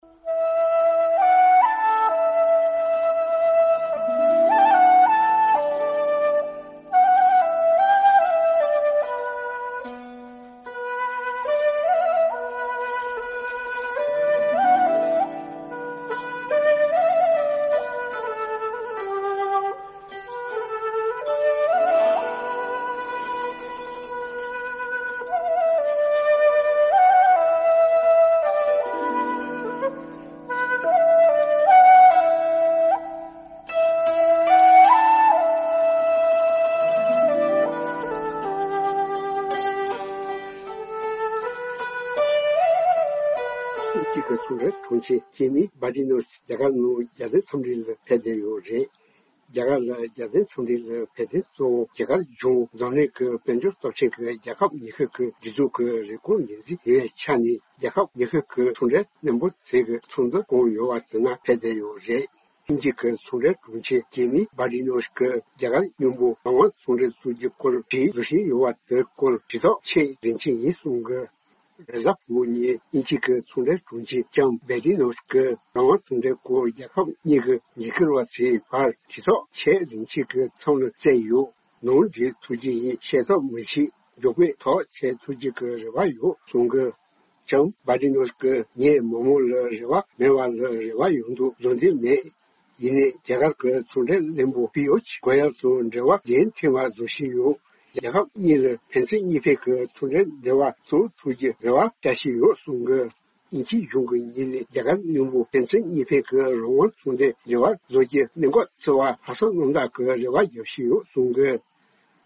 དབྱིན་ཇི་གི་ཚོང་འབྲེལ་དྲུང་ཆེ་ཇེ་མི་བྷ་ཏི་ནོ་རྒྱ་གར་ནང་རྒྱལ་དོན་འཚམས་འདྲི་ལ་ཕེབས་བསྡད་ཡོད་རེད། རྒྱ་གར་ལ་རྒྱལ་དོན་འཚམས་འདྲི་ལ་ཕེབས་དོན་གཙོ་བོ་རྒྱ་གར་གཞུང་འཛམ་གླིང་གི་དཔལ་འབྱོར་སྟོབས་ཆེན་གྱི་རྒྱལ་ཁབ་ཉི་ཤུ་གི་སྒྲིག་འཛུགས་ཀྱི་རེ་སྐུལ་ངོས་འཛིན་ཡོད་པའི་ཆ་ནས། རྒྱལ་ཁབ་ཉི་ཤུ་གི་ཚོང་འབྲེལ་བློན་པོ་ཚོས་ཀྱི་ཚོགས་འདུ་བསྐོངས་ཡོད་པ་དེ་ནང་ཕེབས་བསྡད་ཡོད་རེད། དབྱིན་ཇི་གི་ཚོང་འབྲེལ་དྲུང་ཆེ་ཇེ་མི་བྷ་ཏི་ནོ་གིས་རྒྱ་གར་མཉམ་པོ་རང་དབང་ཚོང་འབྲེལ་བཟོ་རྒྱུའི་སྐོར་བྲིས་བཟོ་བཞིན་ཡོད་པ་དེའི་སྐོར་དྲི་ཐག་ཆེས་རིང་ཆེན་ཡིན་གསུངས་ཀྱི། རེས་གཟའ་ཕུར་བུ་ཉིན་དབྱིན་ཇི་གི་ཚོང་འབྲེལ་དྲུང་ཆེ་ལྕམ་བྷ་ཏི་ནོ་གིས་རང་དབང་ཚོང་འབྲེལ་སྐོར་རྒྱལ་ཁབ་གཉིས་ཀྱི་འགན་འཁུར་བ་ཚོའི་བར་དྲི་ཐག་ཆེས་རིང་ཆེན་གྱི་མཚམས་ལ་བཙལ་ཡོད། ནོར་འགྲིག་ཐུབ་ཀྱི་ཡིན་ཤེས་ཐབས་མི་བྱེད། མགྱོགས་པོས་ཐག་བཅད་ཐུབ་ཀྱི་གི་རེ་བ་ཡོད་གསུངས་ཀྱི། ལྕམ་བྷ་ཏི་ནོ་གིས་ངས་མང་མང་ལ་རེ་བ་མེད་པ་ལ་རེ་བ་ཡོང་འདུག་བཟོ་འདོད་མེད། ཡིན་ནའི་རྒྱ་གར་གྱི་ཚོང་འབྲེལ་བློན་པོ་པི་ཡུ་ཤ་གོ་ཡལ་དང་འབྲེལ་བ་རྒྱུན་མཐུད་པ་བཟོ་བཞིན་ཡོད། རྒྱལ་ཁབ་གཉིས་ལ་ཕན་ཚུན་གཉིས་ཕན་གྱི་ཚོང་འབྲེལ་འབྲེལ་བ་བཙུགས་ཐུབ་ཀྱི་རེ་བ་བསྐྱེད་བཞིན་ཡོད་གསུངས་ཀྱི། དབྱིན་ཇིའི་གཞུང་གི་ངོས་ནས་རྒྱ་གར་མཉམ་པོ་ཕན་ཚུན་གཉིས་ཕན་གྱི་རང་དབང་ཚོང་འབྲེལ་འབྲེལ་བ་བཟོ་རྒྱུའི་གནད་འགག་འཚོལ་བར་ལྷག་བསམ་རྣམ་དག་གི་རེ་བ་རྒྱག་བཞིན་ཡོད་གསུངས་ཀྱི།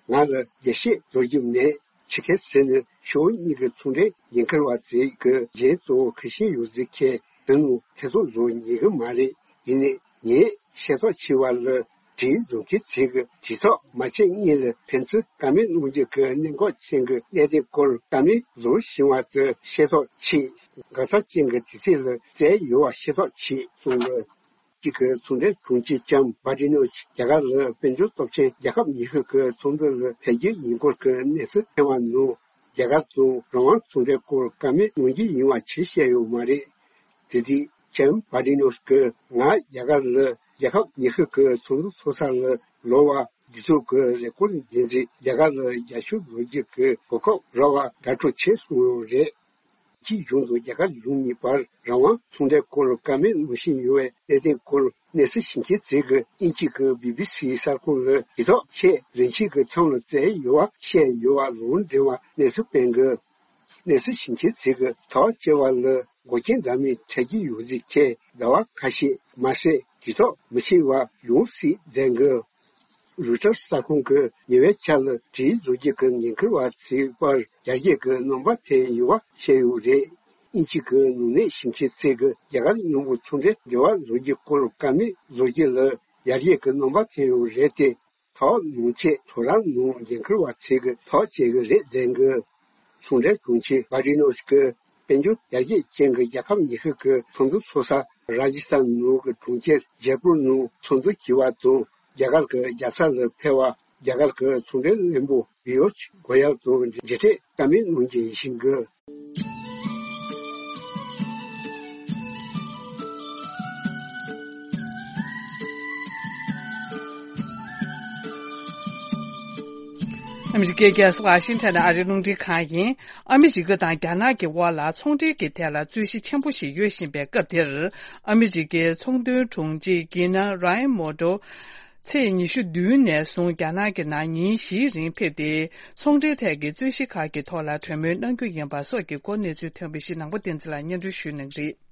ང་ལ་རྒྱས་བཤད་བཟོ་རྒྱུ་མེད། ཕྱི་རྒྱལ་ཟེར་ནས་ཕྱོགས་གཉིས་ཀྱི་ཚོང་འབྲེལ་འགན་འཁུར་བ་ཚོས་ཀྱི་འགན་གཙོ་བོ་ཁུར་བཞིན་ཡོད་ཟེར་མཁན་དེ་ནང་ཐེ་ཚོམ་བཟོ་ཉན་གི་མ་རེད། ཡིན་ནའི་ངས་ཤེས་རྟོགས་བྱས་པ་ལ་གྲོས་བཟོ་མཁན་ཚོས་ཀྱི་དྲི་ཐག་མ་ཆད་སྔོན་ལ་ཕན་ཚུན་བཀའ་མོལ་གནང་རྒྱུ་གི་གནད་འགག་ཅན་གྱི་གནད་དོན་སྐོར་བཀའ་མོལ་བཟོ་བཞིན་པ་དེ་ཤེས་རྟོགས་ཆེས་འགག་རྩ་ཅན་གྱི་དུས་ཚོད་ལ་བཙལ་ཡོད་པ་ཤེས་རྟོགས་བྱས་གསུངས་ཡོད། གཅིག་གི་ཚོང་འབྲེལ་དྲུང་ཆེ་ལྕམ་བྷ་ཏི་ནོ་རྒྱ་གར་ལ་དཔལ་འབྱོར་སྟོབས་ཆེན་རྒྱལ་ཁབ་ཉི་ཤུ་གི་ཚོགས་འདུ་ལ་ཕེབས་རྒྱུ་ཡིན་སྐོར་གྱི་གནས་ཚུལ་ཐོན་པ་ནང་རྒྱ་གར་དང་རང་དབང་ཚོང་འབྲེལ་སྐོར་བཀའ་མོལ་གནང་རྒྱུ་ཡིན་པ་ཕྱིར་བཤད་ཡོད་མ་རེད། དེ་དུས་ལྕམ་བྷ་ཏི་ནོ་གིས་ང་རྒྱ་གར་ལ་རྒྱལ་ཁབ་ཉི་ཤུ་གི་ཚོགས་འདུ་ཚོགས་ས་ལ་ལོ་བ་འདི་ཚོགས་ཀྱི་རེ་སྐུལ་འགན་འཛིན་རྒྱ་གར་ལ་རྒྱབ་སྐྱོར་ཡོད་རྒྱུ་གི་གོ་སྐབས་རག་པར་དགའ་སྤྲོ་ཆེ་གསུངས་ཡོད་རེད། ཕྱིའི་གཞུང་དང་རྒྱ་གར་གཞུང་གཉིས་བར་རང་དབང་ཚོང་འབྲེལ་སྐོར་བཀའ་མོལ་གནང་བཞིན་ཡོད་པའི་གནད་དོན་སྐོར་གནས་ཚུལ་ཞིབ་མཁན་ཚོས་ཀྱིས་དབྱིན་ཇི་གི་བི་བི་སི་གསར་ཁང་ལ་དྲི་ཐག་ཆེས་རིང་ཆེན་གྱི་མཚམས་ལ་བཙལ་ཡོད་པ་བཤད་ཡོད་པ་ལུང་འདྲེན་པ་གནས་ཚུལ་སྤེལ་འདུག་གནས་ཚུལ་ཞིབ་མཁན་ཚོས་ཀྱིས་ཐག་བཅད་པ་ལ་འགོག་རྐྱེན་འདྲ་མིན་འཕྲད་ཀྱི་ཡོད་ཚུལ་བཅས་ཟླ་བ་ཁ་ཤས་མ་ཟད་དུས་ཐག་མི་ཆོད་པ་ཡོང་སྲིད་འདྲ་འདུག་རོའི་ཊར་གསར་ཁང་གིས་ཉེ་བའི་ཆར་ལ་གྲོས་བཟོ་རྒྱུ་གི་འགན་འཁུར་བ་ཚོའི་བར་ཡར་རྒྱས་ཀྱི་རྣམ་པ་ཐོན་ཡོད་པ་བཤད་ཡོད་རེད། དབྱིན་ཇི་གི་ནང་གནས་ཞིབ་མཁན་ཚོས་ཀྱིས་རྒྱ་གར་མཉམ་པོ་ཚོང་འབྲེལ་འབྲེལ་བ་བཟོ་རྒྱུའི་སྐོར་བཀའ་མོལ་བཟོ་རྒྱུ་ལ་ཡར་རྒྱས་ཀྱི་རྣམ་པ་ཐོན་ཡོད་རེད་དེ། ཐོག་ནང་ཆེད་ཐོ་རངས་ནང་འགན་འཁུར་བ་ཚོས་ཀྱིས་ཐག་བཅད་ཀྱི་རེད་ཟེར་གི། ཚོང་འབྲེལ་དྲུང་ཆེ་བྷ་ཏི་ནོ་གིས་དཔལ་འབྱོར་ཡར་རྒྱས་ཅན་གྱི་རྒྱལ་ཁབ་ཉི་ཤུ་གི་ཚོགས་འདུ་ཚོགས་ས་ར་ཇི་སྟན་ནང་གི་གྲོང་ཁྱེར་ཇེ་པུར་ནང་ཚོགས་འདུ་བྱས་པ་དང་རྒྱ་གར་གྱི་རྒྱལ་ས་ལ་ཕེབས་པ་རྒྱ་གར་གྱི་ཚོང་འབྲེལ་བློན་པོ་པི་ཡུ་ཤ་གོ་ཡལ་དང་མཇལ་འཕྲད་བཀའ་མོལ་གནང་རྒྱུ་ཡིན་ཞིང་གི། ཨ་མི་རི་ཀའི་རྒྱལ་ས་ཝ་ཤིང་ཊོན་ཨ་རིའི་རླུང་འཕྲིན་ཁང་ཡིན། ཨ་མི་རི་ཀ་དང་རྒྱ་ནག་གི་དབར་ལ་ཚོང་འབྲེལ་གྱི་ཐད་ལ་རྩོད་གཞི་ཆེན་པོ་ཞིག་ཡོད་བཞིན་པའི་སྐབས་འདིར། ཨ་མི་རི་ཀའི་ཚོང་དོན་དྲུང་ཆེ་ཀི་ན་རའི་མོ་ཏོ། ཚེས་ཉི་ཤུ་བདུན་ནས་བཟུང་རྒྱ་ནག་གི་ནང་ཉིན་བཞིའི་རིང་ཕེབས་ཏེ། ཚོང་འབྲེལ་ཐད་ཀྱི་རྩོད་གཞི་ཁག་གི་ཐོག་ལ་གྲོས་མོལ་གནང་རྒྱུ་ཡིན་པ་སོགས་ཀྱི་སྐོར་གནས་ཚུལ་ཐོན་པ་ཞིག་ནང་པ་བསྟན་འཛིན་ལགས་སྙན་སྒྲོན་ཞུ་གནང་གི་རེད།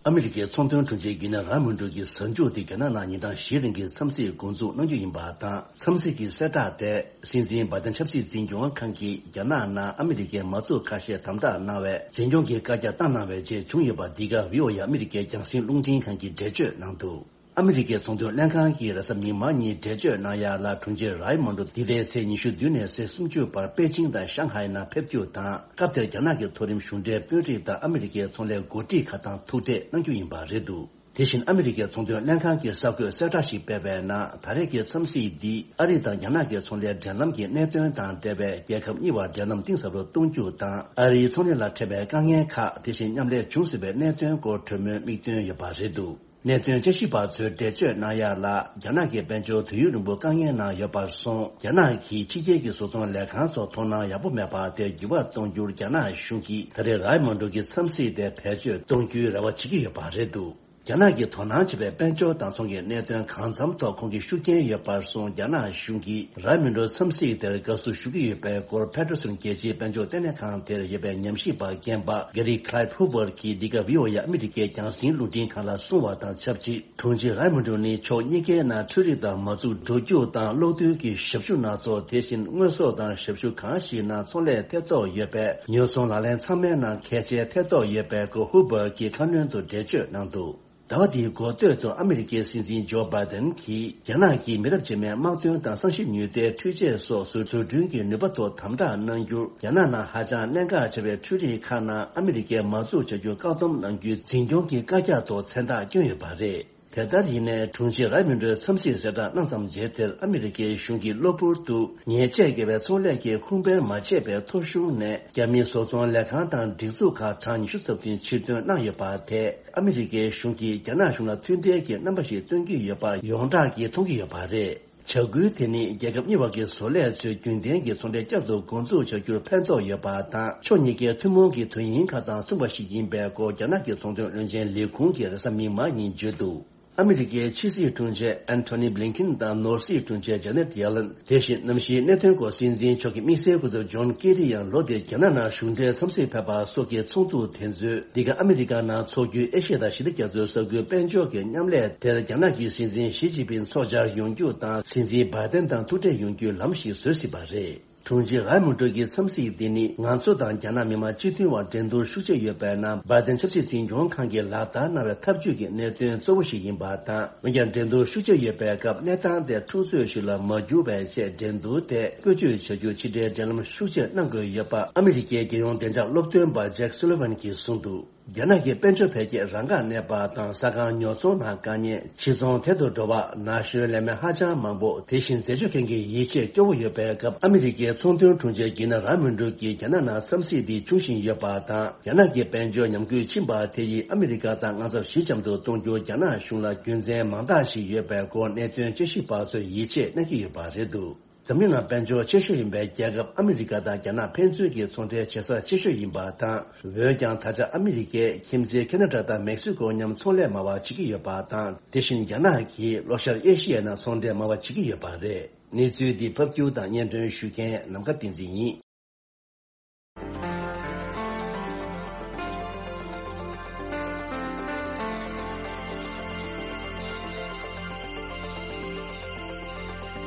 ཨ་མི་རི་ཀའི་ཚོང་དོན་དྲུང་ཆེ་གི་ན་ར་མོན་ཌོ་གི་གཟའ་མཇུག་དེ་རྒྱ་ནག་ནང་ཉིན་གྲངས་བཞིའི་རིང་གི་འཚམས་གཟིགས་འགོ་འཛུགས་གནང་རྒྱུ་ཡིན་པ་དང་། འཚམས་གཟིགས་ཀྱི་གསལ་བསྒྲགས་དེ་སྲིད་འཛིན་བྷའི་ཏན་ཆབ་སྲིད་འཛིན་སྐྱོང་ཁང་གིས་རྒྱ་ནག་ནང་ཨ་མི་རི་ཀའི་མ་འཛུགས་ཁ་ཤས་དམ་དྲག་གནང་བའི་འཛིན་སྐྱོང་གི་བཀའ་རྒྱ་བཏང་གནང་བའི་རྗེས་བྱུང་ཡོད་པ། འདི་ག་བྷི་ཨོ་ཨེ་ཨ་མི་རི་ཀའི་རྒྱང་སྲིང་རླུང་འཕྲིན་ཁང་གིས་འགྲེལ་བརྗོད་གནང་འདུག་ཨ་མི་རི་ཀའི་ཚོང་དོན་ལྷན་ཁང་གིས་རེས་གཟའ་མིག་དམར་ཉིན་འགྲེལ་བརྗོད་གནང་ཡ་ལ། དྲུང་ཆེ་རའི་མོན་ཌོ་འདི་ཟླའི་ཚེས་ཉི་ཤུ་བདུན་ནས་ཚེས་སུམ་ཅུ་བར་པེ་ཅིང་དང་ཤང་ཧའེ་ནང་ཕེབས་རྒྱུ་དང་། སྐབས་དེར་རྒྱ་ནག་གི་མཐོ་རིམ་གཞུང་འབྲེལ་དཔོན་རིགས་དང་ཨ་མི་རི་ཀའི་ཚོང་ལས་འགོ་ཁྲིད་ཁག་དང་ཐུག་འཕྲད་གནང་རྒྱུ་ཡིན་པ་རེད་འདུག་དེ་བཞིན་ཨ་མི་རི་ཀའི་ཚོང་དོན་ལྷན་ཁང་གིས་གསར་འགོད་གསལ་བསྒྲགས་ཤིག་སྤེལ་བའི་ནང་། ད་རེས་ཀྱི་འཚམས་གཟིགས་འདིས་ཨ་རི་དང་རྒྱ་ནག་གི་ཚོང་ལས་འབྲེལ་ལམ་གྱི་གནད་དོན་དང་འབྲེལ་བའི་རྒྱལ་ཁབ་གཉིས་བར་འབྲེལ་ལམ་གཏིང་ཟབ་ཏུ་གཏོང་རྒྱུ་དང་། ཨ་རིའི་ཚོང་ལས་ལ་འཕྲད་པའི་དཀའ་ངལ་ཁག་དེ་བཞིན་མཉམ་ལས་འབྱུང་སྲིད་པའི་གནད་དོན་སྐོར་གྲོས་མོལ་དམིགས་འདུན་ཡོད་པ་རེད་འདུག་གནད་དོན་དཔྱད་ཞིབ་པ་ཚོས་འགྲེལ་བརྗོད་གནང་ཡ་ལ། རྒྱ་ནག་གི་དཔལ་འབྱོར་དུས་ཡུན་རིང་པོ་དཀའ་ངལ་ནང་ཡོད་པར་སོང་། རྒྱ་ནག་གིས་ཕྱི་རྒྱལ་གྱི་བཟོ་ཚོང་ལས་ཁང་ཚོར་མཐོང་སྣང་ཡག་པོ་མེད་པ་དེ་འགྱུར་བ་གཏོང་རྒྱུར་རྒྱ་ནག་གཞུང་གིས་ད་རེས་རའི་མོན་ཌོ་གི་འཚམས་གཟིགས་དེ་བེད་སྤྱོད་གཏོང་རྒྱུའི་རེ་བ་བྱེད་ཀྱི་ཡོད་པ་རེད་འདུག་རྒྱ་ནག་གིས་དོ་སྣང་བྱེད་པའི་དཔལ་འབྱོར་དང་ཚོང་གི་གནད་དོན་གང་འཚམ་ཐོག་ཁོང་གི་ཤུགས་རྐྱེན་ཡོད་པར་སོང་། རྒྱ་ནག་གཞུང་གིས་རཱ་མོན་ཌོ་འཚམས་གཟིགས་དེར་དགའ་བསུ་ཞུ་གི་ཡོད་པའི་སྐོར། ཕེ་ཏར་སན་རྒྱལ་སྤྱིའི་དཔལ་འབྱོར་ལྟེ་གནས་ཁང་དེར་ཡོད་པའི་ཉམས་ཞིབ་པ་རྒན་པ་Gary Clive Hoover གྱིས་འདི་ག་བྷི་ཨོ་ཨེ་ཨ་མི་རི་ཀའི་རྒྱང་སྲིང་རླུང་འཕྲིན་ཁང་ལ་གསུངས་པ་དང་ཆབས་ཅིག། དྲུང་ཆེ་རཱ་མོན་ཌོ་ནི་ཕྱོགས་གཉིས་ཀའི་ནང་འཕྲུལ་རིག་དང་མ་འཛུགས་འགྲོ་རྒྱུ་དང་གློག་རྡུལ་གྱི་ཞབས་ཞུ་སྣ་ཚོགས། དེ་བཞིན་དངོས་ཟོག་དང་ཞབས་ཞུ་གང་ཞིག་ནང་ཚོང་ལས་ཐེ་གཏོགས་ཡོད་པས། ཉོ་ཚོང་ལག་ལེན་ཚང་མའི་ནང་གལ་ཆེའི་ཐེ་གཏོགས་ཡོད་པའི་སྐོར་ཧུ་བར་གྱིས་ཁ་སྣོན་དུ་འགྲེལ་བརྗོད་གནང་འདུག། ཟླ་བ་འདིའི་འགོ་སྟོད་དུ་ཨ་མི་རི་ཀའི་སྲིད་འཛིན་ཇོ་བྷའི་ཏན་གྱིས་རྒྱ་ནག་གིས་མི་རབས་རྗེས་མའི་དམག་དོན་དང་གསང་ཞིབ་ནུས་རྩལ། འཕྲུལ་ཆས་སོགས་བཟོ་བཟོ་སྐྲུན་གྱི་ནུས་པ་ཐོག་དམ་དྲག་གནང་རྒྱུར་རྒྱ་ནག་ནང་ཧ་ཅང་གནད་འགག་ཆེ་བའི་འཕྲུལ་རིག་ཁག་ནང་ཨ་མི་རི་ཀས་མ་འཛུགས་བྱ་རྒྱུར་བཀག་སྡོམ་གནང་རྒྱུའི་འཛིན་སྐྱོང་གི་བཀའ་རྒྱ་ཐོག་མཚན་རྟགས་བསྐྱོན་ཡོད་པ་རེད། དེ་ལྟར་ཡིན་ནའི་དྲུང་ཆེ་རཱ་མོན་ཌོས་འཚམས་གཟིགས་གསལ་བསྒྲགས་གནང་ཙམ་རྗེས། དེར་ཨ་མི་རི་ཀའི་གཞུང་གིས་གློ་བུར་དུ་ཉེས་ཆད་བཀལ་བའི་ཚོང་ལས་ཀྱི་ཁུངས་སྤེལ་མ་བྱས་པའི་ཐོ་གཞུང་ནས་རྒྱ་མིའི་བཟོ་ཚོང་ལས་ཁང་དང་སྒྲིག་འཛུགས་ཁག་གྲངས་ཉི་ཤུ་རྩ་བདུན་ཕྱིར་འདོན་གནང་ཡོད་པ་དེས། ཨ་མི་རི་ཀའི་གཞུང་གིས་རྒྱ་ནག་གཞུང་ལ་མཐུན་འབྲེལ་གྱི་རྣམ་པ་ཞིག་སྟོན་གྱི་ཡོད་པ་ཡོངས་གྲགས་ཀྱིས་མཐོང་གི་ཡོད་པ་རེད། བྱ་འགུལ་དེ་ནི་རྒྱལ་ཁབ་གཉིས་བར་གྱི་བཟོ་ལས་ཚོའི་རྒྱུན་ལྡན་གྱི་ཚོང་འབྲེལ་བསྐྱར་དུ་འགོ་འཛུགས་བྱ་རྒྱུར་ཕན་ཐོགས་ཡོད་པ་དང་། ཕྱོགས་གཉིས་ཀའི་ཐུན་མོང་གི་དོན་སྙིང་ཁག་དང་མཚུངས་པ་ཞིག་ཡིན་པའི་སྐོར། རྒྱ་ནག་གི་ཚོང་དོན་བློན་ཆེན་ལས་ཁུངས་ཀྱིས་རེས་གཟའ་མིག་དམར་ཉིན་བརྗོད་འདུག། ཨ་མི་རི་ཀའི་ཕྱི་སྲིད་དྲུང་ཆེ་ཨན་ཐོ་ནི་བྷི་ལིན་ཁིན་དང་ནོར་སྲིད་དྲུང་ཆེ་ཇ་ནེ་ཊི་ཡེ་ལེན། དེ་བཞིན་གནམ་གཤིས་གནད་དོན་སྐོར་སྲིད་འཛིན་མཆོག་གི་དམིགས་བསལ་སྐུ་ཚབ་ཇོན་ཀེ་རི་ཡང་ལོ་འདིར་རྒྱ་ནག་ནང་གཞུང་འབྲེལ་འཚམས་གཟིགས་ཕེབས་པ་སོགས་ཀྱི་ཚོགས་འདུ་དེ་ཚོས་འདི་ག་ཨ་མི་རི་ཀ་ནང་འཚོགས་རྒྱུའི་ཨེ་ཤི་ཡ་དང་ཞི་བདེ་རྒྱ་མཚོའི་ས་ཁུལ་དཔལ་འབྱོར་གྱི་མཉམ་ལས་དེར་རྒྱ་ནག་གི་སྲིད་འཛིན་ཞི་ཅིན་ཕིང་ཚོགས་བཅར་ཡོང་རྒྱུ་དང་། སྲིད་འཛིན་བྷའི་ཏན་དང་ཐུག་འཕྲད་ཡོང་རྒྱུའི་ལམ་ཞིག་བཟོས་སྲིད་པ་རེད། དྲུང་ཆེ་རཱ་མོན་ཌོ་གི་འཚམས་གཟིགས་འདི་ནི་ང་ཚོ་དང་རྒྱ་ནག་མི་དམངས་སྤྱི་མཐུན་བར་འགྲན་བསྡུར་ཤུགས་ཆེ་ཡོད་པའི་ནང་། བྷའི་ཏན་ཆབ་སྲིད་འཛིན་སྐྱོང་ཁང་གིས་ལག་བསྟར་གནང་བའི་ཐབས་ཇུས་ཀྱི་གནད་དོན་གཙོ་བོ་ཞིག་ཡིན་པ་དང་། འོན་ཀྱང་། འགྲན་བསྡུར་ཤུགས་ཆེ་ཡོད་པའི་སྐབས་གནས་སྟངས་དེ་འཁྲུག་རྩོད་ཞིག་ལ་མ་འགྱུར་བའི་ཆེད། འགྲན་བསྡུར་དེ་བཀོལ་སྤྱོད་བྱ་རྒྱུར་ཕྱི་འབྲེལ་འབྲེལ་ལམ་ཤུགས་ཆེ་གནང་དགོས་ཡོད་པ། ཨ་མི་རི་ཀའི་རྒྱལ་ཡོངས་བདེ་འཇགས་སློབ་སྟོན་པ་ཇེག་སུ་ལི་ཝན་གྱིས་གསུངས་འདུག། རྒྱ་ནག་གི་དཔལ་འབྱོར་འཕེལ་རྒྱས་རང་འགག་གནས་པ་དང་། ས་ཁང་ཉོ་ཚོང་ནང་དཀའ་ཉེན། ཕྱིར་ཚོང་དལ་དུ་འགྲོ་བ། ན་གཞོན་ལས་མེད་ཧ་ཅང་མང་པོ། དེ་བཞིན་འཛད་སྤྱོད་མཁན་གྱི་ཡིད་ཆེས་སྐྱོ་བོ་ཡོད་པའི་སྐབས། ཨ་མི་རི་ཀའི་ཚོང་དོན་དྲུང་ཆེ་ཇི་ན་རཱ་མོན་ཌོ་གིས་རྒྱ་ནག་ནང་འཚམས་གཟིགས་འདི་འབྱུང་བཞིན་ཡོད་པ་དང་། རྒྱ་ནག་གི་དཔལ་འབྱོར་ཉམས་རྒུད་ཕྱིན་པ་དེ་ཡིས་ཨ་མི་རི་ཀ་དང་དངངས་འཚབ་ཞི་འཇམ་དུ་གཏོང་རྒྱུར་རྒྱ་ནག་གཞུང་ལ་རྒྱུ་མཚན་མང་དག་ཞིག་ཡོད་པའི་སྐོར། གནད་དོན་དཔྱད་ཞིབ་པ་ཚོས་ཡིད་ཆེས་གནང་གི་ཡོད་པ་རེད་འདུག། འཛམ་གླིང་ནང་དཔལ་འབྱོར་ཆེ་ཤོས་ཡིན་པའི་རྒྱལ་ཁབ་ཨ་མི་རི་ཀ་དང་རྒྱ་ནག་ཕན་ཚུན་གྱི་ཚོང་འབྲེལ་བྱེད་ས་ཆེ་ཤོས་ཡིན་པ་དང་། འོན་ཀྱང་། ད་ཆ་ཨ་མི་རི་ཀས་ཁྱིམ་མཚེས་ཁེ་ན་ཌ་དང་མེག་སི་ཀོ་མཉམ་ཚོང་ལས་མང་བ་བྱེད་ཀྱི་ཡོད་པ་དང་། དེ་བཞིན་རྒྱ་ནག་གིས་ལྷོ་ཤར་ཨེ་ཤི་ཡའི་ནང་ཚོང་འབྲེལ་མང་བ་བྱེད་ཀྱི་ཡོད་པ་རེད། གནས་ཚུལ་འདི་ཕབ་སྒྱུར་དང་སྙན་སྒྲོན་ཞུ་མཁན་ནམ་མཁའ་བསྟན་འཛིན་ཡིན།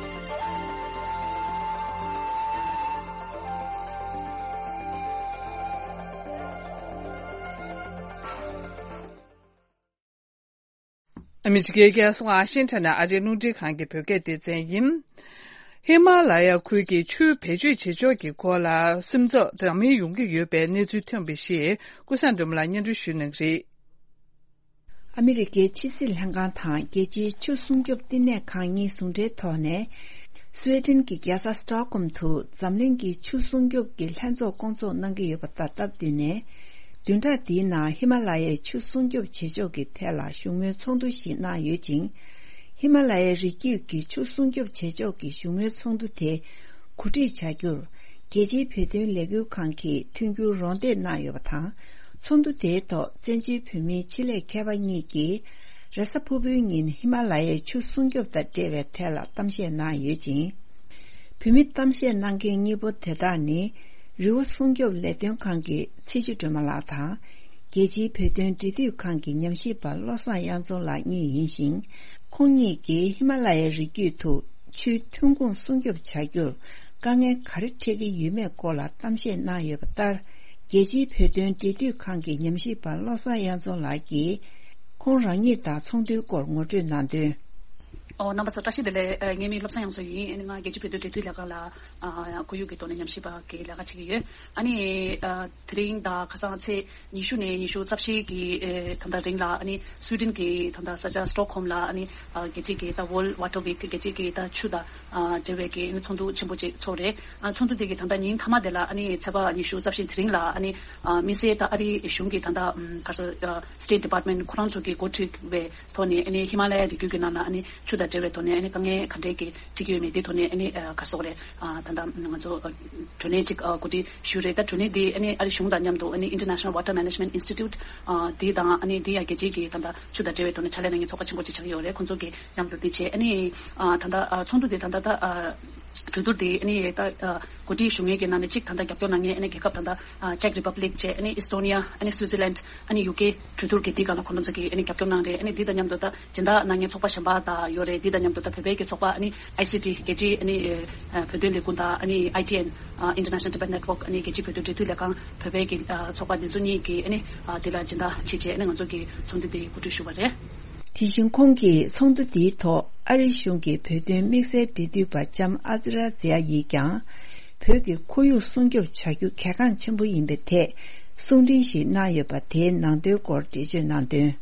ཨ་མི་རི་ཀའི་རྒྱལ་ས་ཝ་ཤིང་ཊོན་ནས་ཨ་རིའི་རླུང་འཕྲིན་ཁང་གི་བོད་སྐད་སྡེ་ཚན་ཡིན། ཧི་མ་ལ་ཡ་ཁུལ་གྱི་ཆུའི་བེད་སྤྱོད་བྱེད་ཕྱོགས་ཀྱི་སྐོར་ལ་སེམས་འཚབ་འདྲ་མིན་ཡོང་གི་ཡོད་པའི་གནས་ཚུལ་ཐོན་པ་ཞིག་ཀུན་བཟང་སྒྲོལ་མ་ལགས་སྙན་སྒྲོན་ཞུ་གནང་གི་རེད། ཨ་མི་རི་ཀའི་ཕྱི་སྲིད་ལྷན་ཁང་དང་རྒྱལ་སྤྱིའི་ཆུ་སྲུང་སྐྱོབ་བསྟི་གནས་ཁང་གཉིས་ཟུང་འབྲེལ་ཐོག་ནས། སུའེ་ཏེན་གྱི་རྒྱལ་ས་སི་ཊོག་ཧོམ་དུ་འཛམ་གླིང་གི་ཆུ་སྲུང་སྐྱོབ་ཀྱི་ལྷན་ཚོགས་བསྐོང་ཚོགས་གནང་གི་ཡོད་པ་དང་སྟབས་བསྟུན་ནས། བདུན་ཕྲག་འདིའི་ནང་ཧི་མ་ལ་ཡའི་ཆུ་སྲུང་སྐྱོབ་བྱེད་ཕྱོགས་ཀྱི་ཐད་ལ་བཞུགས་མོལ་ཚོགས་འདུ་ཞིག་གནང་ཡོད་ཅིང་། ཧི་མ་ལ་ཡའི་རི་རྒྱུད་ཀྱི་ཆུ་སྲུང་སྐྱོབ་བྱེད་ཕྱོགས་ཀྱི་བཞུགས་མོལ་ཚོགས་འདུ་དེ་གོ་སྒྲིག་བྱ་རྒྱུར། རྒྱལ་སྤྱིའི་བོད་དོན་ལས་འགུལ་ཁང་གིས་མཐུན་འགྱུར་རོགས་འདེགས་གནང་ཡོད་པ་དང་། ཚོགས་འདུ་དེའི་ཐོག་བཙན་བྱོལ་བོད་མིའི་ཆེད་ལས་མཁས་པ་གཉིས་ཀྱིས། རེས་གཟའ་ཕུར་བུའི་ཉིན་ཧི་མ་ལ་ཡའི་ཆུ་སྲུང་སྐྱོབ་དང་འབྲེལ་བའི་ཐད་ལ་གཏམ་བཤད་གནང་ཡོད་ཅིང་། བོད་མི་གཏམ་བཤད་གནང་མཁན་གཉིས་པོ་དེ་དག་ནི། རི་བོ་སྲུང་སྐྱོབ་ལས་དོན་ཁང་གི་ཚེ་ཆུ་སྒྲོལ་མ་ལགས་དང་། རྒྱལ་སྤྱིའི་བོད་དོན་འབྲེལ་མཐུད་ཁང་གི་ཉམས་ཞིབ་པ་བློ་བཟང་གཡང་འཛོམས་ལགས་གཉིས་ཡིན་ཞིང་། ཁོང་གཉིས་ཀྱིས་ཧི་མ་ལ་ཡའི་རི་རྒྱུད་དུ་ཆུའི་ཐོན་ཁུངས་སྲུང་སྐྱོབ་བྱ་རྒྱུར་དཀའ་ངལ་ག་རེ་འཕྲད་ཀྱི་ཡོད་མེད་སྐོར་ལ་གཏམ་བཤད་གནང་ཡོད་པ་ལྟར། རྒྱལ་སྤྱིའི་བོད་དོན་འབྲེལ་མཐུད་ཁང་གི་ཉམས་ཞིབ་པ་བློ་བཟང་གཡང་འཛོམས་ལགས་ཀྱིས་ཁོང་རང་ཉིད་དང་ཚོགས་འདུའི་སྐོར་ངོ་སྤྲོད་གནང་དོན། ཨོ། རྣམ་པ་ཚོ་བཀྲ་ཤིས་བདེ་ལེགས། ཨ། ངའི་མིང་བློ་བཟང་གཡང་འཛོམས་ཡིན། ཨ་ནི་ང་རྒྱལ་སྤྱིའི་བོད་དོན་འབྲེལ་མཐུད་ལས་ཁང་ལ། ཨ། ཁོར་ཡུག་གི་ཐོག་ནས་ཉམས་ཞིབ་པ་གི་ལས་ཀ་བྱེད་ཀྱི་ཡོད། ཨ་ནི། ཨ། དེ་རིང་དང་ཁ་སང་ཚེས་ཉི་ཤུ་ནས་ཉི་ཤུ་རྩ་བཞི་གི། ཨེ། ད་ལྟ་རིང་ལ། ཨ་ནི་སུའི་ཏན་གྱི་ད་ལྟ་ས་ཆ་སི་ཊོག་ཧོམ་ལ། ཨ་ནི། ཨ། རྒྱལ་སྤྱི་གི་ད་World Water Week རྒྱལ་སྤྱི་གི་ད་ཆུ་དང་། ཨ། འབྲེལ་བའི་གི་ཚོགས་འདུ་ཆེན་པོ་ཅིག་ཚོགས་རེད། ཨ། ཚོགས་འདུ་དེ་གི་ད་ལྟ་ཉིན་མཐའ་མ་དེ་ལ། ཨ་ནི་ཚེས་པ་ཉི་ཤུ་རྩ་བཞི་དེ་རིང་ལ། ཨ་ནི། ཨ། དམིགས་བསལ་ད་ཨ་རིའི་གཞུང་གི་ད་ལྟ། ཨམ། ག་རེ་ཟེར། ཨ། State Department ཁོ་རང་ཚོ་གི་འགོ་ཁྲིད་པའི་ཐོག་ནས། ཨ་ནི་ཧི་མ་ལ་ཡའི་རི་རྒྱུད་ཀྱི་ནང་ལ། ཨ་ནི་ཆུ་དང་ འབྲེལ་བའི་ཐོག་ནས་ཨ་ནི་དཀའ་ངལ་ག་འདྲས་ཀྱི་འཕྲད་ཀྱི་ཡོད་མེད་དེའི་ཐོག་ནས་ཨ་ནི་ཨ་ག་སོག་རེད། ཨ་ད་ལྟ་ང་ཚོ་ཨ་གྲོས་གླེང་ཅིག་ཨ་གོ་སྒྲིག་ཞུས་རེད། ད་གྲོས་གླེང་འདི་ཨ་ནི་ཨ་རི་གཞུང་དང་མཉམ་དུ་ཨ་ནི་International Water Management Institute ཨ་འདི་དང་ཨ་ནི་འདི་ཡང་རྒྱལ་སྤྱིའི་གི་ད་ལྟ་ཆུ་དང་འབྲེལ་བའི་ཐོག་ནས་ཕྱག་ལས་གནང་མཁན་ཚོགས་པ་ཆེན་པོ་ཅིག་ཆགས་ཀྱི་ཡོད་རེད། ཁོང་ཚོ་གི་མཉམ་དུ་འདི་བྱས་ཨ་ནི་ཨ་ད་ལྟ་ཨ་ཚོགས་འདུ་འདི་ད་ལྟ་ད་ཨ་གྲོས་བསྡུར་འདི་ཨ་ནི་ད་ཨ་གོ་སྒྲིག་ཞུ་མཁན་གྱི་ནང་ནས་གཅིག་ད་ལྟ་རྒྱབ་སྐྱོར་གནང་མཁན་ཨ་ནི་རྒྱལ་ཁབ་ད་ལྟ་ཨ་Czech Republic བྱས་ཨ་ནི་Estonia ཨ་ནི་Switzerland ཨ་ནི་ཡུ་ཀེ་གྲོས་བསྡུར་གྱི་འདི་སྒང་ལ་ཁོང་རྣམ་ཚོ་གིས་ཨ་ནི་རྒྱབ་སྐྱོར་གནང་རེད། ཨ་ནི་འདི་དང་མཉམ་དུ་ད་སྦྱིན་བདག་གནང་མཁན་ཚོགས་པ་གཞན་པ་དང་ཡོད་རེད། འདི་དང་མཉམ་དུ་ད་བོད་པའི་གི་ཚོགས་པ་ཨ་ནི་ཨའི་སི་ཊི་རྒྱལ་སྤྱིའི་ཨ་ནི་ཨ་བོད་དོན་ལས་ཁུངས་དང་ཨ་ནི་ཨའི་ཊི་ཨེན་ཨ་International Tibet Network ཨ་ནི་རྒྱལ་སྤྱིའི་བོད་དོན་འབྲེལ་མཐུད་ལས་ཁང་བོད་པའི་གི་ཨ་ཚོགས་པ་འདི་ཚོ་གཉིས་ཀྱིས་ཨ་ནི་ཨ་འདི་ལ་སྦྱིན་བདག་བྱེད་བྱས་ཨ་ནི་ང་ཚོ་གི་ཚོགས་འདུ་འདི་གོ་སྒྲིག་ཞུས་པ་རེད། དེ་བཞིན་ཁོང་གིས་ཚོགས་འདུ་འདིའི་ཐོག་ཨ་རི་གཞུང་གི་བོད་དོན་དམིགས་བསལ་འབྲེལ་མཐུད་པ་ལྕམ་ཨ་ཛི་ར་ཛི་ཡ་ཡིས་ཀྱང་བོད་ཀྱི་ཁོར་ཡུག་སྲུང་སྐྱོབ་བྱ་རྒྱུ་གལ་འགངས་ཆེན་པོ་ཡིན་པའི་ཐད་གསུང་འཕྲིན་ཞིག་གནང་ཡོད་པ་དེའི་ནང་དོན་སྐོར་འགྲེལ་བརྗོད་གནང་དོན།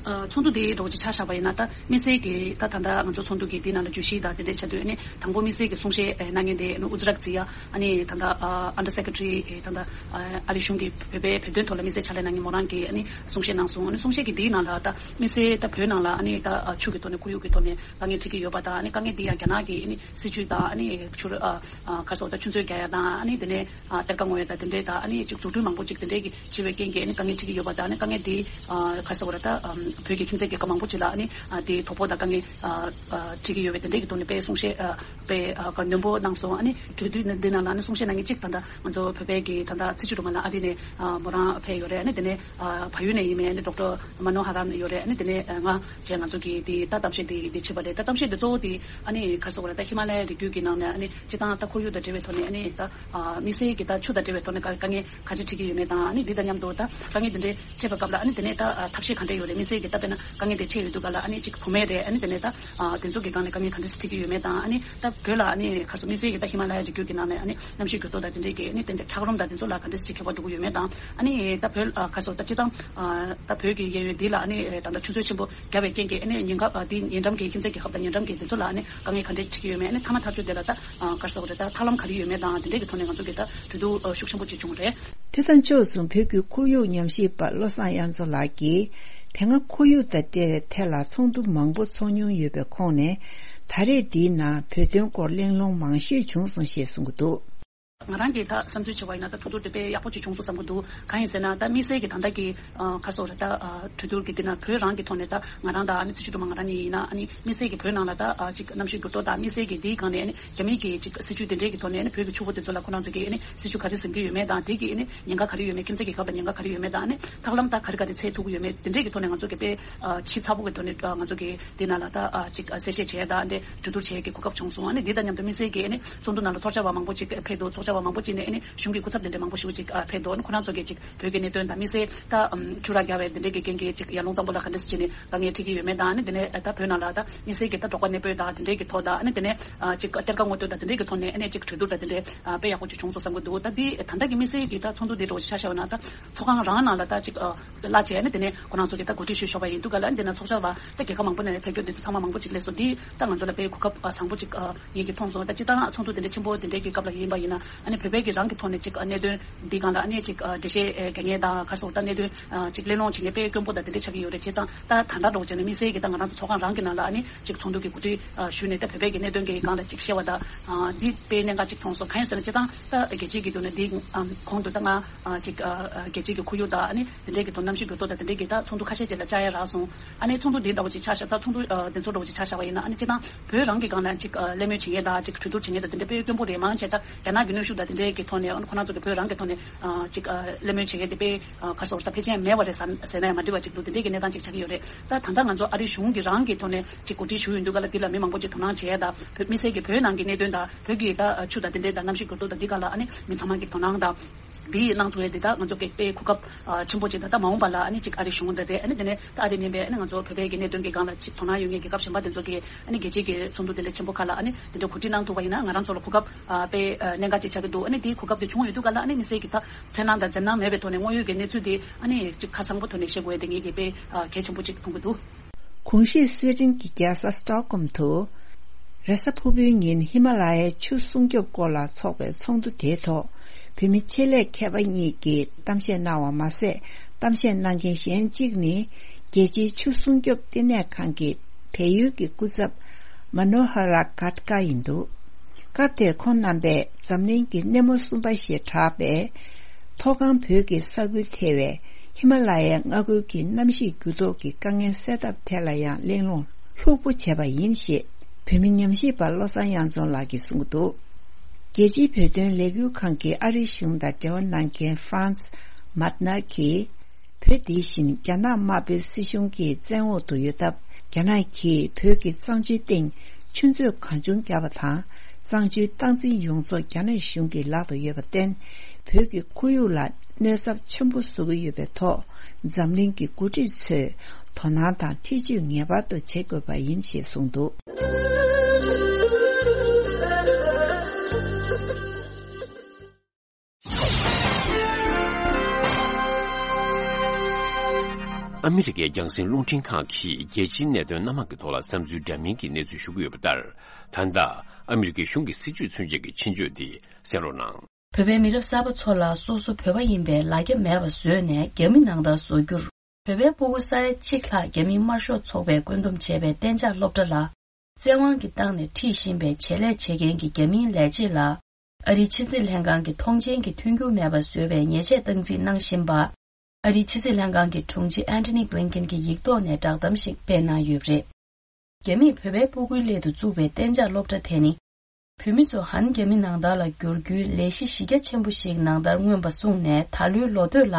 ཨ་ཚོགས་འདུ་འདི་འདྲ་བོ་ཅིག་ཆ་བཞག་པ་ཡིན་ན། ད་དམིགས་བསལ་གྱི་ད་ད་ལྟ་ང་ཚོ་ཚོགས་འདུ་གི་འདི་ནང་ལ་བརྗོད་གཞི་དང་དེ་འདྲའི་ཆ་དུས་ནི་དང་པོ་དམིགས་བསལ་གྱི་གསུང་བཤད་ཨེ་གནང་མཁན་དེ་ཨ་ནི་ཨུ་ཛི་རག་ཛི་ཡ་ཨ་ནི་ད་ལྟ་ཨ་Under Secretary ཨེ་ད་ལྟ་ཨ་ཨ་རི་གཞུང་གི་བོད་པའི་བོད་དོན་ཐོག་ལ་དམིགས་བསལ་ཕྱག་ལས་གནང་མཁན་མོ་རང་གིས་ཨ་ནི་གསུང་བཤད་གནང་སོང་། ཨ་ནི་གསུང་བཤད་ཀྱི་འདིའི་ནང་ལ་ད་དམིགས་བསལ་ད་བོད་ནང་ལ་ཨ་ནི་ད་ཨ་ཆུ་གི་ཐོག་ནས་ཁོར་ཡུག་གི་ཐོག་ནས་དཀའ་ངལ་འཕྲད་ཀྱི་ཡོད་པ་དང་། ཨ་ནི་དཀའ་ངལ་འདི་ཡང་རྒྱ་ནག་གི་ཨ་ནི་སྲིད་ཇུས་དང་ཨ་ནི་ཆུ་ཨ་ཨ་ག་སོགས་ད་ཆུ་མཛོད་རྒྱག་ཡ་དང་། ཨ་ནི་དེ་ནས་ཨ་གཏེར་ཁ་སྔོག་ཡ་དང་དེ་འདྲས་དང་། ཨ་ནི་ཅིག་འཛུགས་སྐྲུན་མང་པོ་ཅིག་དེ་འདྲས་ཀྱི་བྱེད་པའི་རྐྱེན་གྱིས་ཨ་ནི་དཀའ་ངལ་འཕྲད་ཀྱི་ཡོད་པ་དང་། ཨ་ནི་དཀའ་ངལ་འདི་ཨ་ག་སོགས་ར་ད་ཨམ་བོད་ཀྱི་ཁྱིམ་མཚེས་རྒྱལ་ཁབ་མང་པོ་ཅིག་ལ་ཨ་ནི་ཨ་དེ་དོ་ཕོག་དང་དཀའ་ངལ་ཨ་ཨ་འཕྲད་ཀྱི་ཡོད་པའི་དེ་འདྲས་ཀྱི་ཐོག་ནས་དཔེ་གསུང་བཤད་ཨ་དཔེ་ཨ་ག་ནན་པོ་གནང་སོང་། ཨ་ནི་གྲོས་བསྡུར་འདི་ནང་ལ་ཨ་ནི་གསུང་བཤད་གནང་མཁན་གཅིག་ད་ལྟ་ང་ཚོ་བོད་པའི་གི་ད་ལྟ་ཚེ་བཅུ་སྒྲོལ་མ་ལགས་ཨ་རི་ནས་ཨ་མོ་རང་ཕེབས་ཡོད་རེད། ཨ་ནི་དེ་ནས་ཨ་བལ་ཡུལ་ནས་ཡིན་མིན་ཨ་ནི་ཌོག་ཊར་མ་ནོ་ཧ་རན་ཡོད་རེད། ཨ་ནི་དེ་ནས་ཨ་ང་བཅས་ང་ཚོ་གི་དེ་ད་གཏམ་བཤད་དེ་དེ་བྱས་པ་རེད། ད་གཏམ་བཤད་དེ་གཙོ་བོ་དེ་ཨ་ནི་ག་རེ་ཟེར་དགོས་རེད། ད་ཧི་མ་ལ་ཡའི་རི་རྒྱུད་ཀྱི་ནང་ནས་ཨ་ནི་སྤྱིར་བཏང་ད་ཁོར་ཡུག་དང་འབྲེལ་བའི་ཐོག་ནས་ཨ་ནི་ད་ཨ་དམིགས་བསལ་གྱི་ད་ཆུ་དང་འབྲེལ་བའི་ཐོག་ནས་དཀའ་དཀའ་ངལ་ག་འདྲ་འཕྲད་ཀྱི་ཡོད་མེད་དང་། ཨ་ནི་འདི་དང་མཉམ་དུ་ད་དཀའ་ངལ་འདི་འདྲའི་འཕྲད་པའི་སྐབས་ལ་ཨ་ནི་དེ་ནས་ད་ཨ་ཐབས་ཤེས་ག་འདྲ་ཡོད་རེད། དམིགས་བསལ་གྱི་ད་དཔེར་ན་དཀའ་ངལ་དེ་འཕྲད་ཡོང་དུས་ག་ལ་ཨ་ནི་གཅིག་བུད་མེད་རེད། ཨ་ནི་དེ་ནས་ད་ཨ་དེ་ཚོ་གི་སྒང་ནས་དཀའ་ངལ་ག་འདྲ་འཕྲད་ཀྱི་ཡོད་མེད་དང་། ཨ་ནི་ད་བོད་ལ་ཨ་ནི་ག་རེ་ཟེར་དམིགས་བསལ་གྱི་ད་ཧི་མ་ལ་ཡའི་རི་རྒྱུད་ཀྱི་ནང་ནས་ཨ་ནི་གནམ་གཤིས་འགྱུར་ལྡོག་དང་དེ་འདྲས་ཀྱི་ཨ་ནི་དེ་འདྲ་འཁྱགས་རོམ་དང་དེ་ཚོ་ལ་ག་འདྲ་འཕྲད་ཀྱི་ཡོད་པ་འགྲོ་གི་ཡོད་མེད་དང་། ཨ་ནི་ད་བོད་ཨ་ག་རེ་ཟེར་ད་སྤྱིར་བཏང་ཨ་ད་བོད་ཀྱི་གཡས་གཡོན་འདི་ལ་ཨ་ནི་ད་ལྟ་ཆུ་མཛོད་ཆེན་པོ་བརྒྱབ་པའི་རྐྱེན་གྱིས་ཨ་ནི་ཉེ་འགྲམ་ཨ་དེ་ཉེ་འགྲམ་གྱི་ཁྱིམ་མཚེས་རྒྱལ་ཁབ་དང་ཉེ་འགྲམ་གྱི་དེ་ཚོ་ལ་ཨ་ནི་དཀའ་ངལ་ག་འདྲས་འཕྲད་ཀྱི་ཡོད་མེད། ཨ་ནི་མཐའ་མ་ཐག་གཅོད་དེ་ལ་ད་ཨ་ག་རེ་ཟེར་དགོས་རེད། ད་ཐབས་ལམ་ག་རེ་ཡོད་མེད་དང་དེ་འདྲས་ཀྱི་ཐོག་ནས་ང་ཚོ་གི་ད་གྲོས་བསྡུར་ཨ་ཤུགས་ཆེན་པོ་ཅིག་བྱུང་རེད། དེ་དང་ཕྱོགས་མཚུངས་བོད་ཀྱི་ཁོར་ཡུག་ཉམས་ཞིབ་པ་བློ་བཟང་དབྱངས་མཚོ་ལགས་ཀྱིས་དེ་སྔ་ཁོར་ཡུག་དང་འབྲེལ་བའི་ཐད་ལ་ཚོགས་འདུ་མང་པོ་ཚོགས་མྱོང་ཡོད་པའི་ཁོངས་ནས་ད་རེས་འདིའི་ནང་བོད་དོན་སྐོར་གླེང་སློང་མང་ཤོས་བྱུང་སོང་ཞེས་གསུང་གི་འདུག། ང་རང་གིས་ད་བསམ་ཚུལ་བྱས་པ་ཡིན་ན་ད་གྲོས་བསྡུར་དེ་དཔེ་ཡག་པོ་ཅིག་བྱུང་སོང་བསམ་གྱི་འདུག། གང་ཡིན་ཟེར་ན་ད་དམིགས་བསལ་གྱི་ད་ལྟ་གི་ཨ་ག་རེ་ཟེར་དགོས་རེད། ད་ཨ་གྲོས་བསྡུར་གྱི་འདི་ན་བོད་རང་གི་ཐོག་ནས་ད་ང་རང་དང་ཨ་ནི་ཚེ་བཅུ་སྒྲོལ་མ་ང་རང་གཉིས་ཡིན་ན་ཨ་ནི་དམིགས་བསལ་གྱི་བོད་ནང་ལ་ད་ཨ་ཅིག་གནམ་གཤིས་འགྱུར་ལྡོག་དང་དམིགས་བསལ་གྱི་འདིའི་སྒང་ནས་ཨ་ནི་རྒྱ་མི་གི་ཅིག་སྲིད་ཇུས་དེ་འདྲའི་གི་ཐོག་ནས་ཨ་ནི་བོད་ཀྱི་ཆུ་བོ་དེ་ཚོ་ལ་ཁོ་རང་ཚོ་གི་ཨ་ནི་སྲིད་ཇུས་ག་རེ་འཛིན་གྱི་ཡོད་མེད་དང་། དེ་གི་ཨ་ནི་ཉེན་ཁ་ག་རེ་ཡོད་མེད། ཁྱིམ་མཚེས་རྒྱལ་ཁབ་ལ་ཉེན་ཁ་ག་རེ་ཡོད་མེད་དང་། ཨ་ནི་ཐབས་ལམ་ད་ག་རེ་ག་རེ་འཚོལ་ཐུབ་ཀྱི་ཡོད་མེད། དེ་འདྲའི་གི་ཐོག་ནས་ང་ཚོ་གི་དཔེ་ཨ་ཕྱི་ཚ་པོ་གི་ཐོག་ནས་ཨ་ང་ཚོ་གི་དེ་ནང་ལ་ད་ཨ་ཅིག་ཨ་གསལ་བཤད་བྱས་དང་འདྲ་གྲོས་བསྡུར་བྱེད་ཀྱི་གོ་སྐབས་བྱུང་སོང་། ཨ་ནི་འདི་དང་མཉམ་དུ་དམིགས་བསལ་གྱི་ཨ་ནི་ཚོགས་འདུ་ནང་ལ་ཚོགས་བཅར་བ་མང་པོ་ཅིག་ཕེབས་འདུག། ཚོགས་བཅར་བ་མང་པོ་ཅིག་ནས་ཨ་ནི་གཞུང་གི་སྐུ་ཚབ་དེ་འདྲ་མང་པོ་ཞིག་ཅིག་ཨ་ཕེབས་འདུག། ཨ་ནི་ཁོ་རང་ཚོ་གིས་ཅིག་བོད་ཀྱི་གནད་དོན་དང་དམིགས་བསལ་ད་ཨམ་ཆུ་རགས་རྒྱག་པའི་དེ་འདྲའི་གི་རྐྱེན་གྱིས་ཅིག་ཡར་ཀླུང་གཙང་པོ་ལ་ག་འདྲ་སེ་བྱས་ནས་དཀའ་ངལ་འཕྲད་ཀྱི་ཡོད་མེད་དང་། ཨ་ནི་དེ་ནས་ད་བོད་ནང་ལ་ད་དམིགས་བསལ་གྱི་ད་འབྲོག་པ་གནས་སྤོས་དང་དེ་འདྲའི་གི་ཐོག་དང་། ཨ་ནི་དེ་ནས་ཨ་ཅིག་གཏེར་ཁ་སྔོག་འདོན་དང་དེ་འདྲའི་གི་ཐོག་ནས་ཨ་ནི་ཅིག་གྲོས་བསྡུར་དང་དེ་འདྲའི་ཨ་དཔེ་ཡག་པོ་ཅིག་བྱུང་སོང་བསམ་གྱི་འདུག། ད་འདི་ད་ལྟ་གི་དམིགས་བསལ་གྱི་ད་ཚོགས་འདུ་འདི་འདྲ་བོ་ཞིག་ཆ་བཞག་པ་ན་ད་ཚོགས་ཁང་རང་ནང་ལ་ད་ཅིག་ཨ་གླ་བྱས། ཨ་ནི་དེ་ནས་ཁོ་རང་ཚོ་གིས་ད་གོ་སྒྲིག་ཞུས་ཆོག་པ་ཡིན་དུས་ག་ལ། ཨ་ནི་དེ་ན་ཚོགས་བཅར་བ་ད་རྒྱལ་ཁབ་མང་པོ་ནས་ཕེབས་རྒྱུ་འདི་ཚོ་ཚང་མ་མང་པོ་ཅིག་སླེབས་སོང་། འདི་ད་ང་ཚོ་ལ་དཔེ་གོ་སྐབས་ཨ་བཟང་པོ་ཅིག་ཨ་ངེད་ཀྱིས་མཐོང་སོང་། ད་སྤྱིར་བཏང་ཚོགས་འདུ་དེ་འདྲ་ཆེན་པོ་དེ་འདྲའི་གི་སྐབས་ལ་ཡིན་པ་ཡིན་ན་ཨ་ནི་བོད་པའི་གི་རང་གི་ཐོག་ནས་ཅིག་ཨ་གནད་དོན་འདི་སྒང་ལ་ཨ་ནི་ཅིག་ཨ་འགྲེལ་བཤད་ཨ་རྒྱག་མཁན་དང་ག་རེ་ཟེར་དགོས་རེད། ད་གནད་དོན་ཨ་ཅིག་གླེང་སློང་བྱེད་མཁན་དཔེ་དཀོན་པོ་དང་དེ་འདྲ་ཆགས་ཀྱི་ཡོད་རེད། བྱས་ཙང་ད་ད་ལྟ་འདྲ་བོ་བྱས་ན་དམིགས་བསལ་གྱི་ད་ང་རང་ཚོ་ཚོགས་ཁང་རང་གི་ནང་ལ་ཨ་ནི་ཅིག་ཚོགས་འདུ་གི་གོ་སྒྲིག་ཨ་ཞུས་ནས་ད་བོད་པའི་གི་གནད་དོན་གྱི་སྒང་ལ་ཅིག་བཤད་པ་དང་ཨ་འདི་དཔེ་གནད་འགག་ཅིག་མཐོང་སོང་། གང་ཡིན་ཟེར་ན་སྤྱིར་བཏང་ད་རྒྱལ་སྤྱིའི་གི་ཐོག་ནས་འདི་ཨ་གོང་དུ་ད་ང་ཨ་ཅིག་ཨ་ཨ་རྒྱལ་སྤྱིའི་གི་ཁོར་ཡུག་དང་ཨ་ནི་དེ་འདྲའི་གི་ཐོག་གནམ་གཤིས་འགྱུར་ལྡོག་དང་དེ་འདྲའི་གི་ད་ཚོགས་འདུ་ཁ་ཤས་ཅིག་ལ་བཅར་ཡ་རག་སོང་། ཨ་ནི་ཚོགས་འདུ་འདི་འདྲ་བོ་ཅིག་ཆ་བཞག་ད་ཚོགས་འདུ་ཨ་འདི་ཚོ་འདྲ་བོ་ཅིག་ཆ་བཞག་པ་ཡིན་ན་ཨ་ནི་སྤྱིར་བཏང་བོད་རང་གི་སྒང་ནས་ཅིག་ཨ་གླེང་མོལ་བྱེད་མཁན་དང་ཅིག་གྲོས་བསྡུར་བྱེད་མཁན་དང་དེ་འདྲ་དཔེ་དཀོན་པོ་རེད། མང་ཆེ་ད་རྒྱ་ནག་གི་གནོན་ཤུགས་དང་དེ་འདྲའི་གི་ཐོག་ནས་ཨ་ནི་ཁོ་རང་ཚོ་གི་བོད་རང་གི་ཐོག་ནས་ཨ་ཅིག་ཨ་གླེང་མོལ་བྱེད་མཁན་དེ་དཔེ་ཨ་ག་རེ་ཟེར་དགོས་རེད། ད་ཕལ་ཆེར་མེད་པ་རེད་ཟེར་ཟེར་ན་ཡང་མ་འགྲིག་པ་ཅིག་འདུག། དེ་འདྲའི་གི་གནས་སྟངས་ཅིག་ཆགས་ཀྱི་ཡོད་རེད། ད་ད་ལྟ་ང་ཚོ་ཨ་རི་གཞུང་གི་རང་གི་ཐོག་ནས་ཅིག་གོ་སྒྲིག་ཞུས་ཡོང་དུས་ག་ལ་འདི་ལ་མི་མང་པོ་ཅིག་དོ་སྣང་བྱེད་ཡ་དང་བོད་དམིགས་བསལ་གྱི་བོད་ནང་གི་གནད་དོན་དང་བོད་ཀྱི་ད་ཆུ་དང་དེ་འདྲའི་དང་གནམ་གཤིས་འགྱུར་ལྡོག་དང་འདི་སྒང་ལ་ཨ་ནི་མི་ཚང་མ་གི་དོ་སྣང་དང་། འདི་གནང་ཐུབ་ཡས་འདི་ད་ང་ཚོ་གི་དཔེ་གོ་སྐབས་ཨ་ཆེན་པོ་ཅིག་དང་། ད་མ་འོངས་པ་ལ་ཨ་ནི་ཅིག་ཨ་རི་གཞུང་དེ་རེད། ཨ་ནི་དེ་ནས་ད་ཨ་རི་མིན་པའི་ཨ་ནི་ང་ཚོ་བོད་པའི་གི་གནད་དོན་གྱི་སྒང་ལ་ཅིག་དོ་སྣང་ཡོད་མཁན་རྒྱལ་ཁབ་གཞན་པ་དེ་ཚོ་གིས་ཨ་ནི་རྒྱལ་སྤྱིའི་གི་ཚོགས་འདུ་དེ་འདྲ་ཆེན་པོ་ཁག་ལ་ཨ་ནི་དེ་འདྲ་གོ་སྒྲིག་གནང་ཐུབ་པ་ཡིན་ན་ང་རང་ཚོ་ལ་གོ་སྐབས་ཨ་དཔེ་ཨ་གནད་འགག་ཅིག་ཆགས་ཀྱི་འདུག། ཨ་ནི་དེའི་གོ་སྐབས་དེ་བྱུང་ཡོད་དུས་ག་ལ་ཨ་ནི་དམིགས་བསལ་གྱི་ད་འཚེར་སྣང་དང་འཛེམ་སྣང་མེད་པའི་ཐོག་ནས་དངོས་ཡོད་ཀྱི་གནས་ཚུལ་དེ་ཨ་ནི་ཅིག་ཁ་གསང་པོ་ཐོག་ནས་བཤད་དགོས་ཡས་དེ་ངེད་ཀྱིས་དཔེ་ཨ་གལ་ཆེན་པོ་ཅིག་མཐོང་གི་འདུག། གོང་ཞུས་སུའེ་ཌེན་གྱི་རྒྱལ་ས་སི་ཊོག་ཧོམ་དུ་རེས་གཟའ་ཕུར་བུའི་ཉིན་ཧི་མ་ལ་ཡའི་ཆུ་སྲུང་སྐྱོབ་སྐོར་ལ་འཚོགས་པའི་ཚོགས་འདུ་དེའི་ཐོག་བོད་མི་ཆེད་ལས་མཁས་པ་གཉིས་ཀྱིས་གཏམ་བཤད་གནང་བ་མ་ཟད། གཏམ་བཤད་གནང་མཁན་གཞན་གཅིག་ནི་རྒྱལ་སྤྱིའི་ཆུ་སྲུང་སྐྱོབ་ལྟེ་གནས་ཁང་གི་བལ་ཡུལ་གྱི་སྐུ་ཚབ་ མ་ནོ་ཧ་ར་གྷ་ཏ་ཀ་ཡིན་འདུག་སྐབས་དེར་ཁོང་རྣམ་པས་འཛམ་གླིང་གི་སྣེ་མོ་གསུམ་པ་ཞེས་གྲགས་པའི་མཐོ་སྒང་བོད་ཀྱི་ས་ཁུལ་ཐེ་བའི་ཧི་མ་ལ་ཡའི་མངའ་ཁུལ་གྱི་གནམ་གཤིས་འགྱུར་ལྡོག་གི་དཀའ་ངལ་སེལ་ཐབས་ཐད་ལ་ཡང་གླེང་སློང་ལྷུག་པོ་བྱས་པ་ཡིན་ཞེས་བོད་མི་ཉམས་ཞིབ་པ་བློ་བཟང་དབྱངས་འཛོམས་ལགས་ཀྱིས་གསུངས་འདུག་རྒྱལ་སྤྱིའི་བོད་དོན་ལས་འགུལ་ཁང་གི་ཨ་རིའི་གཞུང་དང་འབྲེལ་བ་གནང་མཁན་ཧྥ་རན་སི་མཱ་ཏི་ནར་གྱིས། བོད་དེ་བཞིན་རྒྱ་ནག་དམར་པོའི་སྲིད་གཞུང་གི་བཙན་འོག་ཏུ་ཡོད་སྟབས། རྒྱ་ནག་གིས་བོད་ཀྱི་གཙང་ཆུའི་སྟེང་ཆུ་མཛོད་གང་བྱུང་བརྒྱབ་པ་དང་། གཙང་ཆུའི་སྟངས་འཛིན་ཡོངས་རྫོགས་རྒྱ་ནག་གཞུང་གི་ལག་ཏུ་ཡོད་པར་བརྟེན། བོད་ཀྱི་ཁོར་ཡུག་ལ་གནོད་ཚབས་ཆེན་པོ་བཟོ་གི་ཡོད་པའི་ཐོག་འཛམ་གླིང་གི་འགོ་ཁྲིད་ཚོས་དོ་སྣང་དང་ཐེ་བྱུས་ངེས་པར་དུ་བྱེད་དགོས་པ་ཡིན་ཞེས་གསུངས་འདུག་ཨ་མི་རི་ཀའི་རྒྱང་སྲིང་རླུང་འཕྲིན་ཁང་གིས་རྒྱལ་སྤྱིའི་གནད་དོན་སྣ་མང་གི་ཐོག་ལ་བསམ་ཚུལ་འདྲ་མིན་གྱི་གནས་ཚུལ་ཞུ་གི་ཡོད་པ་ལྟར། ད་ལྟ་ཨ་མི་རི་ཀའི་གཞུང་གི་སྲིད་བྱུས་མཚོན་བྱེད་ཀྱི་ཆེད་བརྗོད་འདི་གསན་རོགས་གནང་། བོད་པའི་མི་རབས་གསར་པ་ཚོ་ལ་སོ་སོ་བོད་པ་ཡིན་པའི་ལ་རྒྱ་མེད་པ་བཟོས་ནས་རྒྱ་མི་ནང་བསྡད་བཟོ་རྒྱུར། བོད་པའི་སྤུ་གུ་ས་ཡ་གཅིག་ལྷག་རྒྱ་མིའི་དམར་ཤོག་ཚོགས་པས་བཀོད་འདོམས་བྱས་པའི་གཏན་འཇགས་སློབ་གྲྭ་ལ། བཙན་དབང་གི་སྟེང་ནས་ཁྲིད་བཞིན་པའི་བྱེད་ལས་བྱེད་མཁན་གྱི་རྒྱ་མིའི་ལས་བྱེད་ལ། ཨ་རིའི་ཕྱི་སྲིད་ལྷན་ཁང་གིས་མཐོང་མཆན་གྱི་མཐུན་འགྱུར་མེད་པར་བཟོས་པའི་ཉེས་ཆད་སྟངས་འཛིན་གནང་བཞིན་པ། ཨ་རིའི་ཕྱི་སྲིད་ལྷན་ཁང་གི་དྲུང་ཆེ་ཨན་ཐོ་ནི་བྷི་ལིན་ཀེན་གྱིས་ཡིག་ཐོག་ནས་བསྒྲགས་གཏམ་ཞིག་སྤེལ་གནང་ཡོད་པ་རེད། རྒྱ་མིས་བོད་པའི་སྤུ་གུའི་སླད་དུ་བཙུགས་པའི་གཏན་འཇགས་སློབ་གྲྭ་དེ་ནི། བོད་མི་ཚོ་ཧན་རྒྱ་མི་ནང་ལྟར་ལ་བསྒྱུར་རྒྱུའི་ལས་གཞི་གཞི་རྒྱ་ཆེན་པོ་ཞིག་ནང་ལྟར་མངོན་པ་གསུངས་ནས། ད་ལོའི་ལོ་སྟོད་ལ་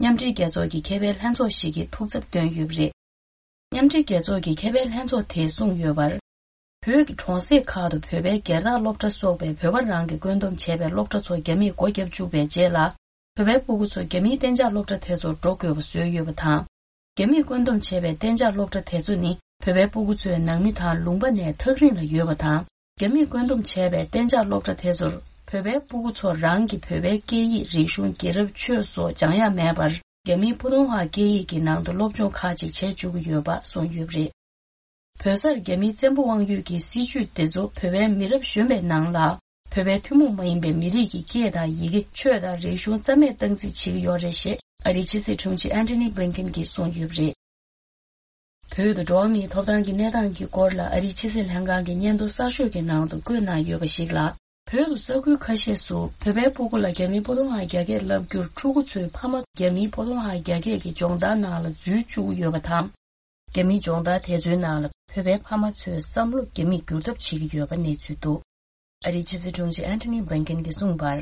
མཉམ་འབྲེལ་རྒྱལ་ཚོགས་ཀྱི་མཁས་པའི་ལྷན་ཚོགས་ཤིག་གིས་ཐུགས་འཚབ་བཏོན་ཡོད་པ་རེད། མཉམ་འབྲེལ་རྒྱལ་ཚོགས་ཀྱི་མཁས་པའི་ལྷན་ཚོགས་དེས་གསུངས་ཡོད་པར། བོད་ཀྱི་གྲོང་གསེབ་ཁག་ཏུ་བོད་པའི་སྒེར་བདག་སློབ་གྲྭ་སོགས་པའི་བོད་པ་རང་གིས་བཀོད་འདོམས་བྱས་པའི་སློབ་གྲྭ་ཚོ་རྒྱ་མིས་སྒོ་བརྒྱབ་བཅུག་པའི་རྗེས་ལ། བོད་པའི་སྤུ་གུ་ཚོ་རྒྱ་མིའི་གཏན་འཇགས་སློབ་གྲྭ་དེ་ཚོར་འགྲོ་དགོས་པ་བཟོས་ཡོད་པ་དང་། རྒྱ་མིས་བཀོད་འདོམས་བྱས་པའི་གཏན་འཇགས་སློབ་གྲྭ་དེ་ཚོ་ནི། བོད་པའི་སྤུ་གུ་ཚོའི་ནང་མི་དང་ལུང་པ་ནས་ཐག་རིང་ལ་ཡོད་པ་དང་། རྒྱ་མིས་བཀོད་འདོམས་བྱས་པའི་གཏན་འཇགས་སློབ་གྲྭ་དེ་ཚོར། བོད་པའི་སྤུ་གུ་ཚོར་རང་གི་བོད་པའི་སྐད་ཡིག་རིག་གཞུང་རྒྱལ་རབས་ཆོས་སོགས་སྦྱང་ཡ་མེད་པར། རྒྱ་མིའི་ཕུ་ཐུང་ཧྭ་སྐད་ཡིག་གི་ནང་དུ་སློབ་སྦྱོང་ཁག་ཅིག་བྱེད་བཅུག་གི་ཡོད་པ་གསུངས་ཡོད་པ་རེད། བོད་སར་རྒྱ་མིའི་བཙན་པོ་དབང་ཡོད་ཀྱི་སྲིད་བྱུས་དེ་ཚོ་བོད་པའི་མི་རབས་གཞོན་པའི་ནང་ལ། བོད་པའི་ཐུན་མོང་མ་ཡིན་པའི་མི་རིགས་ཀྱི་སྐད་དང་ཡི་གེ། ཆོས་དང་རིག་གཞུང་རྩ་མེད་སྟངས་འཛིན་བྱེད་ཀྱི་ཡོད་རེད་ཞེས་ཨ་རིའི་ཕྱི་སྲིད་དྲུང་ཆེ་ཨན་ཐོ་ནི་བྷི་ལིན་ཀེན་གྱིས་གསུངས་ཡོད་པ་རེད། བོད་དུ་འགྲོ་བ་མིའི་ཐོབ་ཐང་གི་གནས་སྟངས་ཀྱི་སྐོར་ལ་ཨ་རིའི་ཕྱི་སྲིད་ལྷན་ཁང་གི་སྙན་ཐོ་གསར་ཤོས་ཀྱི་ནང་དུ་བཀོད་གནང་ཡོད་པ་ཞིག་ལ། བོད་དུ་ས་ཁུལ་ཁ་ཤས་སུ་བོད་པའི་སྤུ་གུ་ལ་རྒྱ་མིའི་ཕུ་ཐུང་ཧྭ་རྒྱ་སྐད་བསླབ་རྒྱུར། ཕྲུ་གུ་ཚོའི་ཕ་མ་རྒྱ་མིའི་ཕུ་ཐུང་ཧྭ་རྒྱ་སྐད་ཀྱི་སྦྱོང་བརྡར་ནང་ལ་འཛུལ་བཅུག་གི་ཡོད་པ་དང་། རྒྱ་མིའི་སྦྱོང་བརྡར་དེ་ཚོའི་ནང་ལ་བོད་པའི་ཕ་མ་ཚོས་བསམ་བློ་རྒྱ་མིས་བསྒྱུར་ཐབས་བྱེད་ཀྱི་ཡོད་པ་གནས་ཚུལ་འདུག་ཨ་རིའི་ཕྱི་སྲིད་དྲུང་ཆེ་ཨན་ཐོ་ནི་བྷི་ལིན་ཀེན་གྱིས་གསུངས་པར།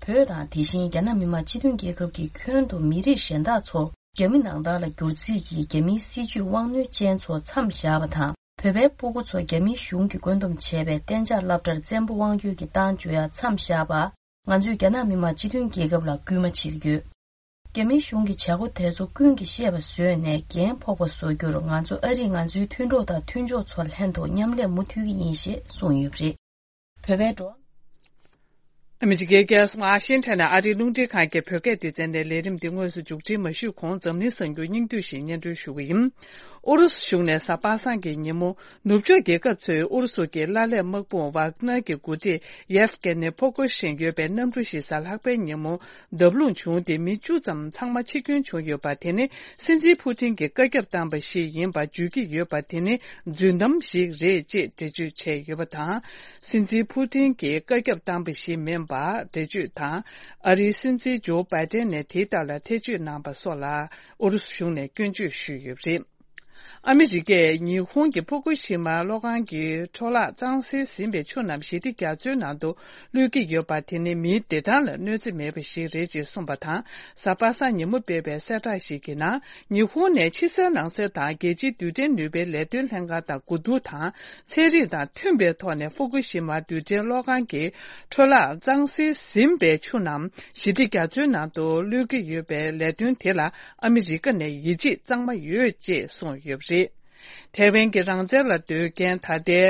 བོད་དང་དེ་བཞིན་རྒྱ་ནག་མི་དམངས་སྤྱི་མཐུན་རྒྱལ་ཁབ་ཀྱི་ཁྱོན་དུ་མི་རིགས་གཞན་དག་ཚོ་རྒྱ་མི་ནང་བསྟན་ལ་བསྒྱུར་རྩིས་ཀྱིས་རྒྱ་མིའི་སྲིད་བྱུས་དབང་རྣོན་ཅན་ཚོ་མཚམས་བཞག་པ་དང་། བོད་པའི་སྤུ་གུ་ཚོ་རྒྱ་མིའི་གཞུང་གིས་བཀོད་འདོམས་བྱས་པའི་གཏན་འཇགས་སློབ་གྲྭར་བཙན་པོ་དབང་ཡོད་ཀྱི་གཏམ་བརྗོད་ཡ་མཚམས་བཞག་པ། ང་ཚོས་རྒྱ་ནག་མི་དམངས་སྤྱི་མཐུན་རྒྱལ་ཁབ་ལ་སྐུལ་མ་བྱེད་ཀྱི་ཡོད། རྒྱ་མིའི་གཞུང་གི་བྱེད་སྒོ་དེ་ཚོ་ཀུན་གྱིས་ཤེས་པ་བཟོས་ནས་འགན་ཕོག་པ་བཟོ་རྒྱུར། ང་ཚོ་ཨ་རིས་ང་ཚོའི་མཐུན་གྲོགས་དང་མཐུན་ཕྱོགས་ཚོར་ལྷན་དུ་མཉམ་ལས་མུ་མཐུད་ཀྱི་ཡིན་ཞེས་གསུངས་ཡོད་པ་རེད། བོད་པའི་འགྲོ། ཨ་མི་རི་ཀའི་རྒྱལ་ས་ཝ་ཤིང་ཊོན་ནས་ཨ་རིའི་རླུང་འཕྲིན་ཁང་གི་བོད་སྐད་སྡེ་ཚན་ནས་ལས་རིམ་འདི་དངོས་སུ་མཇུག་སྒྲིལ་མ་ཞུས་གོང་འཛམ་གླིང་གསར་འགྱུར་སྙིང་བསྡུས་ཤིག་སྙན་སྒྲོན་ཞུ་གི་ཡིན། ཨུ་རུ་སུ་གཞུང་ནས་གཟའ་པ་སངས་ཀྱི་ཉིན་མོ། ནུབ་ཕྱོགས་རྒྱལ་ཁབ་ཚོས་ཨུ་རུ་སུ་གྱི་ཀླ་ལས་དམག་དཔུང་ཝག་ནར་གྱི་འགོ་ཁྲིད་ཡེབ་གྷེ་ནི་ཕྲི་གོ་ཞིན་ཡོད་པའི་གནམ་གྲུ་ཞིག་གཟའ་ལྷག་པའི་ཉིན་མོ་བརྡབ་ལྷུང་བྱུང་སྟེ། མི་བཅུ་ཙམ་ཚང་མ་འཆི་སྐྱོན་བྱུང་ཡོད་པ་དེ་ནི་སྲིད་འཛིན་ཕུ་ཏིན་གྱིས་བཀའ་ཁྱབ་བཏང་པ་ཞིག་ཡིན་པ་བརྗོད་ཀྱི་ཡོད་པ་དེ་ནི་རྫུན་གཏམ་ཞིག་རེད་ཅེས་འགྲེལ་བརྗོད་བྱས་ཡོད་པ་དང་། སྲིད་འཛིན་ཕུ་ཏིན་གྱིས་བཀའ་ཁྱབ་བཏང་པ་ཞིག་མིན་པ་འགྲེལ་བརྗོད་དང་། ཨ་རིའི་སྲིད་འཛིན་ཇོ་བྷའི་ཏན་ནས་དེའི་ཐད་ལ་ཐེ་བྱུས་གནང་པ་སོགས་ལ་ཨུ་རུ་སུ་གཞུང་ནས་སྐྱོན་བརྗོད་ཞུས་ཡོད་པ་རེད། ཨ་མི་རི་ཀས་ཉི་ཧོང་གི་ཕུ་ཀུ་ཤི་མ་གློག་ཁང་གི་འཕྲོ་བརླག་གཙང་སེལ་ཟིན་པའི་ཆུ་རྣམས་ཞི་བདེ་རྒྱ་མཚོའི་ནང་དུ་གློད་ཀྱི་ཡོད་པ་དེ་ནི་མིའི་བདེ་ཐང་ལ་གནོད་འཚེ་མེད་པ་ཞིག་རེད་ཅེས་གསུངས་པ་དང་། གཟའ་པ་སངས་ཉིན་མོ་སྤེལ་བའི་གསལ་བསྒྲགས་ཤིག་གི་ནང་། ཉི་ཧོང་ནས་ཕྱི་གསལ་ནང་གསལ་དང་རྒྱལ་སྤྱིའི་རྡུལ་ཕྲན་ནུས་པའི་ལས་དོན་ལྷན་ཁང་དང་གོ་བསྡུར་དང་། ཚན་རིག་དང་མཐུན་པའི་ཐོག་ནས་ཕུ་ཀུ་ཤི་མ་རྡུལ་ཕྲན་གློག་ཁང་གི་འཕྲོ་བརླག་གཙང་སེལ་ཟིན་པའི་ཆུ་རྣམས་ཞི་བདེ་རྒྱ་མཚོའི་ནང་དུ་གློད་ཀྱི་ཡོད་པའི་ལས་དོན་དེ་ལ་ཨ་མི་རི་ཀ་ནས་ཡིད་ཆེས་གཙང་མ་ཡོད་ཅེས་གསུངས་ཡོད་པ་རེད། ཐའེ་ཝན་གྱི་རང་བཙན་ལ་འདོད་མཁན་ད་ལྟའི་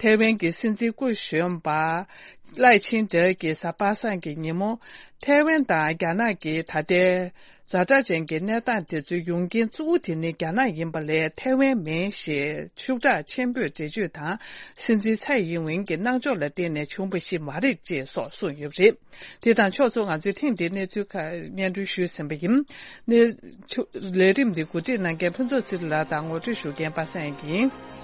ཐའེ་ཝན་གྱི་སྲིད་འཛིན་སྐུ་གཞོན་པ་ལའེ་ཆིང་ཏེ་གིས་གཟའ་པ་སངས་ཀྱི་ཉིན་མོ། ཐའེ་ཝན་དང་རྒྱ་ནག་གི་ད་ལྟའི་ཛ་དྲག་ཅན་གྱི་གནས་སྟངས་དེ་ཚོའི་ཡོང་རྐྱེན་གཙོ་བོ་དེ་ནི་རྒྱ་ནག་ཡིན་པ་ལས་ཐའེ་ཝན་མིན་ཞེས་ཤུགས་དྲག་ཆེན་པོས་འགྲེལ་བརྗོད་དང་། སྲིད་འཛིན་ཚའེ་ཡིན་ཝེན་གྱི་གནང་ཕྱོགས་ལ་བརྟེན་ནས་བྱུང་བ་ཞིག་མ་རེད་ཅེས་སོགས་གསུངས་ཡོད་པ་རེད། དེ་དང་ཕྱོགས་མཚུངས་ང་ཚོས་ཐེངས་འདིའི་གནས་ཚུལ་ཁག་སྙན་སྒྲོན་ཞུས་ཟིན་པ་ཡིན། གནས་ཆུ་ལས་རིམ་འདི་གོ་སྒྲིག་གནང་མཁན་ཕུན་ཚོགས་ཚེ་རིང་ལགས་དང་ངོ་སྤྲོད་ཞུ་མཁན་པ་སངས་ཡིན།